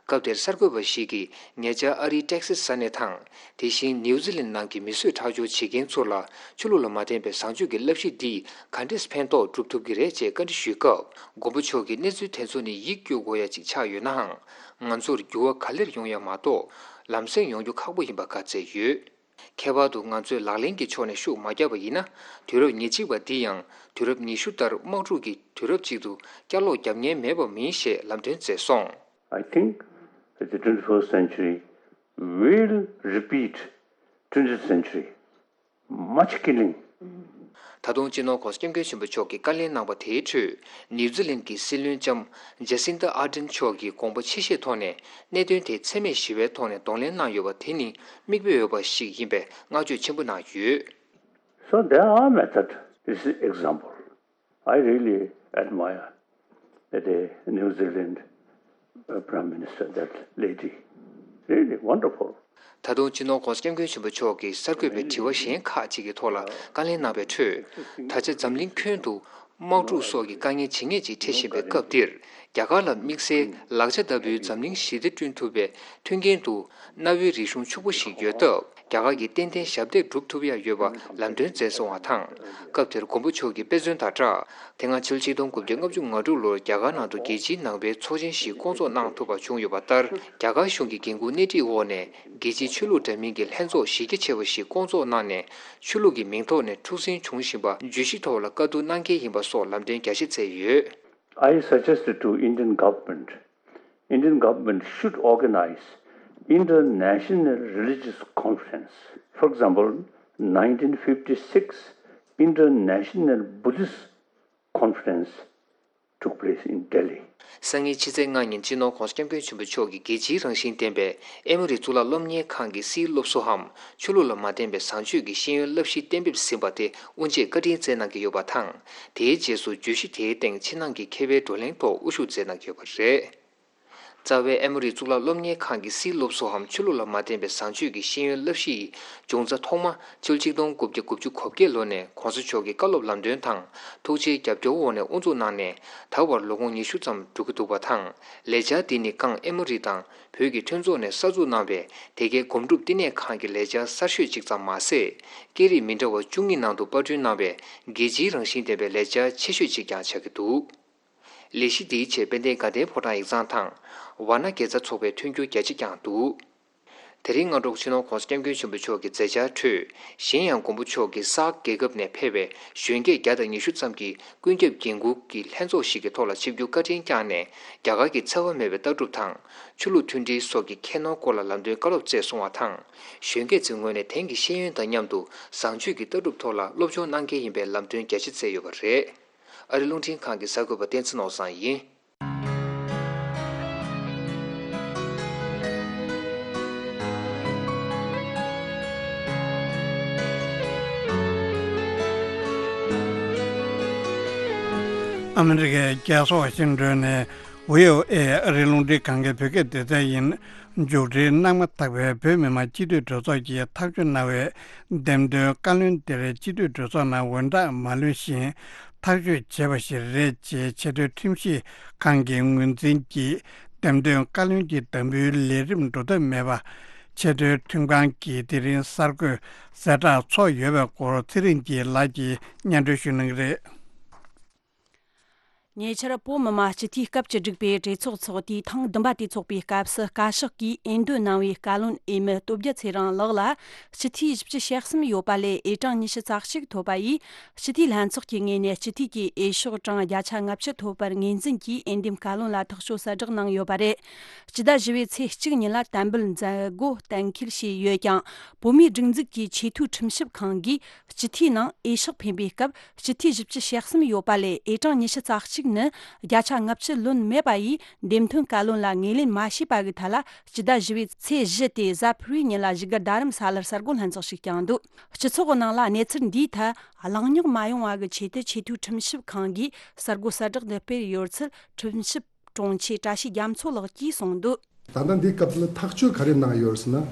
སྐབས་དེར་གསར་འགོད་པ་ཞིག་གིས་ཉེ་ཆར་ཨ་རིའི་ཏེག་སི་ས་གནས་དང་། དེ་བཞིན་ནིའུ་ཛི་ལན་ནང་གི་མི་གསོད་ཁྲག་སྦྱོར་བྱེད་མཁན་ཚོ་ལ་ཆོས་ལུགས་ལ་མ་བརྟེན་པའི་བཟང་སྤྱོད་ཀྱི་བསླབ་གཞི་འདིས་ག་འདྲས་ཕན་ཐོགས་སྒྲུབ་ཐུབ་ཀྱི་རེད་ཅེས་བཀའ་འདྲི་ཞུས་སྐབས། མགོན་པོ་མཆོག་གིས་གནས་ཚུལ་དེ་ཚོ་ནི་ཡིད་སྐྱོ་དགོས་ཡ་ཅིག་ཆགས་ཡོད་ནའང་། ང་ཚོར་འགྱུར་བ་ག་ལེར་ཡོང་ཡ་མ་གཏོགས། ལམ་སེང་ཡོང་རྒྱུ་ཁག་པོ་ཡིན་པ་བཀའ་སྩལ་ཡོད། ཁྱད་པར་དུ་ང་ཚོས་ལག་ལེན་གྱི་ཕྱོགས་ནས་ཤུགས་མ་བརྒྱབ་པ་ཡིན་ན། དུས་རབས་ཉེར་གཅིག་པ་འདི་ཡང་དུས་རབས་ཉི་ཤུ་ལྟར་དམག་འཁྲུག་གི་དུས་རབས་ཅིག་ཏུ་བསྐྱར་ལོག་བརྒྱབ་ཉེན་མེད་པ་མིན་ཞེས་ལམ་སྟོན་མཛད་སོང་། I think that the twenty-first century will repeat twentieth century. Much killing. ད་དུང་སྤྱི་ནོར་༧གོང་ས་༧སྐྱབས་མགོན་ཆེན་པོ་མཆོག་གིས་བཀའ་ལན་གནང་བ་དེའི་ཁྲོད། ནིའུ་ཛི་ལན་གྱི་སྲིད་བློན་ལྕམ་ཇེ་སིན་ཏ་ཨར་ཌེན་མཆོག་གིས་དགོངས་པ་ཆེ་བཞེས་ཐོག་ནས་གནད་དོན་དེ་འཚེ་མེད་ཞི་བའི་ཐོག་ནས་གདོང་ལེན་གནང་ཡོད་པ་དེ་ནི་མིག་དཔེ་འོས་པ་ཞིག་ཡིན་པའི་བསྔགས་བརྗོད་ཆེན་པོ་གནང་ཡོད། So there are methods. This is example. I really admire the New Zealand uh, Prime Minister, that lady. Really wonderful. ད་དུང་སྤྱི་ནོར་༧གོང་ས་༧སྐྱབས་མགོན་ཆེན་པོ་མཆོག་གིས་གསར་འགོད་པའི་དྲི་བ་གཞན་ཁག་ཅིག་གི་ཐོག་ལ་བཀའ་ལན་གནང་བའི་ཁྲོད། ད་ཆ་འཛམ་གླིང་ཁྱོན་དུ་དམག་འཁྲུག་སོགས་ཀྱི་དཀའ་ངལ་ཇེ་ངེས་ཅིག་འཕྲད་བཞིན་པའི་སྐབས་འདིར། རྒྱ་གར་ལ་དམིགས་བསལ་ལག་ཆ་ལྟ་བུའི་འཛམ་གླིང་ཞི་བདེ་བསྐྲུན་ཐུབ་པའི་མཐུན་རྐྱེན་དུ་གནའ་བོའི་རིག་གཞུང་ཕྱུག་པོ་ཞིག་ཡོད་སྟབས། རྒྱ་གར་གྱིས་ཏན་ཏན་ཞབས་འདེགས་སྒྲུབ་ཐུབ་ཡ་ཡོད་པ་ལམ་སྟོན་མཛད་སོང་བ་དང་། སྐབས་དེར་མགོན་པོ་མཆོག་གིས་དཔེ་མཚོན་དང་སྦྲགས། དེ་སྔ་ཕྱི་ལོ་ཆིག་སྟོང་དགུ་བརྒྱ་ལྔ་བཅུ་ང་དྲུག་ལོར་རྒྱ་གར་ནང་དུ་རྒྱལ་སྤྱིའི་ནང་པའི་ཚོགས་ཆེན་ཞིག་བསྐོང་ཚོགས་གནང་ཐུབ་པ་བྱུང་ཡོད་པ་ལྟར། རྒྱ་གར་གཞུང་གི་འགན་འཁུར་སྣེ་ཁྲིད་འོག་ནས་རྒྱལ་སྤྱིའི་ཆོས་ལུགས་འདྲ་མིན་གྱི་ལྷན་ཚོགས་གཞི་རྒྱ་ཆེ་བ་ཞིག་བསྐོང་ཚོགས་གནང་ནས། ཆོས་ལུགས་ཀྱི་མིང་ཐོག་ནས་འཁྲུག་ཟིང་བྱུང་བཞིན་པ་བརྗོད་གཞི་ཐོག་ལ་བཀའ་བསྡུར་གནང་གལ་ཡིན་པ་སོགས་ལམ་སྟོན་རྒྱ་ཆེ་མཛད་ཡོད། I suggested to Indian government, Indian government should organize international religious conference. For example, nineteen fifty-six International Buddhist Conference took place in Delhi. སང་ཉིན་ཕྱི་ཚེས་ལྔ་ཉིན་སྤྱི་ནོར་༧གོང་ས་༧སྐྱབས་མགོན་ཆེན་པོ་མཆོག་གིས་རྒྱལ་སྤྱིའི་རང་བཞིན་ལྡན་པའི་ཨེ་མོ་རི་གཙུག་ལག་སློབ་གཉེར་ཁང་གི་སིའི་སློབ་གསོའམ་ཆོས་ལུགས་ལ་མ་བརྟེན་པའི་བཟང་སྤྱོད་ཀྱི་ཤེས་ཡོན་བསླབ་གཞི་གཏན་འབེབས་ཟིན་པ་དེ་དབུ་འབྱེད་བཀའ་དྲིན་སྩལ་གནང་གི་ཡོད་པ་དང་། དེའི་རྗེས་སུ་བརྗོད་གཞི་དེའི་སྟེང་ཕྱི་ནང་གི་མཁས་པའི་བགྲོ་གླེང་ཐོག་དབུ་བཞུགས་མཛད་གནང་གི་ཡོད་པ་རེད། རྩ་བའི་ཨེ་མོ་རི་གཙུག་ལག་སློབ་གཉེར་ཁང་གི་སིའི་སློབ་གསོའམ་ཆོས་ལུགས་ལ་མ་བརྟེན་པའི་བཟང་སྤྱོད་ཀྱི་ཤེས་ཡོན་བསླབ་གཞི་ཡི་འབྱུང་རྩ་ཐོག་མ་ཕྱི་ལོ་ཆིག་སྟོང་དགུ་བརྒྱ་དགུ་བཅུ་གོ་བརྒྱད་ལོ་ནས་༧གོང་ས་མཆོག་གི་བཀའ་སློབ་ལམ་སྟོན་དང་ཐུགས་རྗེའི་རྒྱབ་སྐྱོར་འོག་ནས་དབུ་འཛུགས་གནང་ནས་ད་བར་ལོ་ངོ་ཉི་ཤུ་ཙམ་འགྲོ་གི་འདུག་པ་དང་། ལས་འཆར་འདི་ནི་ཀང་ཨེ་མོ་རི་དང་བོད་ཀྱི་མཐུན་ཚོགས་ནས་གསར་འཛུགས་གནང་བའི་དེ་གའི་སྒོམ་སྒྲུབ་བསྟི་གནས་ཁང་གི་ལས་འཆར་གསར་ཤོས་གཅིག་ཙམ་མ་ཟད། སྐད་རིགས་མི་འདྲ་བ་བཅུ་གཉིས་ནང་དུ་པར་སྐྲུན་གནང་བའི་རྒྱལ་སྤྱིའི་རང་བཞིན་ལྡན་པའི་ལས་འཆར་ཆེ་ཤོས་གཅིག་ཀྱང་ཆགས་ཀྱི་འདུག་ལས་གཞི་འདིའི་ཆེད་དཔལ་ལྡན་དགའ་ལྡན་ཕོ་བྲང་ཡིག་ཚང་དང་ཝཱ་ཎ་དགེ་རྩ་ཚོགས་པས་མཐུན་འགྱུར་རྒྱ་ཆེ་བསྐྱངས་འདུག་དེ་རིང་སྔ་དྲོ་སྤྱི་ནོར་༸གོང་ས་༸སྐྱབས་མགོན་ཆེན་པོ་མཆོག་གི་མཛད་འཆར་ཁྲོད། གཞན་ཡང་མགོན་པོ་མཆོག་གིས་སག་རྒྱལ་ཁབ་ནས་ཕེབས་པའི་གཞོན་སྐྱེས་བརྒྱ་དང་ཉི་ཤུ་ཙམ་གྱིས་ཀུན་ཁྱབ་འགན་འཁུར་གྱི་ལྷན་ཚོགས་ཤིག་གི་ཐོག་ལ་ཆིབས་བསྒྱུར་བཀའ་དྲིན་བསྐྱངས་ནས། རྒྱ་གར་གྱི་འཚེ་བ་མེད་པའི་ལྟ་གྲུབ་དང་། ཆོས་ལུགས་མཐུན་སྒྲིལ་སོགས་ཀྱི་ཁྱད་ནོར་སྐོར་ལ་ལམ་སྟོན་བཀའ་སློབ་སྩལ་གསུང་བ་དང་། གཞོན་སྐྱེས་ཚོའི་ངོས་ནས་དེང་གི་ཤེས་ཡོན་དང་མཉམ་དུ་བཟང་སྤྱོད་ཀྱི་ལྟ་གྲུབ་ཐོག་ལ་སློབ་སྦྱོང་གནང་གལ་ཡིན་པའི་ལམ་སྟོན་རྒྱ་ཆེ་བསྩལ་ཡོད་པ་རེད། ཨ་རི་རླུང་འཕྲིན་ཁང་གི་གསར་འགོད་པ་བསྟན་འཛིན་ནོར་བཟང་ཡིན། ཨ་མི་རི་ཀའི་རྒྱལ་ས་ཝ་ཤིང་ཏོན་ནས་བྷི་ཨོ་ཨེ་ཨ་རིའི་རླུང་འཕྲིན་ཁང་གི་བོད་སྐད་སྡེ་ཚན་ཡིན། མཇུག་སྒྲིལ་གནང་མ་ཐག་པའི་བོད་མི་མང་སྤྱི་འཐུས་གྲོས་ཚོགས་ཀྱིས་ཐག་གཅོད་གནང་བའི་འདེམས་ཐོན་བཀའ་བློན་དེར་སྤྱི་འཐུས་གྲོས་ཚོགས་ནང་འོས་བསྒྲགས་མ་ལོན་བཞིན་ཐག་གཅོད་བྱས་པ་ཞིག་རེད་ཅེས་ཆེས་མཐོའི་ཁྲིམས་ཞིབ་ཁང་གིས་ངོས་འཛིན་གྱིས། འདེམས་ཐོན་བཀའ་བློན་གྱི་དམ་འབུལ་ལས་རིམ་འགྲོ་ཐབས་མེད་པ། ཆེས་མཐོའི་ཁྲིམས་ཁང་གིས་དེ་རིང་གསར་འགོད་གསལ་བསྒྲགས་ཚོགས་ཡོད་པའི་སྐོར་ཚེ་རིང་སྐྱིད་ལགས་ཀྱིས་སྙན་སྒྲོན་ཞུ་གནང་གི་རེད། ཉེ་ཆར་བོད་མི་མང་སྤྱི་འཐུས་སྐབས་བཅུ་དྲུག་པའི་གྲོས་ཚོགས་འཚོགས་དུས་ཐེངས་བདུན་པ་དེ་འཚོགས་པའི་སྐབས་སུ་བཀའ་ཤག་གིས་འོས་འདེམས་གནང་བའི་བཀའ་བློན་འོས་མི་སྟོབས་རྒྱལ་ཚེ་རིང་ལགས་ལ་སྤྱི་འཐུས་བཞི་བཅུ་ཞེ་གསུམ་ཡོད་པ་ལས་འོས་གྲངས་ཉི་ཤུ་རྩ་གཅིག་ཐོབ་པ་ཡིས། སྤྱི་འཐུས་ལྷན་ཚོགས་ཀྱི་ངོས་ནས་སྤྱི་འཐུས་ཀྱི་འོས་ཤོག་གྲངས་བརྒྱ་ཆ་ལྔ་བཅུ་ཐོབ་པར་ངོས་འཛིན་གྱིས་འོས་འདེམས་བཀའ་བློན་ལ་ཐག་གཅོད་གསལ་བསྒྲགས་གནང་ཡོད་པ་རེད། སྤྱི་ཟླ་བཞི་པའི་ཚེས་གཅིག་ཉིན་ལ་དམ་འབུལ་མཛད་སྒོ་གཏན་འཁེལ་བྱས་ཡོད་ཀྱང་། བོད་མིའི་སྒྲིག་འཛུགས་ཀྱི་ཆེས་མཐོའི་ཁྲིམས་ཞིབ་ཁང་གིས་སྤྱི་འཐུས་ནང་འོས་ཤོག་འཕེན་པའི་སྐབས་སྤྱི་འཐུས་བཞི་བཅུ་ཞེ་གསུམ་ཡོད་པ་ལས་འོས་གྲངས་ཉི་ཤུ་རྩ་གཅིག་ནི་བརྒྱ་ཆ་ལྔ་བཅུ་ལོན་མེད་པ་ཡིས་འདེམས་ཐོན་བཀའ་བློན་ལ་ངོས་ལེན་མ་བྱས་པ་གི་ཐད་ལ་སྤྱི་ཟླ་བཞི་པའི་ཚེས་བཞི་སྟེ་གཟའ་ཕུར་བུའི་ཉིན་ལ་བཞུགས་སྒར་རྡ་རམ་ས་ལར་གསར་འགོད་ལྷན་ཚོགས་ཤིག་བསྐྱངས་འདུག་སྤྱི་ཚོགས་ནང་ལ་གནས་ཚུལ་འདིའི་ཐད་གླེང་རྙོག་མ་ཡོང་བ་གི་ཆེད་དུ་ཆེས་མཐོའི་ཁྲིམས་ཞིབ་ཁང་གིས་གསར་འགོད་གསལ་བསྒྲགས་འདི་སྤེལ་ཡོད་ཚུལ་ཁྲིམས་ཞིབ་དྲུང་ཆེ་བཀྲ་ཤིས་རྒྱ་མཚོ་ལགས་ཀྱིས་གསུངས་འདུག་ད་ལྟ་འདིའི་སྐབས་ལ་ཐག་གཅོད་ག་རེ་གནང་ཡོད་ཟེར་ན། ཨ།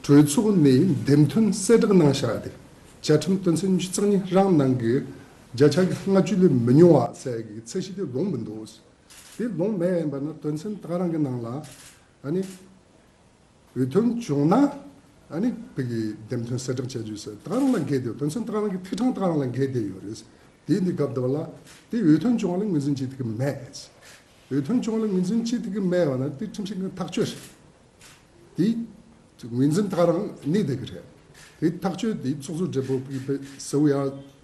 གྲོས་ཚོགས་ནས་འདེམས་ཐོན་གསལ་བསྒྲགས་གནང་བཞག་དེ། བཅའ་ཁྲིམས་དོན་ཚན་ཉི་ཤུ་རྩ་གཉིས་རང་ནང་གི་བརྒྱ་ཆ་གི་ལྔ་བཅུ་ལས་མི་ཉུང་བ་ཟེར་གི་ཚད་གཞི་དེ་ལོངས་མི་འདུག་དེ་ལོངས་མེད་ཡིན་པ་ན་དོན་ཚན་ད་ག་རང་གི་ནང་ལ་ཨ་ནི། འོས་ཐོན་བྱུང་ན་ཨ་ནི་བོད་ཀྱི་འདེམས་ཐོན་གསལ་བསྒྲགས་བྱ་རྒྱུ་ཟེར་ད་ག་རང་ལ་འགལ་ཏེ་དོན་ཚན་ད་ག་རང་གི་ཐིག་ཕྲེང་ད་ག་རང་ལ་འགལ་ཏེ་ཡོད་རེད། དེ་འདི་སྐབས་འདི་བ་ལ་དེ་འོས་ཐོན་བྱུང་བ་ལ་ངོས་འཛིན་བྱེད་ཐུབ་ཀྱི་མེད། འོས་ཐོན་བྱུང་བ་ལ་ངོས་འཛིན་བྱེད་ཐུབ་ཀྱི་མེད་བ་ན་དེ་ཁྲིམས་ཞིབ་ཁང་ཐག་གཅོད་རེད། དེ་ངོས་འཛིན་ད་ག་རང་གནས་བསྡད་ཀྱི་རེད། དེ་ཐག་གཅོད་དེ་ཚོགས་གཙོ་སྦྲེལ་པོ་གིས་གསལ་བོ་ཡང་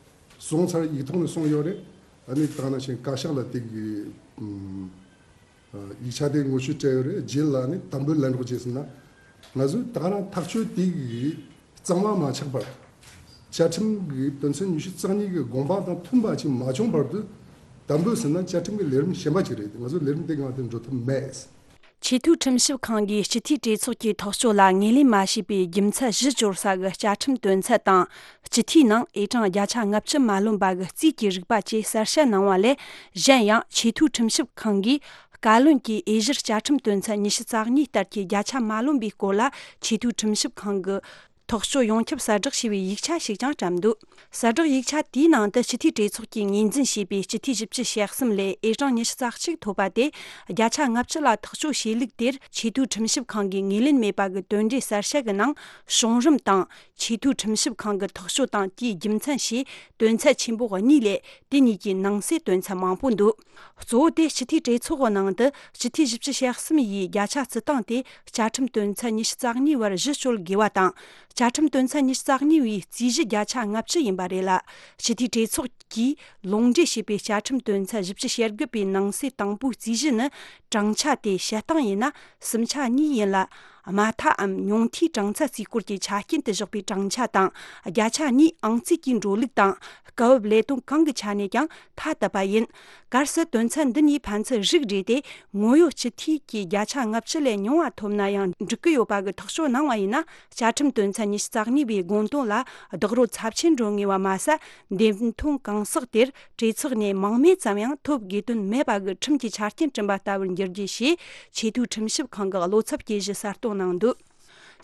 སོང་ཚར་ཡིག་ཐོག་ནས་སོང་ཡོད་རེད། ཨ་ནི་ད་ག་ནང་བཞིན་བཀའ་ཤག་ལ་དེ་གི་ཨུམ། ཡིག་ཆ་དེ་ངོ་བཤུས་སྤྲད་ཡོད་རེད། རྗེས་ལ་ནི་དམ་འབུལ་ལེན་རོགས་བྱས་ཟེར་ན། ང་ཚོས་ད་ག་རང་ཐག་གཅོད་དེ་གི་གཙང་མ་མ་ཆགས་བར། བཅའ་ཁྲིམས་ཀྱི་དོན་ཚན་ཉི་ཤུ་རྩ་གཉིས་ཀྱི་དགོངས་པ་དང་མཐུན་པ་ཅིག་མ་བྱུང་བར་དུ། དམ་འབུལ་ཟེར་ན་བཅའ་ཁྲིམས་ཀྱི་ལས་རིམ་གཞན་པ་ཅིག་རེད། ང་ཚོ་ལས་རིམ་དེ་སྒང་དེ་འགྲོ་ཐབས་མེད། ཆེས་མཐོའི་ཁྲིམས་ཞིབ་ཁང་གིས་སྤྱི་འཐུས་གྲོས་ཚོགས་ཀྱི་ཐག་གཅོད་ལ་ངོས་ལེན་མ་བྱས་པའི་རྒྱུ་མཚན་གཞི་གཅོད་ས་གི་བཅའ་ཁྲིམས་དོན་ཚན་དང་། སྤྱི་འཐུས་ནང་འོས་གྲངས་བརྒྱ་ཆ་ལྔ་བཅུ་མ་ལོན་པ་གི་རྩིས་ཀྱི་རིག་པ་བཅས་གསལ་བཤད་གནང་བ་ལས། གཞན་ཡང་ཆེས་མཐོའི་ཁྲིམས་ཞིབ་ཁང་གིས་བཀའ་བློན་གྱི་འོས་གཞིར་བཅའ་ཁྲིམས་དོན་ཚན་ཉི་ཤུ་རྩ་གཉིས་ལྟར་གྱི་བརྒྱ་ཆ་མ་ལོན་པའི་སྐོར་ལ་ཆེས་མཐོའི་ཁྲིམས་ཞིབ་ཁང་གི་ཐག་གཅོད་ཡོངས་ཁྱབ་གསལ་བསྒྲགས་བྱས་པའི་ཡིག་ཆ་ཞིག་ཀྱང་བཀྲམ་འདུག་གསལ་བསྒྲགས་ཡིག་ཆ་དེའི་ནང་དུ་སྤྱི་འཐུས་གྲོས་ཚོགས་ཀྱིས་ངོས་འཛིན་བྱས་པའི་སྤྱི་འཐུས་བཞི་བཅུ་ཞེ་གསུམ་ལས་འོས་གྲངས་ཉི་ཤུ་རྩ་གཅིག་ཐོབ་པ་དེ་བརྒྱ་ཆ་ལྔ་བཅུ་ལ་ཐག་གཅོད་བྱས་ལུགས་དེར་ཆེས་མཐོའི་ཁྲིམས་ཞིབ་ཁང་གིས་ངོས་ལེན་མེད་པ་གི་དོན་འགྲེལ་གསལ་བཤད་ཀྱི་ནང་བྱུང་རིམ་དང་། ཆེས་མཐོའི་ཁྲིམས་ཞིབ་ཁང་གི་ཐག་གཅོད་དང་དེའི་རྒྱུ་མཚན་ཞེས་དོན་ཚན་ཆེན་པོ་གཉིས་ལས་དེ་གཉིས་ཀྱི་ནང་གསེས་དོན་ཚན་མང་པོ་འདུག་གཙོ་བོ་དེ་སྤྱི་འཐུས་གྲོས་ཚོགས་ཀྱི་ནང་དུ་སྤྱི་འཐུས་བཞི་བཅུ་ཞེ་གསུམ་ཡིས་བརྒྱ་ཆ་བརྩི་སྟངས་དེ་བཅའ་ཁྲིམས་དོན་ཚན་ཉི་ཤུ་རྩ་གཉིས་བར་གཞི་བཅོལ་དགོས་པ་དང་། བཅའ་ཁྲིམས་དོན་ཚན་ཉི་ཤུ་རྩ་གཉིས་པའི་རྩིས་གཞི་བརྒྱ་ཆ་ལྔ་བཅུ་ཡིན་པ་རེད་ལ། སྤྱི་འཐུས་གྲོས་ཚོགས་ཀྱིས་ལུང་འདྲེན་བྱས་པའི་བཅའ་ཁྲིམས་དོན་ཚན་བཞི་བཅུ་ཞེ་དགུ་པའི་ནང་གསེས་དང་པོའི་རྩིས་གཞི་ནི་གྲངས་ཆ་དེ་བཤད་སྟངས་ཡིན་ན་སུམ་ཆ་གཉིས་ཡིན་ལ། དམའ་མཐའམ་ཉུང་མཐའི་གྲངས་ཚད་རྩིས་སྐོར་གྱི་ཆ་རྐྱེན་དུ་བཞག་པའི་གྲངས་ཆ་དང་བརྒྱ་ཆ་གཉིས་ཨང་རྩིས་ཀྱི་འགྲོ་ལུགས་དང་། སྐབས་བབ་ལས་དོན་གང་གི་ཆ་ནས་ཀྱང་ཐ་དད་པ་ཡིན། གལ་སྲིད་དོན་ཚན་འདི་གཉིས་ཕན་ཚུན་རིགས་འགྲེ་སྟེ་ངོ་ཡོད་སྤྱི་འཐུས་ཀྱི་བརྒྱ་ཆ་ལྔ་བཅུ་ལས་ཉུང་བ་ཐོབ་ན་ཡང་འགྲིག་གི་ཡོད་པ་གི་ཐག་གཅོད་གནང་བ་ཡིན་ན། བཅའ་ཁྲིམས་དོན་ཚན་ཉི་ཤུ་རྩ་གཉིས་པའི་དགོངས་དོན་ལ་རྡོག་རོལ་ཚབས་ཆེན་འགྲོ་ངེས་པ་མ་ཟད། འདེམས་ཐོན་གང་ཟག་དེར་གྲོས་ཚོགས་ནས་མང་མོས་ཙམ་ཡང་ཐོབ་དགོས་དོན་མེད་པ་གི་ཁྲིམས་ཀྱི་ཆ་རྐྱེན་བསྐྲུན་པ་ལྟ་བུར་འགྱུར་རྒྱུ་ཞེས་ཆེས་མཐོའི་ཁྲིམས་ཞིབ་ཁང་གི་བློ་འཚབ་སྐྱེ་གཞི་གསལ་སྟོན་གནང་འདུག་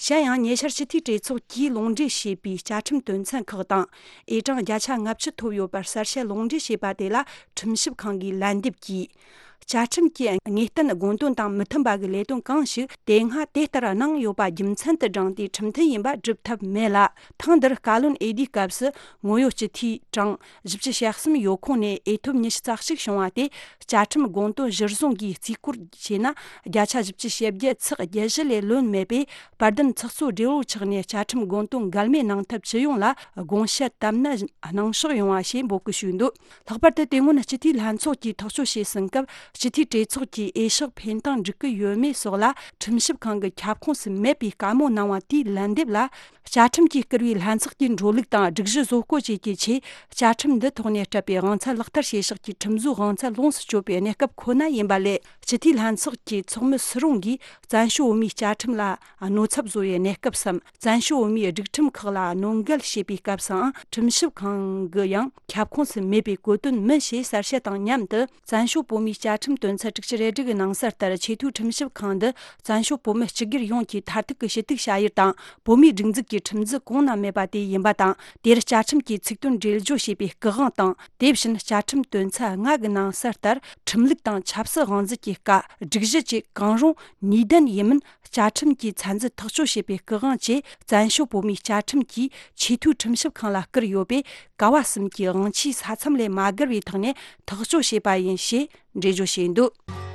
གཞན་ཡང་ཉེ་ཆར་སྤྱི་འཐུས་གྲོས་ཚོགས་ཀྱིས་ལུང་འདྲེན་བྱས་པའི་བཅའ་ཁྲིམས་དོན་ཚན་ཁག་དང་འོས་གྲངས་བརྒྱ་ཆ་ལྔ་བཅུ་ཐོབ་ཡོད་པར་གསལ་བཤད་ལུང་འདྲེན་བྱས་པ་དེ་ལ་ཁྲིམས་ཞིབ་ཁང་གིས་ལན་འདེབས་ཀྱིས། བཅའ་ཁྲིམས་ཀྱི་ངེས་གཏན་དགོངས་དོན་དང་མི་མཐུན་པ་གི་ལས་དོན་གང་ཞིག་དེ་སྔ་དེ་ལྟར་གནང་ཡོད་པ་རྒྱུ་མཚན་དུ་བགྲངས་ཏེ་ཁྲིམས་མཐུན་ཡིན་པ་སྒྲུབ་ཐབས་མེད་ལ། ཐེངས་འདིར་བཀའ་བློན་ཨེ་ལྡིའི་སྐབས་སུ་ངོ་ཡོད་སྤྱི་འཐུས་གྲངས་བཞི་བཅུ་ཞེ་གསུམ་ཡོད་ཁོངས་ནས་འོས་ཐོབ་ཉི་ཤུ་རྩ་གཅིག་བྱུང་བ་དེ། བཅའ་ཁྲིམས་དགོངས་དོན་གཞིར་བཟུང་གིས་རྩིས་སྐོར་བྱས་ན། བརྒྱ་ཆ་བཞི་བཅུ་ཞེ་བརྒྱད་ཚེག་བརྒྱད་བཞི་ལས་ལོན་མེད་པས། དཔལ་ལྡན་ཚོགས་གཙོ་སྦྲེལ་པོ་ཆགས་ནས་བཅའ་ཁྲིམས་དགོངས་དོན་འགལ་མེད་གནང་ཐབས་ཇི་ཡོང་ལ་དགོངས་བཞེས་བཏབ་ན་གནང་ཕྱོགས་ཡོང་བ་ཞེས་འབོད་སྐུལ་ཞུས་འདུག་ལྷག་པར་དུ་དེ་སྔོན་སྤྱི་འཐུས་ལྷན་ཚོགས་ཀྱིས་ཐག་གཅོད་བྱས་ཟིན་སྐབས། སྤྱི་འཐུས་གྲོས་ཚོགས་ཀྱིས་འོས་ཤོག་འཕེན་སྟངས་འགྲིག་གི་ཡོད་མེད་སོགས་ལ་ཁྲིམས་ཞིབ་ཁང་གི་ཁྱབ་ཁོངས་སུ་མེད་པའི་བཀའ་མོལ་གནང་བ་དེའི་ལན་འདེབས་ལ། བཅའ་ཁྲིམས་ཀྱིས་བསྐུར་བའི་ལྷན་ཚོགས་ཀྱི་འགྲོ་ལུགས་དང་སྒྲིག་གཞི་བཟོ་བཀོད་བཅས་ཀྱི་ཆེད། བཅའ་ཁྲིམས་འདི་ཐོག་ནས་སྤྲད་པའི་དབང་ཚད་ལག་བསྟར་བྱེད་ཕྱོགས་ཀྱི་ཁྲིམས་བཟོའི་དབང་ཚད་ལོངས་སུ་སྤྱོད་པའི་གནས་སྐབས་ཁོ་ན་ཡིན་པ་ལས། སྤྱི་འཐུས་ལྷན་ཚོགས་ཀྱི་ཚོགས་མི་སུ་རུང་གིས་བཙན་བྱོལ་བོད་མིའི་བཅའ་ཁྲིམས་ལ་གནོད་ཚབས་བཟོ་བའི་གནས་སྐབས་སམ། བཙན་བྱོལ་བོད་མིའི་སྒྲིག་ཁྲིམས་ཁག་ལ་གནོད་འགེལ་བྱེད་པའི་སྐབས་སུའང་ཁྲིམས་ཞིབ་ཁང་གི་ཡང་ཁྱབ་ཁོངས་སུ་མེད་པའི་གོ་དོན་མིན་ཞེས་གསལ་བཤད་དང་མཉམ་དུ། བཙན་བྱོལ་བོད་མིའི་བཅའ་ཁྲིམས་དོན་ཚན་དྲུག་ཅུ་རེ་དྲུག་གི་ནང་གསལ་ལྟར་ཆེས་མཐོའི་ཁྲིམས་ཞིབ་ཁང་འདི་བཙན་བྱོལ་བོད་མི་སྤྱི་སྒེར་ཡོངས་ཀྱི་མཐར་ཐུག་གི་ཞུ་གཏུག་བྱ་ཡུལ་དང་། བོད་མིའི་སྒྲིག་འཛུགས་ཀྱི་ཁྲིམས་འཛིན་གོང་ན་མེད་པ་དེ་ཡིན་པ་དང་། དེར་བཅའ་ཁྲིམས་ཀྱི་ཚིག་དོན་འགྲེལ་བརྗོད་བྱས་པའི་སྐུ་དབང་དང་། དེ་བཞིན་བཅའ་ཁྲིམས་དོན་ཚན་ལྔ་གི་ནང་གསལ་ལྟར་ཁྲིམས་ལུགས་དང་ཆབ་སྲིད་དབང་འཛིན་གྱི་བཀའ་སྒྲིག་གཞི་བཅས་གང་རུང་ནུས་ལྡན་ཡིན་མིན་བཅའ་ཁྲིམས་ཀྱི་ཚད་འཛིན་ཐག་གཅོད་བྱས་པའི་སྐུ་དབང་བཅས་བཙན་བྱོལ་བོད་མིའི་བཅའ་ཁྲིམས་ཀྱིས་ཆེས་མཐོའི་ཁྲིམས་ཞིབ་ཁང་ལ་བསྐུར་ཡོད་པས། ག་བ་གསུམ་གྱི་དབང་ཆའི་ས་མཚམས་ལས་མ་བརྒལ་བའི་ཐོག་ནས་ཐག་གཅོད་བྱས་པ་ཡིན་ཞེས་འགྲེལ་བརྗོད་བྱས་འདུག་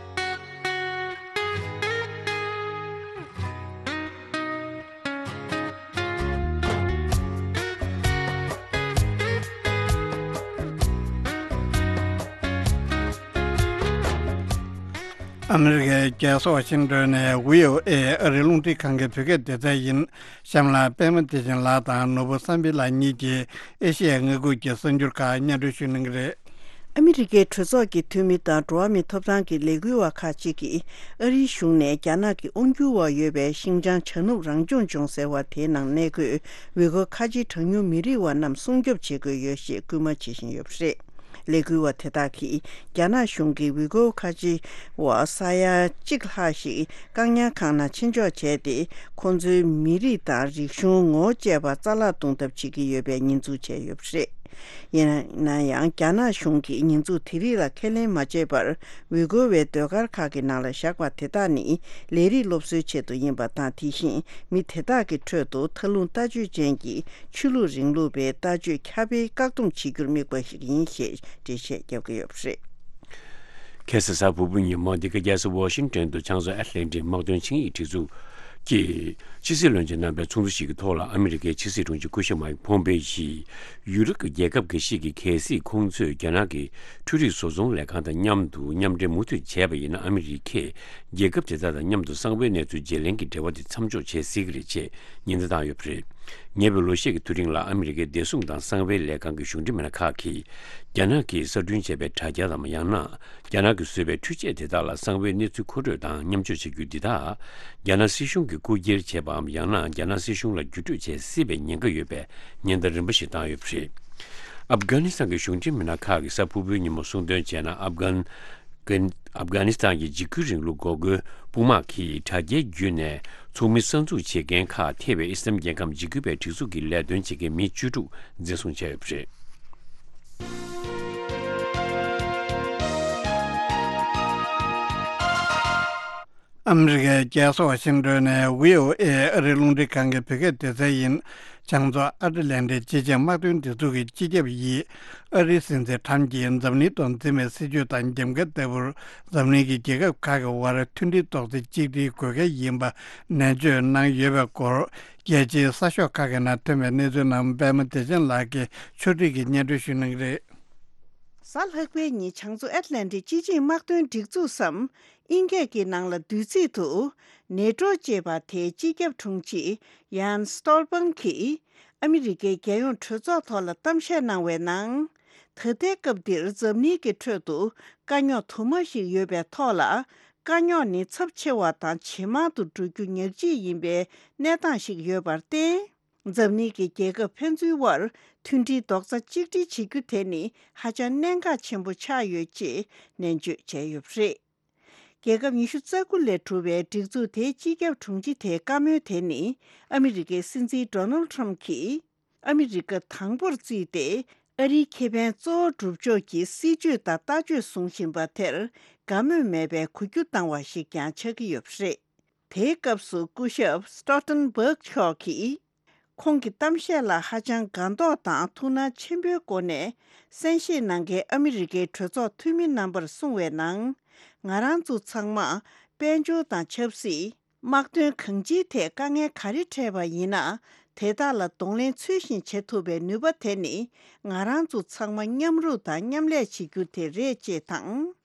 ཨ་མི་རི་ཀའི་རྒྱལ་ས་ཝ་ཤིང་ཏོན་ནས་ཝི་ཨོ་ཨེ་ཨ་རིའི་རླུང་འཕྲིན་ཁང་གི་བོད་སྐད་སྡེ་ཚན་ཡིན། གཤམ་ལ་པད་མ་བདེ་ཆེན་ལགས་དང་ནོར་བུ་བསམ་འཕེལ་ལགས་གཉིས་ཀྱིས་ཨེ་ཤེ་ཡ་མངའ་ཁུལ་གྱི་གསར་འགྱུར་ཁག་སྙན་སྒྲོན་ཞུ་གནང་གི་རེད། ཨ་མི་རི་ཀའི་གྲོས་ཚོགས་ཀྱི་འཐུས་མི་དང་འགྲོ་བ་མིའི་ཐོབ་ཐང་གི་ལས་འགུལ་བ་ཁག་ཅིག་གིས་ཨ་རིའི་གཞུང་ནས་རྒྱ་ནག་གི་དབང་སྒྱུར་འོག་ཡོད་པའི་ཤིན་ཅང་བྱ་ནུབ་རང་སྐྱོང་ལྗོངས་ཟེར་བ་དེའི་ནང་གནས་འཁོད་ཝི་གོ་ཁ་ཆེའི་གྲངས་ཉུང་མི་རིགས་བ་རྣམས་སྲུང་སྐྱོབ་བྱེད་དགོས་ཡོད་ཞེས་སྐུལ་མ་བྱེད་བཞིན་ཡོད་པ་རེད། ལས་འགུལ་བ་དེ་དག་གིས་རྒྱ་ནག་གཞུང་གིས་ཝི་གོ་ཁ་ཆེ་བ་ས་ཡ་གཅིག་ལྷག་ཞིག་བཀག་ཉར་ཁང་ནང་ཕྱིན་འཇོག་བྱས་ཏེ། ཁོང་ཚོའི་མི་རིགས་དང་རིག་གཞུང་ངོ་བོ་བཅས་པ་རྩ་བརླག་གཏོང་ཐབས་བྱེད་ཀྱི་ཡོད་པའི་ཉེས་འཛུགས་བྱས་ཡོད་པ་རེད། ཡིན་ན་ཡང་རྒྱ་ནག་གཞུང་གིས་ཉེས་འཛུགས་དེ་རིགས་ལ་ཁས་ལེན་མ་བྱས་པར། ཝི་གོ་བའི་ཟློས་གར་ཁག་གི་ནང་ལ་བཞག་པ་དེ་དག་ནི་ལས་རིགས་སློབ་གསོའི་ཆེད་དུ་ཡིན་པ་དང་། དེ་བཞིན་མི་དེ་དག་གི་ཁྲོད་དུ་མཐའ་ལྷུང་ལྟ་སྤྱོད་ཅན་གྱི་ཆོས་ལུགས་རིང་ལུགས་པའི་ལྟ་སྤྱོད་ཁྱབ་སྤེལ་བཀག་སྡོམ་བྱེད་རྒྱུར་དམིགས་པ་ཞིག་ཡིན་ཞེས་འགྲེལ་བཤད་བརྒྱབ་ཀྱི་ཡོད་པ་རེད། ཁ་སང་གཟའ་ཕུར་བུའི་ཉིན་མོ་འདི་ག་རྒྱལ་ས་ཝ་ཤིང་ཏོན་དུ་བྱང་མཚོ་ཨེཊ་ལན་ཊིག་དམག་དོན་ཆིངས་ཡིག་སྒྲིག་འཛུགས་ཀྱི་ཕྱི་སྲིད་བློན་ཆེན་རྣམ་པའི་ཚོགས་འདུ་ཞིག་གི་ཐོག་ལ། ཨ་མི་རི་ཀའི་ཕྱི་སྲིད་དྲུང་ཆེ་སྐུ་ཞབས་མའིག་ཕོམ་པེ་ཡིས་ཡུ་རོབ་ཀྱི་རྒྱལ་ཁབ་འགའ་ཤས་ཀྱི་གལ་སྲིད་ཁོང་ཚོས་རྒྱ་ནག་གི་འཕྲུལ་རིག་བཟོ་ཚོང་ལས་ཁང་དང་མཉམ་དུ་མཉམ་འབྲེལ་མུ་མཐུད་བྱས་པ་ཡིན་ན། ཨ་མི་རི་ཀས་རྒྱལ་ཁབ་དེ་དག་དང་མཉམ་དུ་གསང་བའི་གནས་ཚུལ་བརྗེ་ལེན་གྱི་འབྲེལ་བ་དེ་མཚམས་འཇོག་བྱེད་སྲིད་ཀྱི་རེད་ཅེས་ཉེན་བརྡ་བཏང་ཡོད་པ་རེད། ཉེ་བའི་ལོ་ཤས་ཀྱི་དུས་རིང་ལ་ཨ་མི་རི་ཀའི་བདེ་སྲུང་དང་གསང་བའི་ལས་ཁང་གི་གཞུང་འབྲེལ་མི་སྣ་ཁག་གིས་རྒྱ་ནག་གིས་གསར་སྐྲུན་བྱས་པའི་དྲ་རྒྱ་དང་། ཡང་ན་རྒྱ་ནག་གིས་བཟོས་པའི་འཕྲུལ་ཆས་དེ་དག་ལ་གསང་བའི་གནས་ཚུལ་མཁོ་སྤྲོད་དང་མཉམ་སྤྱོད་བྱ་རྒྱུ་འདི་དག་རྒྱ་ནག་སྲིད་གཞུང་གིས་རྐུ་འཁྱེར་བྱས་པའམ། ཡང་ན་རྒྱ་ནག་སྲིད་གཞུང་ལ་བརྒྱུད་སྤྲོད་བྱེད་སྲིད་པའི་ཉེན་ཁ་ཡོད་པའི་ཉེན་བརྡ་རིམ་པ་ཞིག་བཏང་ཡོད་པ་རེད། ཨབ་གྷ་ནི་སི་ཐན་གྱི་གཞུང་འབྲེལ་མི་སྣ་ཁག་གིས་གཟའ་ཕུར་བུའི་ཉིན་མོ་གསུངས་དོན་བྱས་ན། ཨབ་གྷན། ཨབ་གྷ་ནི་སི་ཐན་གྱི་འཇིགས་སྐུལ་རིང་ལུགས་འགོག་རྒོལ་དཔུང་དམག་གིས་དྲ་རྒྱའི་བརྒྱུད་ནས་ཚོགས་མི་གསར་འཛུགས་བྱེད་མཁན་ཁག་ཐེ་བའི་ཨི་སི་ལམ་རྒྱལ་ཁམས་འཇིགས་སྐུལ་བའི་སྒྲིག་འཛུགས་ཀྱི་ལས་དོན་བྱེད་མཁན་མི་བཅུ་དྲུག་འཛིན་བཟུང་བྱས་ཡོད་པ་རེད། ཨ་མི་རི་ཀའི་རྒྱལ་ས་ཝ་ཤིང་ཏོན་ནས་ཝི་ཨོ་ཨེ་ཨ་རིའི་རླུང་འཕྲིན་ཁང་གི་བོད་སྐད་སྡེ་ཚན་ཡིན། བྱང་མཚོ་ཨ་ཊ་ལན་ཊིག་སྤྱི་ཆིངས་དམག་དོན་སྒྲིག་འཛུགས་ཀྱི་སྤྱི་ཁྱབ་ཡིས་ཨ་རིའི་སྲིད་འཛིན་ཁྲམ་གྱིས་འཛམ་གླིང་ཐོག་འཛིན་པའི་སྲིད་བྱུས་དང་འགྱམ་ཁ་ལྟ་བུར། འཛམ་གླིང་གི་རྒྱལ་ཁབ་ཁག་གི་དབར་མཐུན་སྒྲིལ་རྡོག་རྩ་གཅིག་སྒྲིལ་དགོས་གལ་ཡིན་པ་ནན་བརྗོད་གནང་ཡོད་པའི་སྐོར། རྒྱལ་སྤྱིའི་གསར་ཤོག་ཁག་གི་ནང་ཐོན་པའི་གནས་ཚུལ་རྣམས་པད་མ་བདེ་ཆེན་ལགས་ཀྱིས་ཕྱོགས་སྒྲིག་གིས་སྙན་སྒྲོན་ཞུ་གནང་གི་རེད། གཟའ་ལྷག་པའི་ཉིན་བྱང་མཚོ་ཨེཊ་ལན་ཊིག་སྤྱི་ཆིངས་དམག་དོན་སྒྲིག་འཛུགས་སམ། ཨིན་སྐད་ཀྱི་ནང་ལ་བསྡུས་ཚིག་ཏུ་ནེ་ཊོ་ཅེས་པ་དེའི་སྤྱི་ཁྱབ་དྲུང་ཆེ་ཡཱན་སྟོལ་པང་གིས་ཨ་མི་རི་ཀའི་རྒྱལ་ཡོངས་གྲོས་ཚོགས་ཐོག་ལ་གཏམ་བཤད་གནང་བའི་ནང་། ད་ལྟའི་སྐབས་འདིར་འཛམ་གླིང་གི་ཁྲོད་དུ་དཀའ་རྙོག་དུ་མ་ཞིག་ཡོད་པའི་ཐོག་ལ། དཀའ་རྙོག་ནི་ཚབས་ཆེ་བ་དང་ཇེ་མང་དུ་འགྲོ་རྒྱུ་ཉག་གཅིག་ཡིན་པའི་གནས་སྟངས་ཤིག་ཡོད་པར་བརྟེན། འཛམ་གླིང་གི་རྒྱལ་ཁབ་ཕན་ཚུན་དབར་མཐུན་སྒྲིལ་རྡོག་རྩ་གཅིག་སྒྲིལ་བྱེད་རྒྱུ་དེ་ནི་ཧ་ཅང་གནད་འགག་ཆེན་པོ་ཆགས་ཡོད་ཅེས་ནན་བརྗོད་བྱས་ཡོད་པ་རེད། རྒྱལ་ཁབ་ཉི་ཤུ་རྩ་དགུ་ལས་གྲུབ་པའི་སྒྲིག་འཛུགས་དེའི་སྤྱི་ཁྱབ་དྲུང་ཆེ་དེའི་བཀའ་མོལ་དེ་ནི་ཨ་མི་རི་ཀའི་སྲིད་འཛིན་ཌོ་ནལ་ཁྲམ་གྱིས་ཨ་མི་རི་ཀ་དང་པོར་བརྩིས་ཏེ། ཨ་རིའི་ཁེ་ཕན་གཙོ་བོ་སྒྲུབ་ཕྱོགས་ཀྱི་སྲིད་བྱུས་དང་ལྟ་སྤྱོད་བཟུང་བཞིན་པ་དེར་ དགའ་མོས་མེད་པའི་གུ་གྱུ་བཏང་བ་ཞིག་ཀྱང་ཆགས་ཀྱི་ཡོད་པ་རེད། དེའི་སྐབས་སུ་སྐུ་ཞབས་སི་ཊོལ་ཊེན་བྷག་མཆོག་གིས། ཁོང་གི་གཏམ་བཤད་ལ་ཧ་ཅང་དགའ་མདོག་དང་ཐུགས་སྣང་ཆེན་པོའི་སྒོ་ནས་གསན་བཞེས་གནང་མཁན་ཨ་མི་རི་ཀའི་གྲོས་ཚོགས་འཐུས་མི་རྣམ་པར་གསུངས་པའི་ནང་། ང་རང་ཚོ་ཚང་མ་དཔལ་འབྱོར་དང་ཆབ་སྲིད། དམག་དོན་གང་ཅིའི་ཐད་དཀའ་ངལ་ག་རེ་འཕྲད་པ་ཡིན་ན། དེ་དག་ལ་གདོང་ལེན་ཚུལ་བཞིན་བྱེད་ཐུབ་པའི་ནུས་པ་དེ་ནི། ང་རང་ཚོ་ཚང་མ་མཉམ་རུབ་དང་མཉམ་ལས་བྱེད་རྒྱུ་དེ་རེད་ཅེས་དང་།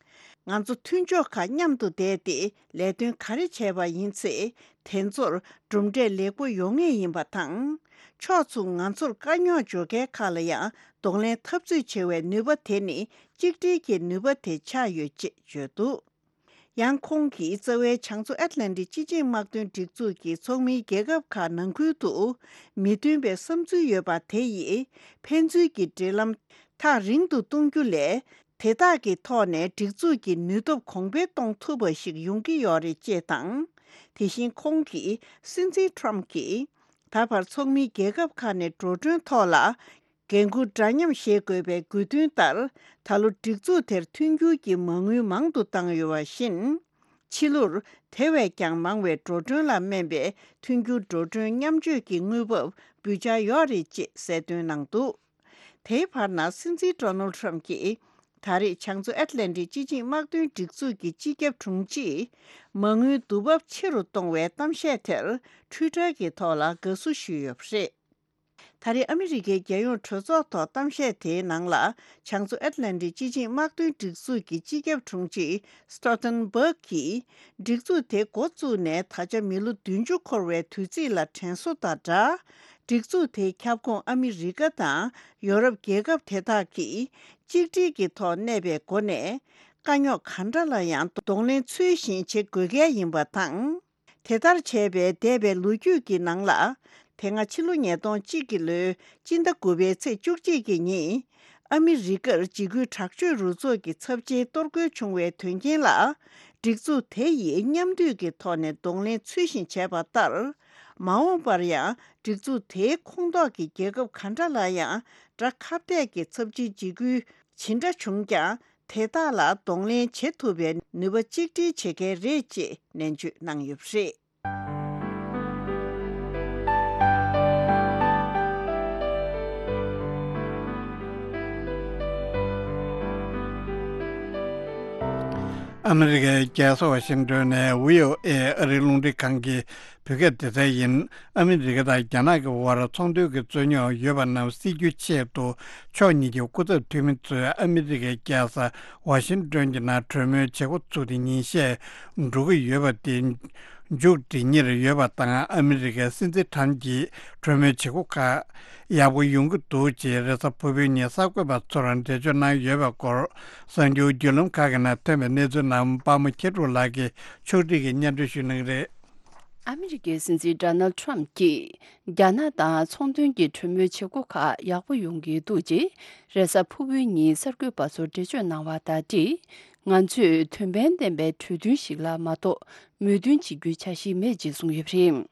ང་ཚོ་མཐུན་ཕྱོགས་ཁག་མཉམ་དུ་བསྡད་དེ་ལས་དོན་ག་རེ་བྱས་པ་ཡིན་ཚེ། དེ་ཚོར་གྲུབ་འབྲས་ལེགས་པོ་ཡོང་ངེས་ཡིན་པ་དང་། ཕྱོགས་མཚུངས་ང་ཚོར་དཀའ་རྙོག་འབྱོར་མཁན་ཁག་ལ་ཡང་གདོང་ལེན་འཐབ་རྩོད་བྱེད་པའི་ནུས་པ་དེ་ནི་གཅིག་སྒྲིལ་གྱི་ནུས་པ་དེ་ཆགས་ཡོད་ཅེས་བརྗོད་འདུག་ཡང་ཁོང་གིས་རྩ་བའི་བྱང་མཚོ་ཨེཊ་ལན་ཊིག་སྤྱི་ཆིངས་དམག་དོན་སྒྲིག་འཛུགས་ཀྱི་ཚོགས་མིའི་རྒྱལ་ཁབ་ཁག་ནང་ཁུལ་དུ་མི་མཐུན་པའི་བསམ་ཚུལ་ཡོད་པ་དེ་ཡིས་ཕན་ཚུན་གྱི་འབྲེལ་ལམ་ཐག་རིང་དུ་གཏོང་རྒྱུ་ལས། དེ་དག་གི་ཐོག་ནས་སྒྲིག་འཛུགས་ཀྱི་ནུས་སྟོབས་གོང་འཕེལ་གཏོང་ཐུབ་པ་ཞིག་ཡོང་གི་ཡོད་རེད་ཅེས་དང་། དེ་བཞིན་ཁོང་གིས་སྲིད་འཛིན་ཊརམ་ཕ་གྱིས་ད་བར་ཚོགས་མིའི་རྒྱལ་ཁབ་ཁག་ནས་འགྲོ་གྲོན་ཐོག་ལ། འགན་འཁུར་འདྲ་མཉམ་བཞེས་དགོས་པའི་དགོས་འདུན་ལྟར། ད་ལོ་སྒྲིག་འཛུགས་དེར་མཐུན་འགྱུར་གྱི་མ་དངུལ་མང་དུ་བཏང་ཡོད་པ་བཞིན། ཕྱི་ལོར་དེ་བས་ཀྱང་མང་བའི་འགྲོ་གྲོན་ལ་སྨན་པའི་མཐུན་འགྱུར་འགྲོ་གྲོན་མཉམ་སྤྱོད་ཀྱི་དངུལ་འབབ་འབུལ་འཆར་ཡོད་རེད་ཅེས་གསལ་སྟོན་གནང་འདུག་དེའི་བར་ན་སྲིད་འཛིན་ཌོ་ནལ་ཌི་ཊརམ་ཕ་གྱིས། ད་རེས་བྱང་མཚོ་ཨེཊ་ལན་ཊིག་སྤྱི་ཆིངས་དམག་དོན་སྒྲིག་འཛུགས་ཀྱི་སྤྱི་ཁྱབ་དྲུང་ཆེས། མ་དངུལ་བསྡུ་འབབ་ཆེ་རུ་གཏོང་བའི་གཏམ་བཤད་དེར། ཊུའི་ཊར་གྱི་ཐོག་ལ་དགའ་བསུ་ཞུས་ཡོད་པ་རེད། ད་རེས་ཨ་མི་རི་ཀའི་རྒྱལ་ཡོངས་གྲོས་ཚོགས་ཐོག་གཏམ་བཤད་དེའི་ནང་ལ། བྱང་མཚོ་ཨེཊ་ལན་ཊིག་སྤྱི་ཆིངས་དམག་དོན་སྒྲིག་འཛུགས་ཀྱི་སྤྱི་ཁྱབ་དྲུང་ཆེ་སི་ཊོལ་ཊེན་བྷག་གིས། སྒྲིག་འཛུགས་དེ་འགོ་བཙུགས་ནས་ད་ཆ་མི་ལོ་བདུན་ཅུ་འཁོར་བའི་དུས་ཚིགས་ལ་དྲན་གསོ་དང་སྦྲགས། སྒྲིག་འཛུགས་དེའི་ཁྱབ་ཁོངས་ཨ་མི་རི་ཀ་དང་ཡོ་རོབ་རྒྱལ་ཁབ་དེ་དག་གིས་གཅིག་སྒྲིལ་གྱི་ཐོག་གནས་པའི་སྒོ་ནས། དཀའ་རྙོག་ག་འདྲ་ལ་ཡང་གདོང་ལེན་ཚུལ་བཞིན་བྱེད་དགོས་གལ་ཡིན་པ་དང་། དེ་ལྟར་བྱས་པས་འདས་པའི་ལོ་རྒྱུས་ཀྱི་ནང་ལ། དེ་སྔ་ཕྱི་ལོ་ཉིས་སྟོང་གཅིག་གི་ལོའི་སྤྱི་ཟླ་དགུ་པའི་ཚེས་བཅུ་གཅིག་གི་ཉིན། ཨ་མི་རི་ཀར་འཇིགས་སྐུལ་དྲག་སྤྱོད་རུ་ཚོགས་ཀྱི་ཚབས་ཆེའི་གཏོར་རྒོལ་བྱུང་བའི་དོན་རྐྱེན་ལ། སྒྲིག་འཛུགས་དེ་ཡིས་མཉམ་འདུས་ཀྱི་ཐོག་ནས་གདོང་ལེན་ཚུལ་བཞིན་བྱས་པ་ལྟར། མ་འོངས་པར་ཡང་སྒྲིག་འཛུགས་དེའི་ཁོངས་གཏོགས་ཀྱི་རྒྱལ་ཁབ་ག་འདྲ་ལ་ཡང་དགྲ་ཁ་གཏད་ཀྱི་ཚབས་ཆེའི་འཇིགས་སྐུལ་ཇི་འདྲ་བྱུང་ཀྱང་། དེ་དག་ལ་གདོང་ལེན་བྱེད་ཐུབ་པའི་ནུས་པ་གཅིག་སྒྲིལ་བྱེད་མཁན་རེད་ཅེས་ནན་བརྗོད་གནང་ཡོད་པ་རེད། ཨ་མི་རི་ཀའི་རྒྱལ་ས་ཝ་ཤིང་ཏོན་ནས་བྷི་ཨོ་ཨེ་ཨ་རིའི་རླུང་འཕྲིན་ཁང་གི་བོད་སྐད་སྡེ་ཚན་ཡིན། ཨ་མི་རི་ཀ་དང་རྒྱ་ནག་གི་དབར་ཚོང་དོན་གྱི་རྩོད་རྙོག་ཡོད་པ་རྣམས་སེལ་རྒྱུའི་ཆེད་དུ། ཕྱོགས་གཉིས་ཀྱི་སྐུ་ཚབ་འཐུས་མི་ཚོས་ཨ་མི་རི་ཀའི་རྒྱལ་ས་ཝ་ཤིང་ཏོན་གྱི་ནང་གྲོས་མོལ་བྱེད་འགོ་ཚུགས་ཏེ་ཉིན་ཤས་འགྲོ་གི་ཡོད་པ་དེ་མཇུག་སྒྲིལ་ཉེར་ཡོད་པ་དང་། ཨ་མི་རི་ཀའི་སྲིད་འཛིན་ཊརམ་གྱིས་གྲོས་མོལ་བྱེད་སྒོ་ཁག་ཡག་པོ་ཡོང་གི་འདུག་ཅེས་རེས་གཟའ་ཕུར་བུའི་ཉིན་གསར་འགོད་པ་ཚོར་འགྲེལ་བརྗོད་གནང་ཡོད་པའི་སྐོར། གསར་འགྱུར་བརྒྱུད་ལམ་ཁག་གི་ནང་ཐོན་པའི་གནས་ཚུལ་རྣམས་པདྨ་མཁས་གྲུབ་ལགས་ཀྱིས་ཕྱོགས་སྒྲིག་གིས་སྙན་སྒྲོན་ཞུ་གནང་གི་རེད། ཨ་མི་རི་ཀའི་སྲིད་འཛིན་ཌོ་ནལ་ཌི་ཊརམ་གྱིས་རྒྱ་ནག་དང་ཚོང་དོན་གྱི་གྲོས་མོལ་བྱེད་སྒོ་ཁག་ཡག་པོ་ཡོང་གི་འདུག་ཅེས་རེས་གཟའ་ཕུར་བུའི་ཉིན་གསར་འགོད་པ་ཚོར་འགྲེལ་བརྗོད་གནང་བ་དང་འབྲེལ། ང་ཚོས་དོན་ཕན་ལྡན་པའི་གྲོས་མཐུན་ཞིག་ལ་མ་གཏོགས་མོས་མཐུན་བྱེད་རྒྱུའི་འཆར་གཞི་མེད་ཅེས་གསུངས་ཡོད་པ་རེད།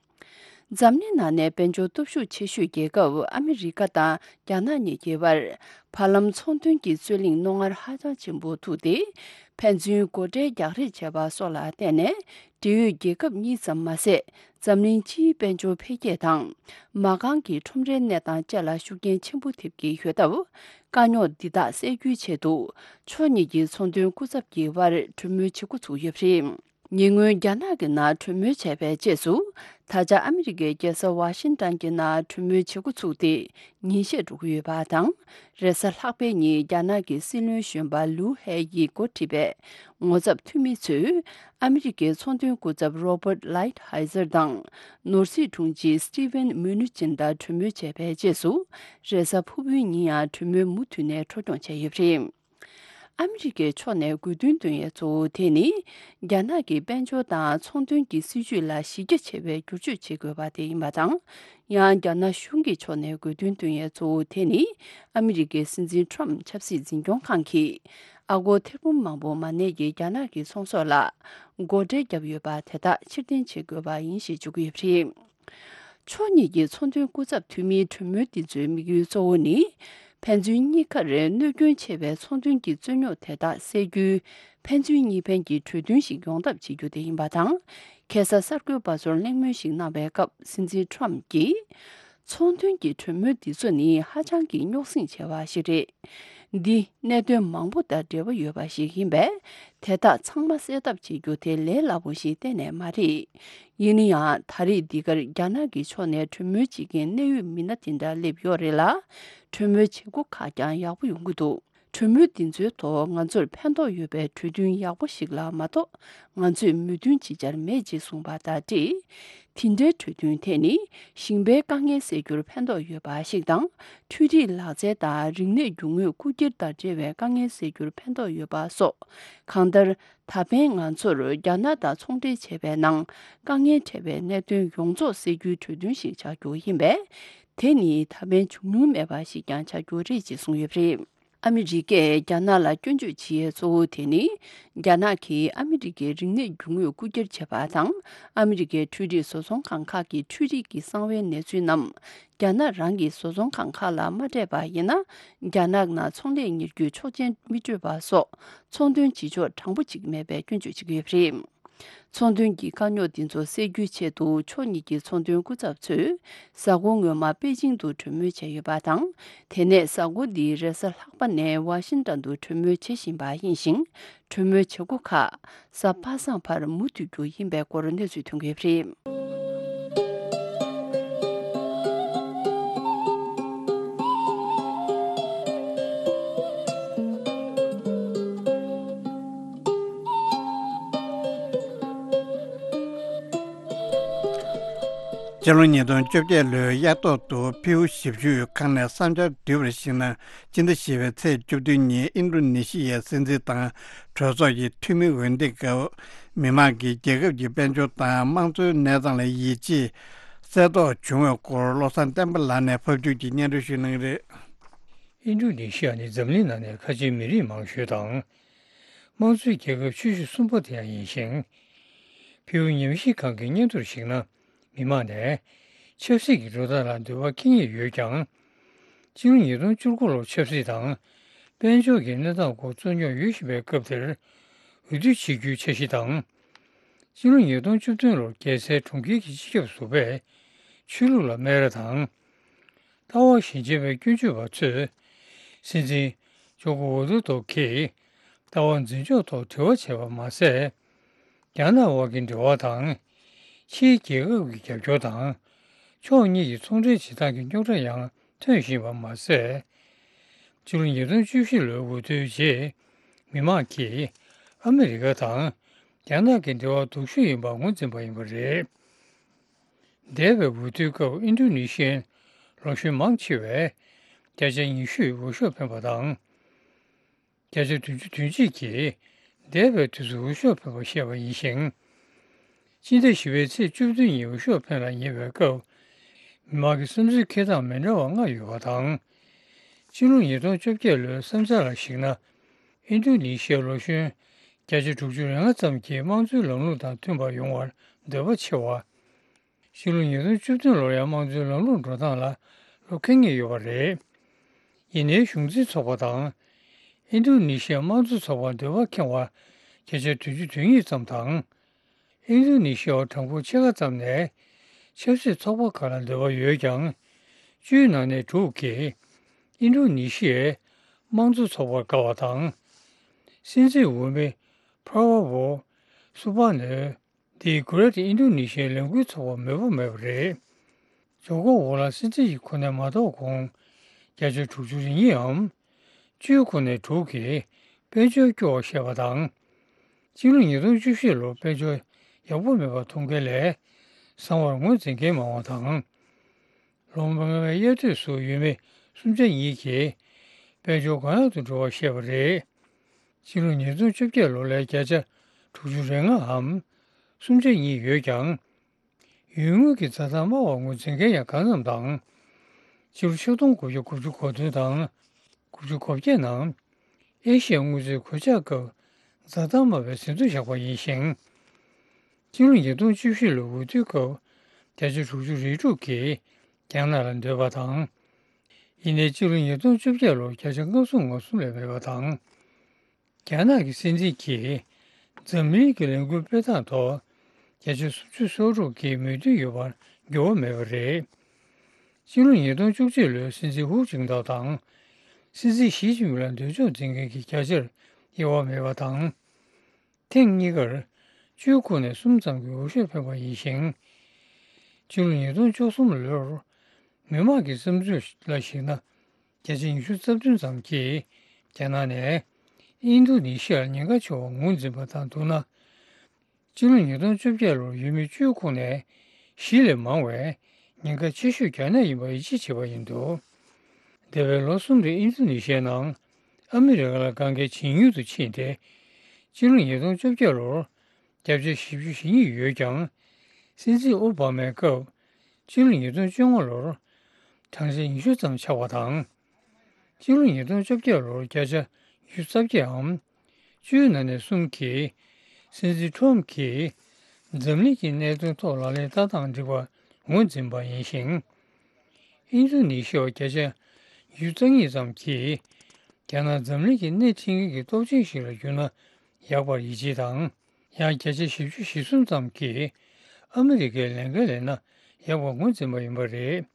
འཛམ་གླིང་ནང་ནས་དཔལ་འབྱོར་སྟོབས་ཤུགས་ཆེ་ཤོས་རྒྱལ་ཁབ་ཨ་མི་རི་ཀ་དང་རྒྱ་ནག་གཉིས་ཀྱི་བར་བར་ལམ་ཚོང་དོན་གྱི་རྩོད་གླེང་རྣོ་ངར་ཧ་ཅང་ཆེན་པོ་ཐུག་སྟེ། ཕན་ཚུན་སྒོ་ཁྲལ་རྒྱག་རེས་བྱས་པ་སོགས་ལ་བརྟེན་ནས། འབྲེལ་ཡོད་རྒྱལ་ཁབ་གཉིས་ཙམ་མ་ཟད། འཛམ་གླིང་སྤྱིའི་དཔལ་འབྱོར་འཕེལ་རྒྱས་དང་། མ་རྐང་གི་ཁྲོམ་རའི་གནས་སྟངས་བཅས་ལ་ཤུགས་རྐྱེན་ཆེན་པོ་ཐེབས་ཀྱི་ཡོད་སྟབས། དཀའ་རྙོག་འདི་དག་སེལ་རྒྱུའི་ཆེད་དུ། ཕྱོགས་གཉིས་ཀྱི་ཚོང་དོན་སྐུ་ཚབ་ཀྱི་དབར་གྲོས་མོལ་བྱེད་འགོ་ཚུགས་ཡོད་པ་རེད། ཉེ་སྔོན་རྒྱ་ནག་གི་ནང་གྲོས་མོལ་བྱས་པའི་རྗེས་སུ། ད་ཆ་ཨ་མི་རི་ཀའི་རྒྱལ་ས་ཝ་ཤིང་ཏོན་གྱི་ནང་གྲོས་མོལ་བྱེད་འགོ་ཚུགས་ཏེ་ཉིན་ཤས་འགྲོ་གི་ཡོད་པ་དང་། རེས་གཟའ་ལྷག་པའི་ཉིན་རྒྱ་ནག་གི་སྲིད་བློན་གཞོན་པ་ལུའུ་ཧེ་ཡིས་འགོ་ཁྲིད་པའི་ངོ་ཚབ་འཐུས་མི་ཚོས་ཨ་མི་རི་ཀའི་ཚོང་དོན་སྐུ་ཚབ་རོ་བར་ལའིཊ་ཧའི་ཛར་དང་ནོར་སྲིད་དྲུང་ཆེ་སི་ཊི་ཝེན་མུ་ནུ་ཅིན་དང་གྲོས་མོལ་བྱས་པའི་རྗེས་སུ། རེས་གཟའ་ཕུར་བུའི་ཉིན་ཡང་གྲོས་མོལ་མུ་མཐུད་ནས་འཕྲོ་སྐྱོང་བྱས་ཡོད་པ་རེད། ཨ་མི་རི་ཀའི་ཕྱོགས་ནས་དགོས་འདུན་འདོན་ཡས་གཙོ་བོ་དེ་ནི། རྒྱ་ནག་གི་དཔལ་འབྱོར་དང་ཚོང་དོན་གྱི་སྲིད་ཇུས་ལ་གཞི་རྒྱ་ཆེ་བའི་བསྒྱུར་བཅོས་བྱེད་དགོས་པ་དེ་ཡིན་པ་དང་། ཡང་རྒྱ་ནག་གཞུང་གི་ཕྱོགས་ནས་དགོས་འདུན་འདོན་ཡས་གཙོ་བོ་དེ་ནི། ཨ་མི་རི་ཀའི་སྲིད་འཛིན་ཊརམ་ཆབ་སྲིད་འཛིན་སྐྱོང་ཁང་གིས། ཨ་སྒོར་ཐེར་འབུམ་མང་པོ་མ་གནས་ཀྱི་རྒྱ་ནག་གི་ཚོང་ཟོག་ལ། སྒོ་ཁྲལ་བརྒྱབ་ཡོད་པ་དེ་དག་ཕྱིར་འཐེན་བྱེད་དགོས་པ་ཡིན་ཞེས་བརྗོད་ཀྱི་ཡོད་པ་རེད། ཕྱོགས་གཉིས་ཀྱི་ཚོང་དོན་སྐུ་ཚབ་འཐུས་མིའི་གྲོས་མོལ་འདི་ཚོའི་དམིགས་ཡུལ་གཙོ་བོ་ནི། ཕན་ཚུན་གཉིས་ཀར་གནོད་སྐྱོན་ཆེ་བའི་ཚོང་དོན་གྱི་རྩོད་རྙོག་དེ་དག་སེལ་རྒྱུའི་ ཕན་ཚུན་གཉིས་ཕན་གྱི་གྲོས་མཐུན་ཞིག་ཡོང་ཐབས་བྱེད་རྒྱུ་དེ་ཡིན་པ་དང་། ཁ་སང་གསར་འགོད་པ་ཚོར་གླེང་མོལ་ཞིག་གནང་བའི་སྐབས་སྲིད་འཛིན་ཁྲོམ་གྱིས། ཚོང་དོན་གྱི་གྲོས་མོལ་འདི་ཚོ་ནི་ཧ་ཅང་གི་རྙོག་ཟིང་ཆེ་བ་ཞིག་རེད། འདི་གནད་དོན་མང་པོ་དང་འབྲེལ་བ་ཡོད་པ་ཞིག་ཡིན་པས། དེ་དག་ཚང་མ་སེལ་ཐབས་བྱེད་རྒྱུ་དེ་ལས་སླ་པོ་ཞིག་གཏན་ནས་མ་རེད། ཡིན་ན་ཡང་ད་རེས་འདི་གར་རྒྱ་ནག་གི་ཕྱོགས་ནས་གྲོས་མོལ་བྱེད་མཁན་གནད་ཡོད་མི་སྣ་དེ་འདྲ་སླེབས་ཡོད་རེད་ལ། གྲོས་མོལ་བྱེད་སྒོ་ཁག་ཀྱང་ཡག་པོ་ཡོང་གི་འདུག་གྲོས་མོལ་འདི་ཚོའི་ཐོག་ང་ཚོར་ཕན་ཐོགས་ཡོད་པའི་གྲོས་མཐུན་ཡག་པོ་ཞིག་ལ་མ་གཏོགས་ང་ཚོས་མོས་མཐུན་ཅི་བྱར་མེད་ཅེས་གསུངས་པ་དང་འབྲེལ། དེ་འདྲའི་གྲོས་མཐུན་དེ་ནི་ཞིང་པའི་དཀའ་ངལ་སེལ་རྒྱུར་ཕན་ཐོགས་ཡོད་པ་ཞིག་དང་། འཕྲུལ་རིག་ལག་རྩལ་དང་རིག་གནས་རྒྱུ་དངོས་རྐུ་འཁྱེར་དང་འབྲེལ་བའི་དཀའ་ངལ་སེལ་རྒྱུར་ཕན་ཐོགས་ཡོད་པ་སོགས། གང་ལྟར། ད་ཕན་ང་ཚོར་རྒྱ་ནག་དང་ཚོང་འབྲེལ་བྱས་པའི་ནང་དཀའ་ངལ་འཕྲད་པའི་གནད་དོན་ཡོངས་རྫོགས་སེལ་རྒྱུའི་གྲོས་མཐུན་ཞིག་ཆགས་རྒྱུ་ཡིན་པས། དེ་ནི་ད་ཕན་བྱུང་མྱོང་མེད་པ་ཞིག་ཀྱང་ཆགས་རྒྱུ་རེད་ཅེས་གསུངས་ཡོད་པ་རེད། ཨ་མི་རི་ཀས་རྒྱ་ནག་ལ་སྐྱོན་བརྗོད་བྱེད་ཡས་གཙོ་བོ་དེ་ནི། རྒྱ་ནག་གིས་ཨ་མི་རི་ཀའི་རིག་གནས་རྒྱུ་དངོས་རྐུ་འཁྱེར་བྱས་པ་དང་། ཨ་མི་རི་ཀའི་འཕྲུལ་རིག་བཟོ་ཚོང་ཁང་ཁག་གི་འཕྲུལ་རིག་གི་གསང་བའི་གནས་ཚུལ་རྣམས། རྒྱ་ནག་རང་གི་བཟོ་ཚོང་ཁང་ཁག་ལ་མ་སྤྲད་པ་ཡིན་ན། རྒྱ་ནག་ནང་ཚོང་ལས་གཉེར་རྒྱུའི་ཆོག་མཆན་མི་སྤྲོད་པ་སོགས། ཚོང་དོན་བྱེད་ཕྱོགས་དྲང་པོ་ཅིག་མེད་པའི་སྐྱོན་བརྗོད་བྱེད་ཀྱི་ཡོད་པ་རེད། ཚོང་དོན་གྱི་དཀའ་རྙོག་འདི་ཚོ་སེལ་རྒྱུའི་ཆེད་དུ་ཕྱོགས་གཉིས་ཀྱི་ཚོང་དོན་སྐུ་ཚབ་ཚོས་གཟའ་འཁོར་སྔོན་མ་པེ་ཅིང་དུ་གྲོས་མོལ་བྱས་ཡོད་པ་དང་། དེ་ནས་གཟའ་འཁོར་འདིའི་རེས་གཟའ་ལྷག་པ་ནས་ཝ་ཤིང་ཏོན་དུ་གྲོས་མོལ་བྱེད་བཞིན་པ་ཡིན་ཞིང་། གྲོས་མོལ་བྱེད་སྒོ་ཁག་གཟའ་པ་སངས་བར་མུ་མཐུད་རྒྱུ་ཡིན་པའི་སྐོར་གནས་ཚུལ་ཐོན་གྱི་ཡོད་པ་རེད། སྤྱི་ལོ་ཉིས་སྟོང་བཅོ་བརྒྱད་ལོའི་དབྱར་ཐོག་ཏུ་ཕིའུ་ཞབས་ཞུའི་ཁང་ནས་བསམ་འཆར་བསྡུས་པར་གཞིགས་ན། སྤྱི་ཟླ་བཞི་པའི་ཚེས་བཅུ་བདུན་ཉིན་ཨིན་ཌོ་ནེ་ཤི་ཡའི་སྲིད་འཛིན་དང་གྲོས་ཚོགས་ཀྱི་འཐུས་མི་འོས་འདེམས་སྐབས། མི་མང་གིས་རྒྱལ་ཁབ་ཀྱི་དཔལ་འབྱོར་དང་དམངས་གཙོའི་གནས་སྟངས་ལ་ཡིད་ཆེས་གསལ་རྟོགས་བྱུང་བའི་སྐོར་བློ་བཟང་བསྟན་པ་ལགས་ནས་ཕབ་སྒྱུར་གྱིས་སྙན་སྒྲོན་ཞུ་གནང་གི་རེད། ཨིན་ཌོ་ནེ་ཤི་ཡ་ནི་འཛམ་གླིང་ནང་ནས་ཁ་ཆེའི་མི་རིགས་མང་ཤོས་དང་། དམངས་གཙོའི་རྒྱལ་ཁབ་ཆེ་ཤོས་གསུམ་པ་དེ་ཡང་ཡིན་ཞིང་། ཕིའུ་ཉམས་ཞིབ་ཁང་གི་སྙན་ཐོར་ཞིག་ན། མི་མང་ནས་ཆབ་སྲིད་ཀྱི་འགྲོ་སྟངས་ལ་འདོད་པ་ཁེངས་ངེས་ཡོད་ཀྱང་། སྤྱི་ལོ་ཉིས་སྟོང་བཅུ་དགུ་ལོར་ཆབ་སྲིད་དང་། དཔལ་འབྱོར་གྱི་གནས་སྟངས་སྐོར་རྩོད་རྙོག་ཡོད་བཞིན་པའི་སྐབས་དེར། འོས་བསྡུ་བྱེད་རྒྱུའི་འཆར་གཞི་དང་། སྤྱི་ལོ་ཉིས་སྟོང་བཅུ་བདུན་ལོར་རྒྱལ་སའི་གྲོང་ཁྱེར་གྱི་སྤྱི་ཁྱབ་ཟུར་པས་ཆོས་ལུགས་ལ་སྨད་ར་དང་། ལྟ་བ་ཞན་ཆ་བའི་སྐྱོན་བརྗོད་པ་ཚོས། སྲིད་འཛིན་ཇོ་ཀོ་ཝི་དོ་རྡོ་གིས་ལྟ་བ་འཛིན་ཕྱོགས་ཐོག་དྲི་བ་བྱས་པ་མ་ཟད། རྒྱ་ནག་དབར་གྱི་འབྲེལ་བ་དང་། ཕྱིའི་རྒྱལ་ཁབ་ཀྱི་རྒྱབ་སྐྱོར་དང་། ཕྱོགས་གཉིས་ཀྱི་ཚོང་འབྲེལ་བྱེད་སྟངས་ཀྱི་རྙོག་དྲ་ཡང་ཐོན་བཞིན་པ་མ་ཟད། ཕྱི་ལོ་ཉིས་སྟོང་བཅུ་བཞི་ལོའི་འོས་བསྡུའི་རྗེས། མི་མང་གིས་ཨ་མི་རི་ཀ་དང་རྒྱ་ནག་གི་འབྲེལ་བ་སྡུག་ཤོས་ཡིན་པར་ངོས་འཛིན་པ་ཡིན་པ་རེད། འདས་པའི་འོས་བསྡུའི་སྐབས་ཨིན་ཌོ་ནེ་ཤི་ཡའི་ལོ་གཞོན་མང་ཆེ་བས་བརྒྱ་ཆ་ཉི་ཤུས་འོས་ཤོག་འཕེན་པ་དང་། བརྒྱ་ཆ་བདུན་ཅུ་དོན་གཅིག་གིས་འདས་པའི་དུས་སུ་འོས་ཤོག་འཕེན་པ་བཤད་པ་ཡིན་ཞིང་། སྤྱི་ཟླ་བཞི་པའི་ཚེས་བཅུ་བདུན་ཉིན་འོས་ཤོག་འཕེན་ལ་ཉེ་བའི་སྐབས། མི་མང་གི་བསམ་ཚུལ་འཁྱེར་སྟངས་མི་འདྲ་བ་ལྔ་ཡོད་པ་དང་། སྤྱི་ལོ་ཉིས་སྟོང་བཅོ་བརྒྱད་ལོའི་བསམ་འཆར་ལ་གཞིགས་ན། ཨིན་ཌོ་ནེ་ཤི་ཡའི་ལོ་གཞོན་བརྒྱ་ཆ་དྲུག་ཅུ་རེ་ལྔ་ཙམ་གྱིས་དམངས་གཙོའི་ལམ་ལུགས་དང་མཐུན་པར་ཡོང་བར་འདོད་པ་ཆེ་བ། ཕྱི་ལོ་ཉིས་སྟོང་བཅུ་བདུན་ལོར་ཡང་དམངས་གཙོའི་ལམ་ལུགས་འགྲོ་སྟངས་ལ་བློ་ཁེངས་ངེས་ཡོད་པ་རེད། ཡིན་ནའི་གཞུང་འཛིན་ཚོགས་པ་དང་། ཨིན་ཌོ་ནེ་ཤི་ཡའི་དམངས་གཙོ་ཚོགས་པར་འདོད་པ་ཁེངས་པ་བརྒྱ་ཆ་བདུན་ཅུ་དོན་གཉིས་ཙམ་དང་། ཨིན་ཌོ་ནེ་ཤི་ཡའི་གྲངས་འབོར་ཕྱེད་ཀ་ཙམ་ནས་ཆབ་སྲིད་ཚོགས་པ་ཁག་ལ་འདོད་པ་ཡོད་ཀྱང་། བཅུའི་ནང་ནས་དྲུག་གིས་ཨིན་ཌོ་ནེ་ཤི་ཡའི་དམངས་གཙོ་ཚོགས་པར་དགའ་བ་དང་། སྲིད་འཛིན་འོས་མི་པྲ་བ་བྷོ་སུ་བྷ་ནོ། འདིས་Greater Indonesia ལས་འགུལ་ཚོགས་པར་མོས་པ་མེད་པ་རེད། ཇོ་ཀོ་ཝི་ལ་སྲིད་འཛིན་གྱི་གོ་གནས་མ་ཐོབ་གོང་། བརྒྱ་ཆ་དྲུག་ཅུ་རེ་གཉིས་འམ། བཅུའི་ཁོངས་ནས་དྲུག་གིས་དཔལ་འབྱོར་སྐྱོ་བར་བཤད་པ་དང་། སྤྱི་ལོ་ཉིས་སྟོང་བཅུ་བཞི་ལོར་དཔལ་འབྱོར་ཡག་པོ་མེད་པ་མཐོང་མཁན་ལས་བཟང་བར་ངོས་འཛིན་མཁན་མང་བ་དང་། ལོ་མང་བའི་དབྱར་དུས་སུ་ཡུལ་མི་སུམ་ཆ་གཉིས་ཀྱིས་དཔལ་འབྱོར་གང་ཡག་ཏུ་འགྲོ་བར་བཤད་པ་རེད། ཕྱི་ལོ་ཉིས་སྟོང་བཅོ་བརྒྱད་ལོ་ལས་བརྒྱ་ཆ་དྲུག་ཅུ་རེ་ལྔའམ་སུམ་ཆ་གཉིས་ཡོད་ཀྱང་། ཡུལ་དངོས་ཀྱི་འཛའ་ཐང་དམའ་བར་ངོས་འཛིན་མཁན་ཡང་གང་འཚམ་དང་། ཕྱི་ལོ་ཆིག་སྟོང་དགུ་བརྒྱ་དགུ་བཅུ་གོ་བདུན་དང་དགུ་བཅུ་གོ་བརྒྱད་ནང་། ཨེ་ཤི་ཡའི་དངུལ་རྩའི་གོད་ཆག་སྐབས་འཛའ་ཐང་དམའ་བའི་ཟིན་ཐོ་བཞག་པ་ཡིན་ཞིང་། སྤྱི་ལོ་ཉིས་སྟོང་བཅུ་བཞི་ལོའི་འོས་བསྡུའི་སྐབས་བརྒྱ་ཆ་དྲུག་ཅུ་རེ་དྲུག་གིས་རྒྱ་ནག་ལ་འདོད་པ་དང་། ཡིན་ནའི་སྤྱི་ལོ་ཉིས་སྟོང་བཅོ་བརྒྱད་ལོར་བརྒྱ་ཆ་ལྔ་བཅུ་ང་གསུམ་ལས་མེད་པ་དང་། རྒྱ་ནག་གི་སྲིད་འཛིན་གྱིས་འཛམ་གླིང་གི་ལས་འགུལ་སྤེལ་སྟངས་ཐོག་བརྒྱ་ཆ་སུམ་ཅུ་སོ་དྲུག་གིས་མོས་མཐུན་ཡོད་པར་འགྱུར་བ་མེད་པ་རེད། སྤྱི་ལོ་ཉིས་སྟོང་བཅུ་གཅིག་ལོའི་སྲིད་འཛིན་ཧུའུ་ཅིན་ཐའོ་དང་སྲིད་འཛིན་ཞི་ཅིན་ཕིང་ལ་འདོད་ཕྱོགས་འཛིན་མཁན་གྱི་བརྒྱ་ཆར་དབྱེ་བ་མེད་པ་དང་། ཐེངས་གཉིས་ཀར་བཅུའི་ཁོངས་ནས་གསུམ་ཙམ་གྱིས་འོས་ཤོག་འཕེན་པ་ཡིན་ཞིང་། སྤྱི་ལོ་ཉིས་སྟོང་བཅུ་གསུམ་ལོར་མི་དམངས་ཀྱི་བསམ་ཚུལ་ལ་གཞིགས་ན། བརྒྱ་ཆ་ཉི་ཤུ་རྩ་བདུན་ཙམ་གྱིས་རྒྱ་ནག་ནས་ཨིན་རྡུ་ནི་ཤི་ཡར་ཉེན་ཁ་ཆེ་བར་ངོས་འཛིན་པ་དང་བསྡུར་ན། སྤྱི་ལོ་ཉིས་སྟོང་བཅོ་བརྒྱད་ལོར་ཡུལ་མི་བཅུའི་ཁོངས་ནས་བཞི་ལས་མང་བས་ཉེན་ཁ་ཆེ་ཤོས་རྒྱ་ནག་ཡིན་པར་ཡིད་ཆེས་བྱས་པ་ཡིན་འདུག་འདས་པའི་ལོ་གསུམ་རིང་ཨིན་རྡུ་ནི་ཤི་ཡའི་ནང་ཨ་མི་རི་ཀ་ལ་དཀའ་ངལ་ཇེ་ཉུང་དུ་ཕྱིན་ཏེ། སྤྱི་ལོ་ཉིས་སྟོང་བཅོ་བརྒྱད་ལོར་བརྒྱ་ཆ་བཞི་བཅུ་ཞེ་གཉིས་ཡོད་ཀྱང་། སྲིད་འཛིན་ཨོ་བྷ་མའི་སྐབས་སྤྱི་ལོ་ཉིས་སྟོང་བཅོ་ལྔ་ལོར་གྲངས་ཆ་ཉི་ཤུ་ཙམ་ཆག་པ་དང་། སྤྱི་ལོ་ཉིས་སྟོང་བཅོ་བརྒྱད་ལོར་བརྒྱ་ཆ་ཉི་ཤུ་རྩ་བརྒྱའམ་བཅུའི་ནང་ནས་གསུམ་གྱིས་སྲིད་འཛིན་ཁྲོམ་གྱིས་འཛམ་གླིང་གི་གནད་དོན་ཐོག་ལག་ལེན་བསྟར་སྟངས་འགྲིག་པར་ངོས་འཛིན་པ་ཡིན་ཞིང་། ཨིན་རྡུ་ནི་ཤི་ཡ་བརྒྱ་ཆ་ཉི་ཤུ་རྩ་གཉིས་ཙམ་གྱིས་རྒྱ་ནག་འཛམ་གླིང་གི་སྣེ་ཁྲིད་མཁན་གྱི་སྟོབས་ཆེན་ཞིག་ལ་གྱུར་ན་ཡག་པར་ཡིད་ཆེས་དང་། ཡང་བརྒྱ་ཆ་བཞི་བཅུ་ཞེ་གསུམ་ཙམ་གྱིས་ཨ་མི་རི་ཀའི་ལས་འགན་ལེན་ན་ཡག་པར་ངོས་འཛིན་པ་ཡིན་པ་རེད།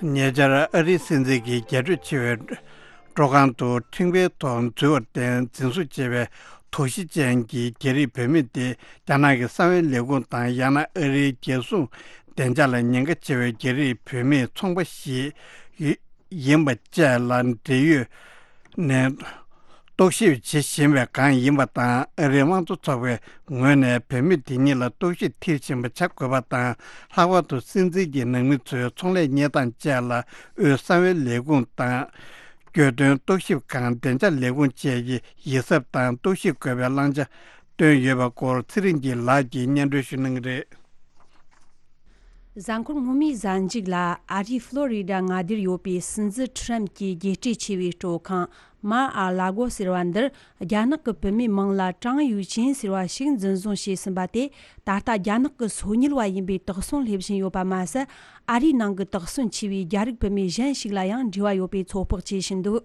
ཉེ་ཆར་ཨ་རིའི་སྲིད་འཛིན་གྱི་རྒྱས་སྤྲོས་ཆེ་བའི་སྤྲོ་ཁང་དུ་ཁྲིམས་འགལ་ཐོག་འཛུལ་བར་བརྟེན་འཛིན་བཟུང་བྱས་པའི་དོགས་གཞི་ཅན་གྱི་རྒྱ་རིགས་བུད་མེད་དེ། རྒྱ་ནག་གི་གསང་བའི་ལས་ཁུངས་དང་ཡང་ན་ཨ་རིའི་རྒྱལ་སྲུང་བདེ་འཇགས་ལ་ཉེན་ཁ་ཆེ་བའི་རྒྱ་རིགས་བུད་མེད་ཚོང་པ་ཞིག་ཡིན་པ་བཅས་ལ་འབྲེལ་ཡོད་ནས་རྟོག་ཞིབ་བྱེད་བཞིན་པའི་སྒང་ཡིན་པ་དང་། ཨ་རིའི་དམངས་གཙོ་ཚོགས་པའི་ངོས་ནས་བུད་མེད་དེ་གཉིས་ལ་རྟོག་ཞིབ་མཐིལ་ཕྱིན་པ་བྱ་དགོས་པ་དང་། ལྷག་པར་དུ་སྲིད་འཛིན་གྱི་ནང་མི་ཚོའི་ཚོང་ལས་གཉེར་སྟངས་བཅས་ལ་དབུས་གསང་བའི་ལས་ཁུངས་དང་། གྱོད་དོན་རྟོག་ཞིབ་ཁང་། བདེ་འཇགས་ལས་ཁུངས་བཅས་ཀྱིས་ཡིད་གཟབ་དང་རྟོག་ཞིབ་དགོས་པའི་བླང་བྱ་བཏོན་ཡོད་པ་སྐོར་ཚེ་རིང་སྐྱིད་ལགས་ཀྱིས་སྙན་སྒྲོན་ཞུ་གནང་གི་རེད། གཟའ་འཁོར་སྔོན་མའི་གཟའ་མཇུག་ལ་ཨ་རིའི་ཕློ་རི་ཌ་མངའ་སྡེར་ཡོད་པའི་སྲིད་འཛིན་ཁྲི་རམ་གྱི་རྒྱལ་སྤྲས་ཆེ་བའི་སྤྲོ་ཁང་མར་ཨ་ལ་གོ་ཟེར་བ་འདིར། རྒྱ་ནག་གི་བུད་མེད་མིང་ལ་ཀྲང་ཡུའུ་ཅིན་ཟེར་བ་ཞིག་འཛིན་བཟུང་བྱས་ཟིན་པ་དེ། ད་ལྟ་རྒྱ་ནག་གི་སོ་ཉུལ་བ་ཡིན་པའི་དོགས་ཟོན་སླེབས་བཞིན་ཡོད་པ་མ་ཟད། ཨ་རིའི་ནང་གི་དོགས་ཟོན་ཆེ་བའི་རྒྱ་རིགས་བུད་མེད་གཞན་ཞིག་ལ་ཡང་འབྲེལ་བ་ཡོད་པའི་ཚོད་དཔག་བྱེད་བཞིན་འདུག་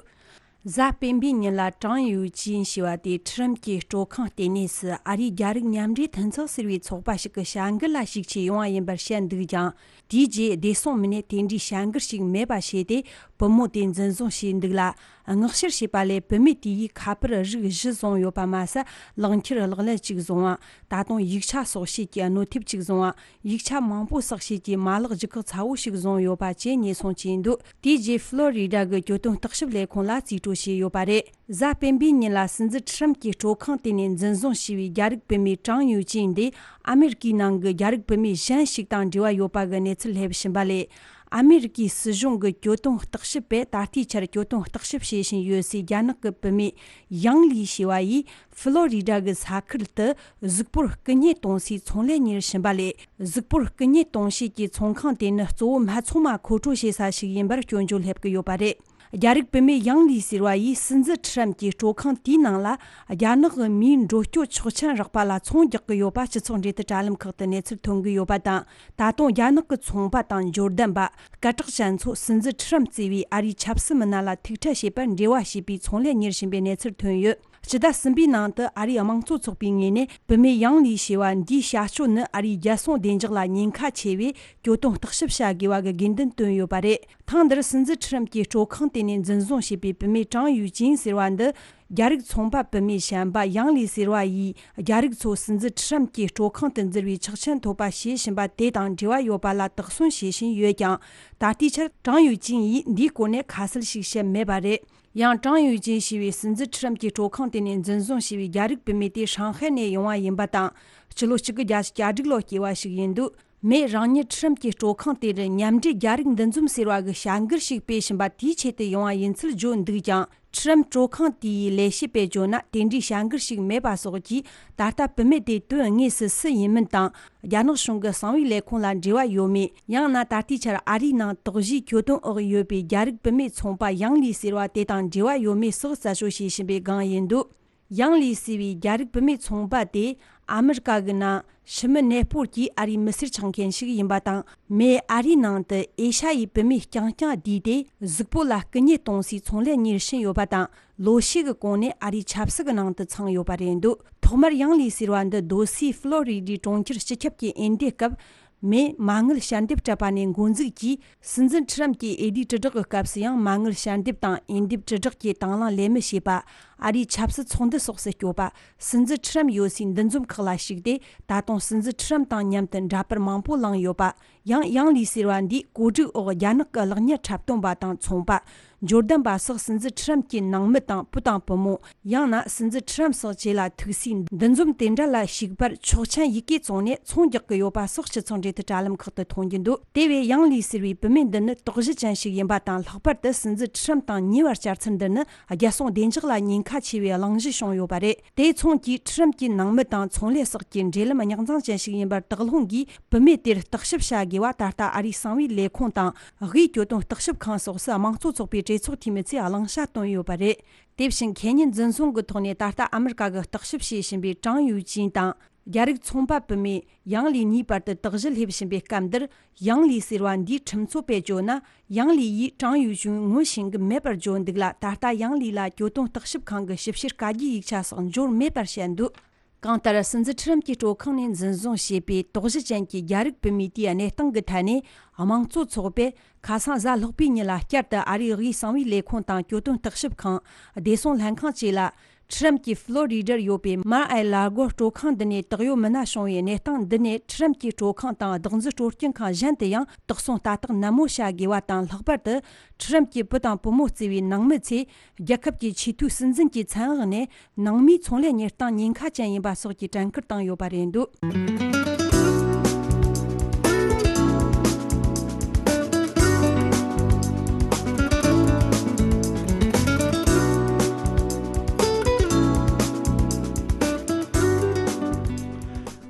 གཟའ་སྤེན་པའི་ཉིན་ལ་ཀྲང་ཡུའུ་ཅིན་ཞེས་པ་དེ་ཁྲི་རམ་གྱི་སྤྲོ་ཁང་ལྟེ་གནས་སུ་ཨ་རིའི་རྒྱ་རིགས་མཉམ་འབྲེལ་མཐུན་ཚོགས་ཟེར་བའི་ཚོགས་པ་ཞིག་གི་བྱ་འགུལ་ལ་ཞུགས་ཆེད་ཡོང་བ་ཡིན་པར་བཤད་འདུག་ཀྱང་། དེའི་རྗེས་བདེ་སྲུང་མི་སྣས་དེ་འདྲའི་བྱ་འགུལ་ཞིག་མེད་པ་བྱས་ཏེ། བུ་མོ་དེ་འཛིན་བཟུང་བྱས་འདུག་ལ། མངགས་བཤེར་བྱས་པ་ལས་བུད་མེད་དེ་ཡིས་ཁ་པར་རིགས་བཞི་བཟུང་ཡོད་པ་མ་ཟད། ལག་འཁྱེར་ལག་ལེན་གཅིག་བཟུང་བ། ད་དུང་ཡིག་ཆ་སོགས་བྱེད་ཀྱི་གནོད་ཐེབས་གཅིག་བཟུང་བ། ཡིག་ཆ་མང་པོ་བསགས་བྱེད་ཀྱི་མ་ལག་ལྗིད་ཁག་ཚ་བོ་ཞིག་བཟུང་ཡོད་པ་བཅས་ཉེན་སྲུང་བྱས་འདུག་དེའི་རྗེས་ཕློ་རི་ཌ་གི་གྱོད་དོན་བརྟག་ཞིབ་ལས་ཁུངས་ལ་རྩིས་སྤྲོད་བྱས་ཡོད་པ་རེད། གཟའ་སྤེན་པའི་ཉིན་ལ་སྲིད་འཛིན་ཁྲི་རམ་གྱི་སྤྲོ་ཁང་དེ་ནས་འཛིན་བཟུང་བྱས་པའི་རྒྱ་རིགས་བུད་མེད་ཀྲང་ཡུའུ་ཅིན་འདི་ཨ་མེ་རི་ཀའི་ནང་གི་རྒྱ་རིགས་བུད་མེད་གཞན་ཞིག་དང་འབྲེལ་བ་ཡོད་པ་གི་གནས་ཚུལ་སླེབས་བཞིན་པ་ལས། ཨ་མེ་རི་ཀའི་སྲིད་གཞུང་གི་གྱོད་དོན་བརྟག་ཞིབ་པས་ད་ལྟའི་ཆར་གྱོད་དོན་བརྟག་ཞིབ་བྱེད་བཞིན་ཡོད་སའི་རྒྱ་ནག་གི་བུད་མེད་ཡང་ལི་ཞེས་པ་ཡིས་ཕློ་རི་ཌ་གི་ས་ཁུལ་དུ་གཟུགས་པོར་རྐུ་མཉེ་གཏོང་སའི་ཚོང་ལས་གཉེར་བཞིན་པ་ལས། གཟུགས་པོར་རྐུ་མཉེ་གཏོང་བྱེད་ཀྱི་ཚོང་ཁང་དེ་ནི་གཙོ་བོ་སྨད་འཚོང་མ་མཁོ་སྤྲོད་བྱེད་ས་ཞིག་ཡིན་པར་སྐྱོན་བརྗོད་སླེབས་ཀྱི་ཡོད་པ་རེད། རྒྱ་རིགས་བུད་མེད་ཡང་ལི་ཟེར་བ་ཡིས་སྲིད་འཛིན་ཁྲི་རམ་གྱི་སྤྲོ་ཁང་དེའི་ནང་ལ་རྒྱ་ནག་གི་མིའི་འགྲོ་སྐྱོད་ཆོག་མཆན་རག་པ་ལ་ཚོང་རྒྱག་གི་ཡོད་པ་སྤྱི་ཚོགས་འབྲེལ་མཐུད་དྲ་ལམ་ཁག་ཏུ་གནས་ཚུལ་ཐོན་གྱི་ཡོད་པ་དང་། ད་དུང་རྒྱ་ནག་གི་ཚོང་པ་དང་འབྱོར་ལྡན་པ། སྐད་གྲགས་ཅན་ཚོ་སྲིད་འཛིན་ཁྲི་རམ་གཙོས་པའི་ཨ་རིའི་ཆབ་སྲིད་མི་སྣ་ལ་ཐུག་འཕྲད་བྱེད་པར་འབྲེལ་བ་བྱས་པའི་ཚོང་ལས་གཉེར་བཞིན་པའི་གནས་ཚུལ་ཐོན་ཡོད། ཕྱི་ཟླ་གསུམ་པའི་ནང་དུ་ཨ་རིའི་དམངས་གཙོ་ཚོགས་པའི་ངོས་ནས་བུད་མེད་ཡང་ལི་ཞེས་པ་འདིའི་བྱ་སྤྱོད་ནི་ཨ་རིའི་རྒྱལ་སྲུང་བདེ་འཇགས་ལ་ཉེན་ཁ་ཆེ་བས་གྱོད་དོན་བརྟག་ཞིབ་བྱ་དགོས་པ་གི་དགོས་འདུན་བཏོན་ཡོད་པ་རེད། ཐེངས་འདིར་སྲིད་འཛིན་ཁྲི་རམ་གྱི་སྤྲོ་ཁང་དེ་ནས་འཛིན་བཟུང་བྱས་པའི་བུད་མེད་ཀྲང་ཡུའུ་ཅིན་ཟེར་བ་འདི། རྒྱ་རིགས་ཚོང་པ་བུད་མེད་གཞན་པ་ཡང་ལི་ཟེར་བ་ཡིས་རྒྱ་རིགས་ཚོ་སྲིད་འཛིན་ཁྲི་རམ་གྱི་སྤྲོ་ཁང་དུ་འཛུལ་བའི་ཆོག་མཆན་ཐོབ་པ་བྱེད་བཞིན་པ་དེ་དང་འབྲེལ་བ་ཡོད་པ་ལ་དོགས་ཟོན་བྱེད་བཞིན་ཡོད་ཀྱང་། ད་ལྟའི་ཆར་ཀྲང་ཡུའུ་ཅིན་ཡིས་འདིའི་སྐོར་ནས་ཁ་གསལ་ཞིག་བཤད་མེད་པ་རེད། ཡང་ཀྲང་ཡུའུ་ཅིན་ཞེས་པའི་སྲིད་འཛིན་ཁྲི་རམ་གྱི་སྤྲོ་ཁང་དེ་ནས་འཛིན་བཟུང་བྱས་པའི་རྒྱ་རིགས་བུད་མེད་དེ་ཧྲང་ཧའེ་ནས་ཡོང་བ་ཡིན་པ་དང་། སྤྱི་ལོ་གཅིག་དགུ་བརྒྱ་བརྒྱད་ཅུ་གྱ་དྲུག་ལོ་སྐྱེས་པ་ཞིག་ཡིན་འདུག་མི་རང་ཉིད་ཁྲི་རམ་གྱི་སྤྲོ་ཁང་དེར་མཉམ་འབྲེལ་རྒྱ་རིགས་འདུ་འཛོམས་ཟེར་བ་གི་བྱ་འགུལ་ཞིག་སྤེལ་བཞིན་པ་དེའི་ཆེད་དུ་ཡོང་བ་ཡིན་ཚུལ་བརྗོད་འདུག་ཀྱང་ ཁྲི་རམ་སྤྲོ་ཁང་དེའི་ལས་བྱེད་པས་བརྗོད་ན། དེ་འདྲའི་བྱ་འགུལ་ཞིག་མེད་པ་སོགས་ཀྱིས། ད་ལྟ་བུད་མེད་དེ་དོན་དངོས་སུ་སུ་ཡིན་མིན་དང་། རྒྱ་ནག་གཞུང་གི་གསང་བའི་ལས་ཁུངས་ལ་འབྲེལ་བ་ཡོད་མེད། ཡང་ན་ད་ལྟའི་ཆར་ཨ་རིའི་ནང་དོགས་གཞིའི་གྱོད་དོན་འོག་ཡོད་པའི་རྒྱ་རིགས་བུད་མེད་ཚོང་པ་ཡང་ལི་ཟེར་བ་དེ་དང་འབྲེལ་བ་ཡོད་མེད་སོགས་རྩད་གཅོད་བྱེད་བཞིན་པའི་སྒང་ཡིན་འདུག་ཡང་ལི་ཟེར་བའི་རྒྱ་རིགས་བུད་མེད་ཚོང་པ་དེ་ཨ་མི་རི་ཀ་གི་ནང་ཕྱི་མི་གནས་སྤོར་གྱིས་ཨ་རིའི་མི་སེར་ཆགས་མཁན་ཞིག་ཡིན་པ་དང་། མི་ཨ་རིའི་ནང་དུ་ཨེ་ཤ་ཡའི་བུད་མེད་རྐྱང་རྐྱང་བསྡུས་ཏེ་གཟུགས་པོ་ལ་རྐུ་མཉེས་གཏོང་སའི་ཚོང་ལས་གཉེར་བཞིན་ཡོད་པ་དང་། ལོ་ཤས་ཀྱི་གོང་ནས་ཨ་རིའི་ཆབ་སྲིད་ཀྱི་ནང་དུ་ཚང་ཡོད་པ་རེད་འདུག་ཐོག་མར་ཡང་ལི་ཟེར་བ་འདི་སྡོད་སའི་ཧྥི་ལོ་རི་ཌའི་གྲོང་ཁྱེར་སྤྱི་ཁྱབ་ཀྱི་འོས་འདེམས་སྐབས། མི་མ་དངུལ་ཞལ་འདེབས་སྤྲད་པ་ནས་འགོ་འཛུགས་ཀྱིས། སྲིད་འཛིན་ཁྲི་རམ་གྱི་འོས་བསྡུའི་དྲིལ་བསྒྲགས་ཀྱི་སྐབས་སུ་ཡང་། མ་དངུལ་ཞལ་འདེབས་དང་འོས་འདེམས་དྲིལ་བསྒྲགས་ཀྱི་དང་བླངས་ལས་མི་བྱེད་པ། ཨ་རིའི་ཆབ་སྲིད་ཚོགས་འདུ་སོགས་སུ་སྐྱོད་པ། སྲིད་འཛིན་ཁྲི་རམ་ཡོད་སའི་འདུ་འཛོམས་ཁག་ལ་ཞུགས་ཏེ། ད་དུང་སྲིད་འཛིན་ཁྲི་རམ་དང་མཉམ་དུ་འདྲ་པར་མང་པོ་བླངས་ཡོད་པ། ཡང་ཡང་ལི་ཟེར་བ་འདིས་གོ་སྒྲིག་འོག་རྒྱ་ནག་གི་གློག་བརྙན་འཁྲབ་སྟོན་པ་དང་ཚོང་པ། འབྱོར་ལྡན་པ་སོགས་སྲིད་འཛིན་ཁྲི་རམ་གྱི་ནང་མི་དང་བུ་དང་བུ་མོ། ཡང་ན་སྲིད་འཛིན་ཁྲི་རམ་སོགས་བཅས་ལ་ཐུག་སའི་འདུ་འཛོམས་དེ་འདྲ་ལ་ཞུགས་པར་ཆོག་མཆན་ཡི་གེ་བཙོངས་ནས་ཚོང་རྒྱག་གི་ཡོད་པ་སོགས་སྤྱི་ཚོགས་འབྲེལ་མཐུད་དྲ་ལམ་ཁག་ཏུ་མཐོང་རྒྱུ་འདུག་དེ་བས་ཡང་ལི་ཟེར་བའི་བུད་མེད་འདི་ནི་དོགས་གཞི་ཅན་ཞིག་ཡིན་པ་དང་། ལྷག་པར་དུ་སྲིད་འཛིན་ཁྲི་རམ་དང་ཉེ་བར་བཅར་ཚུལ་འདི་ནི་རྒྱལ་སྲུང་བདེ་འཇགས་ལ་ཉེན་ཁ་ཆེ་བའི་གླེང་གཞི་བྱུང་ཡོད་པ་རེད། དེ་མཚུངས་ཀྱིས་ཁྲི་རམ་གྱི་ནང་མི་དང་ཚོང་ལས་སོགས་ཀྱི་འབྲེལ་ལམ་རྙོག་འཛིང་ཅན་ཞིག་ཡིན་པར་དོགས་སློང་གིས། བུད་མེད་དེར་བརྟག་ཞིབ་བྱ་དགོས་པ་ད་ལྟ་ཨ་རིའི་གསང་བའི་ལས་ཁུངས་དང་། དབུས་གྱོད་དོན་བརྟག་ཞིབ་ཁང་སོགས་སུ་དམངས་གཙོ་ཚོགས་པའི་གྲོས་ཚོགས་འཐུས་མི་ཚོས་གླེང་བྱ་བཏོན་ཡོད་པ་རེད། དེ་བཞིན་ཁེ་ཉིན་འཛིན་བཟུང་གི་ཐོག་ནས་ད་ལྟ་ཨ་མི་རི་ཀ་གི་བརྟག་ཞིབ་བྱེད་བཞིན་པའི་ཀྲང་ཡུའུ་ཅིན་དང་། རྒྱ་རིགས་ཚོང་པ་བུད་མེད་ཡང་ལི་གཉིས་བར་དུ་དོགས་གཞི་སླེབས་བཞིན་པའི་སྐབས་འདིར། ཡང་ལི་ཟེར་བ་འདིའི་ཁྲིམས་རྩོད་པས་བརྗོད་ན། ཡང་ལི་ཡིས་ཀྲང་ཡུའུ་ཅིན་ངོ་ཤེས་ཀྱི་མེད་པར་བརྗོད་འདུག་ལ། ད་ལྟ་ཡང་ལི་ལ་གྱོད་དོན་བརྟག་ཞིབ་ཁང་གི་ཞིབ་བཤེར་བཀའ་རྒྱའི་ཡིག་ཆ་སོགས་འབྱོར་མེད་པར་བཤད་འདུག་གང་ལྟར། སྲིད་འཛིན་ཁྲི་རམ་གྱི་སྤྲོ་ཁང་ནས་འཛིན་བཟུང་བྱས་པའི་དོགས་གཞི་ཅན་གྱི་རྒྱ་རིགས་བུད་མེད་དེའི་གནས་སྟངས་ཀྱི་ཐད་ནས། དམངས་གཙོ་ཚོགས་པས་ཁ་སང་གཟའ་ལྷག་པའི་ཉིན་ལ་བསྐྱར་དུ་ཨ་རིའི་དབུས་གསང་བའི་ལས་ཁུངས་དང་གྱོད་དོན་བརྟག་ཞིབ་ཁང་། བདེ་སྲུང་ལྷན་ཁང་བཅས་ལ། ཁྲི་རམ་གྱི་ཧྥི་ལོ་རི་ཌར་ཡོད་པའི་མར་ཨེ་ལར་གོ་སྤྲོ་ཁང་འདི་ནས་དག་ཡོད་མི་སྣ་བྱུང་བའི་གནས་སྟངས་འདི་ནས། ཁྲི་རམ་གྱི་སྤྲོ་ཁང་དང་བདག་འཛིན་སྤྲོ་སྐྱིད་ཁང་གཞན་དུ་ཡང་དོགས་ཟོན་ལྟ་རྟོག་ནན་མོ་བྱ་དགོས་པ་དང་། ལྷག་པར་དུ་ཁྲི་རམ་གྱི་བུ་དང་བུ་མོ་བརྩི་བའི་ནང་མི་ཚོས། རྒྱལ་ཁབ་ཀྱི་ཆེས་མཐོའི་སྲིད་འཛིན་གྱི་མཚན་འོག་ནས་ནང་མིའི་ཚོང་ལས་གཉེར་སྟངས་ཉེན་ཁ་ཅན་ཡིན་པ་སོགས་ཀྱི་དྲན་སྐུལ་བཏང་ཡོད་པ་རེད་འདུག་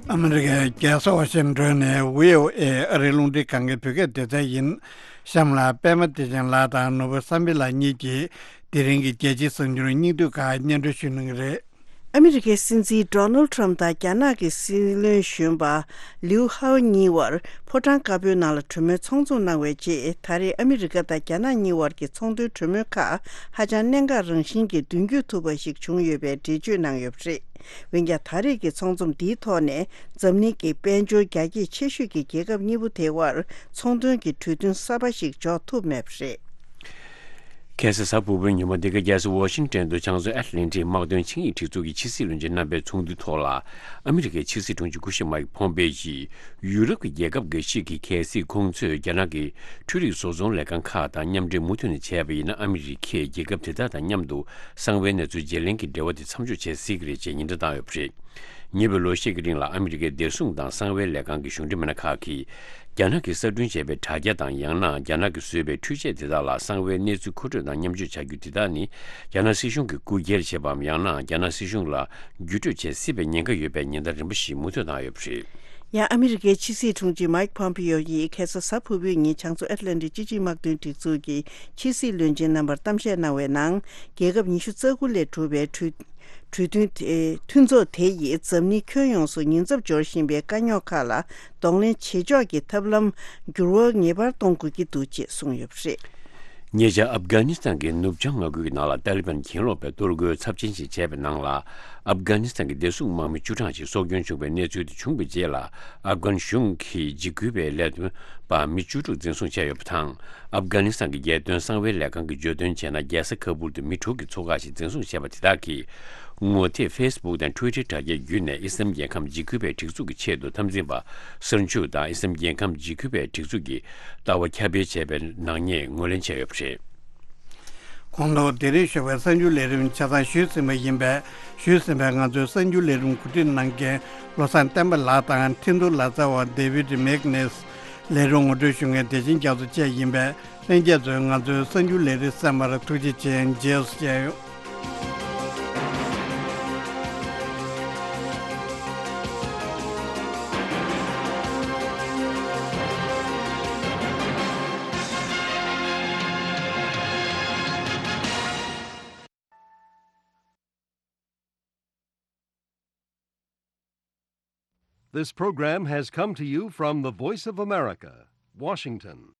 ཨ་མི་རི་ཀའི་རྒྱལ་ས་ཝ་ཤིང་ཊོན་ནས་བྷི་ཨོ་ཨེ་ཨ་རིའི་རླུང་འཕྲིན་ཁང་གི་བོད་སྐད་སྡེ་ཚན་ཡིན། གཤམ་ལ་པད་མ་བདེ་ཆེན་ལགས་དང་ནོར་བུ་བསམ་འཕེལ་ལགས་གཉིས་ཀྱིས་དེ་རིང་གི་རྒྱལ་སྤྱིའི་གསར་འགྱུར་སྙིང་བསྡུས་ཁག་སྙན་སྒྲོན་ཞུ་གནང་གི་རེད། ཨ་མི་རི་ཀའི་སྲིད་འཛིན་ཌོ་ནལ་ཌི་ཊརམ་དང་རྒྱ་ནག་གི་སྲིད་བློན་གཞོན་པ་ལིའུ་ཧའོ་གཉིས་བར་ཕོ་བྲང་དཀར་པོའི་ནང་ལ་གྲོས་མོལ་ཚོགས་འཛོམས་གནང་བའི་རྗེས། ད་རེས་ཨ་མི་རི་ཀ་དང་རྒྱ་ནག་གཉིས་བར་གྱི་ཚོང་དོན་གྲོས་མོལ་ཁག་ཧ་ཅང་གནད་འགག་རང་བཞིན་གྱི་མདུན་སྐྱོད་ཐུབ་པ་ཞིག་བྱུང་ཡོད་པའི་འགྲེལ་བརྗོད་གནང་ཡོད་པ་རེད། འོན་ཀྱང་། ད་རེས་ཀྱི་ཚོགས་འཛོམས་འདིའི་ཐོག་ནས་འཛམ་གླིང་གི་དཔལ་འབྱོར་རྒྱ་སྐྱེད་ཆེ་ཤོས་ཀྱི་རྒྱལ་ཁབ་གཉིས་པོ་དེ་བར་ཚོང་དོན་གྱི་གྲོས་མཐུན་གསར་པ་ཞིག་འཇོག་ཐུབ་མེད་པ་རེད། ཁ་སང་གཟའ་ཕུར་བུའི་ཉིན་མོ་འདི་ག་རྒྱལ་ས་ཝ་ཤིང་ཊོན་དུ་བྱང་མཚོ་ཨེཊ་ལན་ཊིག་དམག་དོན་ཆིངས་ཡིག་སྒྲིག་འཛུགས་ཀྱི་ཕྱི་སྲིད་བློན་ཆེན་རྣམ་པའི་ཚོགས་འདུའི་ཐོག་ལ། ཨ་མི་རི་ཀའི་ཕྱི་སྲིད་དྲུང་ཆེ་སྐུ་ཞབས་མའིག་ཕོམ་པེ་ཡིས། ཡུ་རོབ་ཀྱི་རྒྱལ་ཁབ་འགའ་ཞིག་གིས་གལ་སྲིད་ཁོང་ཚོས་རྒྱ་ནག་གི་འཕྲུལ་རིག་བཟོ་ཚོང་ལས་ཁང་ཁག་དང་མཉམ་འབྲེལ་མུ་མཐུད་ནས་བྱས་པ་ཡིན་ན། ཨ་མི་རི་ཁས་རྒྱལ་ཁབ་དེ་དག་དང་མཉམ་དུ་གསང་བའི་གནས་ཚུལ་བརྗེ་ལེན་གྱི་འབྲེལ་བ་དེ་མཚམས་འཇོག་བྱེད་སྲིད་ཀྱི་རེད་ཅེས་ཉེན་བརྡ་བཏང་ཡོད་པ་རེད། ཉེ་བའི་ལོ་ཤས་ཀྱི་རིང་ལ་ཨ་མི་རི་ཀའི་བདེ་སྲུང་དང་གསང་བའི་ལས་ཁང་གི་གཞུང་འབྲེལ་མི་སྣ་ཁག་གིས། རྒྱ་ནག་གིས་གསར་སྐྲུན་བྱས་པའི་དྲ་རྒྱ་དང་། ཡང་ན་རྒྱ་ནག་གིས་བཟོས་པའི་འཕྲུལ་ཆས་དེ་དག་ལ་གསང་བའི་གནས་ཚུལ་མཁོ་སྤྲོད་དང་མཉམ་སྤྱོད་བྱ་རྒྱུ་དེ་དག་ནི། རྒྱ་ནག་སྲིད་གཞུང་གིས་རྐུ་འཁྱེར་བྱས་པའམ། ཡང་ན་རྒྱ་ནག་སྲིད་གཞུང་ལ་བརྒྱུད་སྤྲོད་བྱེད་སྲིད་པའི་ཉེན་ཁ་ཡོད་པའི་ཉེན་བརྡ་རིམ་པ་ཞིག་མུ་མཐུད་བཏང་ཡོད་པ་རེད། ཡང་ཨ་མི་རི་ཀའི་ཕྱི་སྲིད་དྲུང་ཆེ་མའིག་ཕོམ་པེ་ཡོ་ཡིས་ཁ་སང་གཟའ་ཕུར་བུའི་ཉིན་བྱང་མཚོ་ཨེཊ་ལན་ཊིག་སྤྱི་སྤྱོད་དམག་དོན་སྒྲིག་འཛུགས་ཀྱི་ཕྱི་སྲིད་བློན་ཆེན་རྣམ་པར་གཏམ་བཤད་གནང་བའི་ནང་། རྒྱལ་ཁབ་ཉི་ཤུ་རྩ་དགུ་ལས་གྲུབ་པའི་གྲོས་གྲོས་མཐུན་དེ། མཐུན་ཚོགས་དེ་ཡིས་འཛམ་གླིང་ཁྱོན་ཡོངས་སུ་ཉེན་ཚབས་འབྱོར་བཞིན་པའི་དཀའ་རྙོག་ཁག་ལ་གདོང་ལེན་བྱེད་ཕྱོགས་ཀྱི་ཐབས་ལམ་འགྱུར་བ་ངེས་པར་གཏོང་དགོས་ཀྱི་འདུག་ཅེས་གསུངས་ཡོད་པ་རེད། ཉེ་ཆར་ཨབ་གྷ་ནི་སི་ཐན་གྱི་ནུབ་བྱང་མངའ་ཁུལ་གྱི་ནང་ལ་ཏཱ་ལི་བན་གྱེན་ལོག་པས་གཏོར་རྒོལ་ཚབས་ཆེན་ཞིག་བྱས་པའི་ནང་ལ། ཨབ་གྷ་ནི་སི་ཐན་གྱི་བདེ་སྲུང་དམག་མི་བཅུ་གྲངས་ཤིག་སྲོག་སྐྱོན་བྱུང་བའི་གནས་ཚུལ་དེ་བྱུང་བའི་རྗེས་ལ། ཨབ་གྷན་གཞུང་གིས་འཇིགས་སྐུལ་བའི་ལས་དོན་པ་མི་བཅུ་དྲུག་འཛིན་བཟུང་བྱས་ཡོད་པ་དང་། ཨབ་གྷ་ནི་སི་ཐན་གྱི་རྒྱལ་དོན་གསང་བའི་ལས་ཁང་གིས་བརྗོད་དོན་བྱས་ན། རྒྱལ་ས་ཁ་བུལ་དུ་མི་དྲུག་གི་ཚོ་ཁག་ཞིག་འཛིན་བཟུང་བྱས་པ་དེ་དག་གིས། ངོ་དེབ་ཕེ་སི་བུག་དང་ཊུའི་ཊར་དྲ་རྒྱ་བརྒྱུད་ནས་ཨི་སི་ལམ་རྒྱལ་ཁམས་འཇིགས་སྐུལ་བའི་སྒྲིག་འཛུགས་ཀྱི་ཆེད་དུ་འཐབ་འཛིང་པ་གསར་འཇུག་དང་། ཨི་སི་ལམ་རྒྱལ་ཁམས་འཇིགས་སྐུལ་བའི་སྒྲིག་འཛུགས་ཀྱི་ལྟ་བ་ཁྱབ་སྤེལ་བྱས་པའི་ནག་ཉེས་ངོས་ལེན་བྱས་ཡོད་པ་རེད། གོང་དུ་དེ་རིང་ཞོགས་པའི་གསར་འགྱུར་ལས་རིམ་ཆ་ཚང་ཞུས་ཟིན་པ་ཡིན་པས། ཞུས་ཟིན་པའི་ང་ཚོའི་གསར་འགྱུར་ལས་རིམ་གོ་སྒྲིག་གནང་མཁན་བློ་བཟང་བསྟན་པ་ལགས་དང་། འཕྲིན་གཏོང་ལག་རྩལ་བ་ཌེ་བིད་མེག་ནེས། ལས་རིམ་ངོ་སྤྲོད་ཞུ་མཁན་བདེ་ཆེན་རྒྱ་མཚོ་བཅས་ཡིན་པས། ལྷན་རྒྱས་ཚོས་ང་ཚོའི་གསར་འགྱུར་ལས་རིམ་གསན་པར་ཐུགས་རྗེ་ཆེ། རྗེས་སུ་མཇལ་ཡོང་། This program has come to you from the Voice of America, Washington.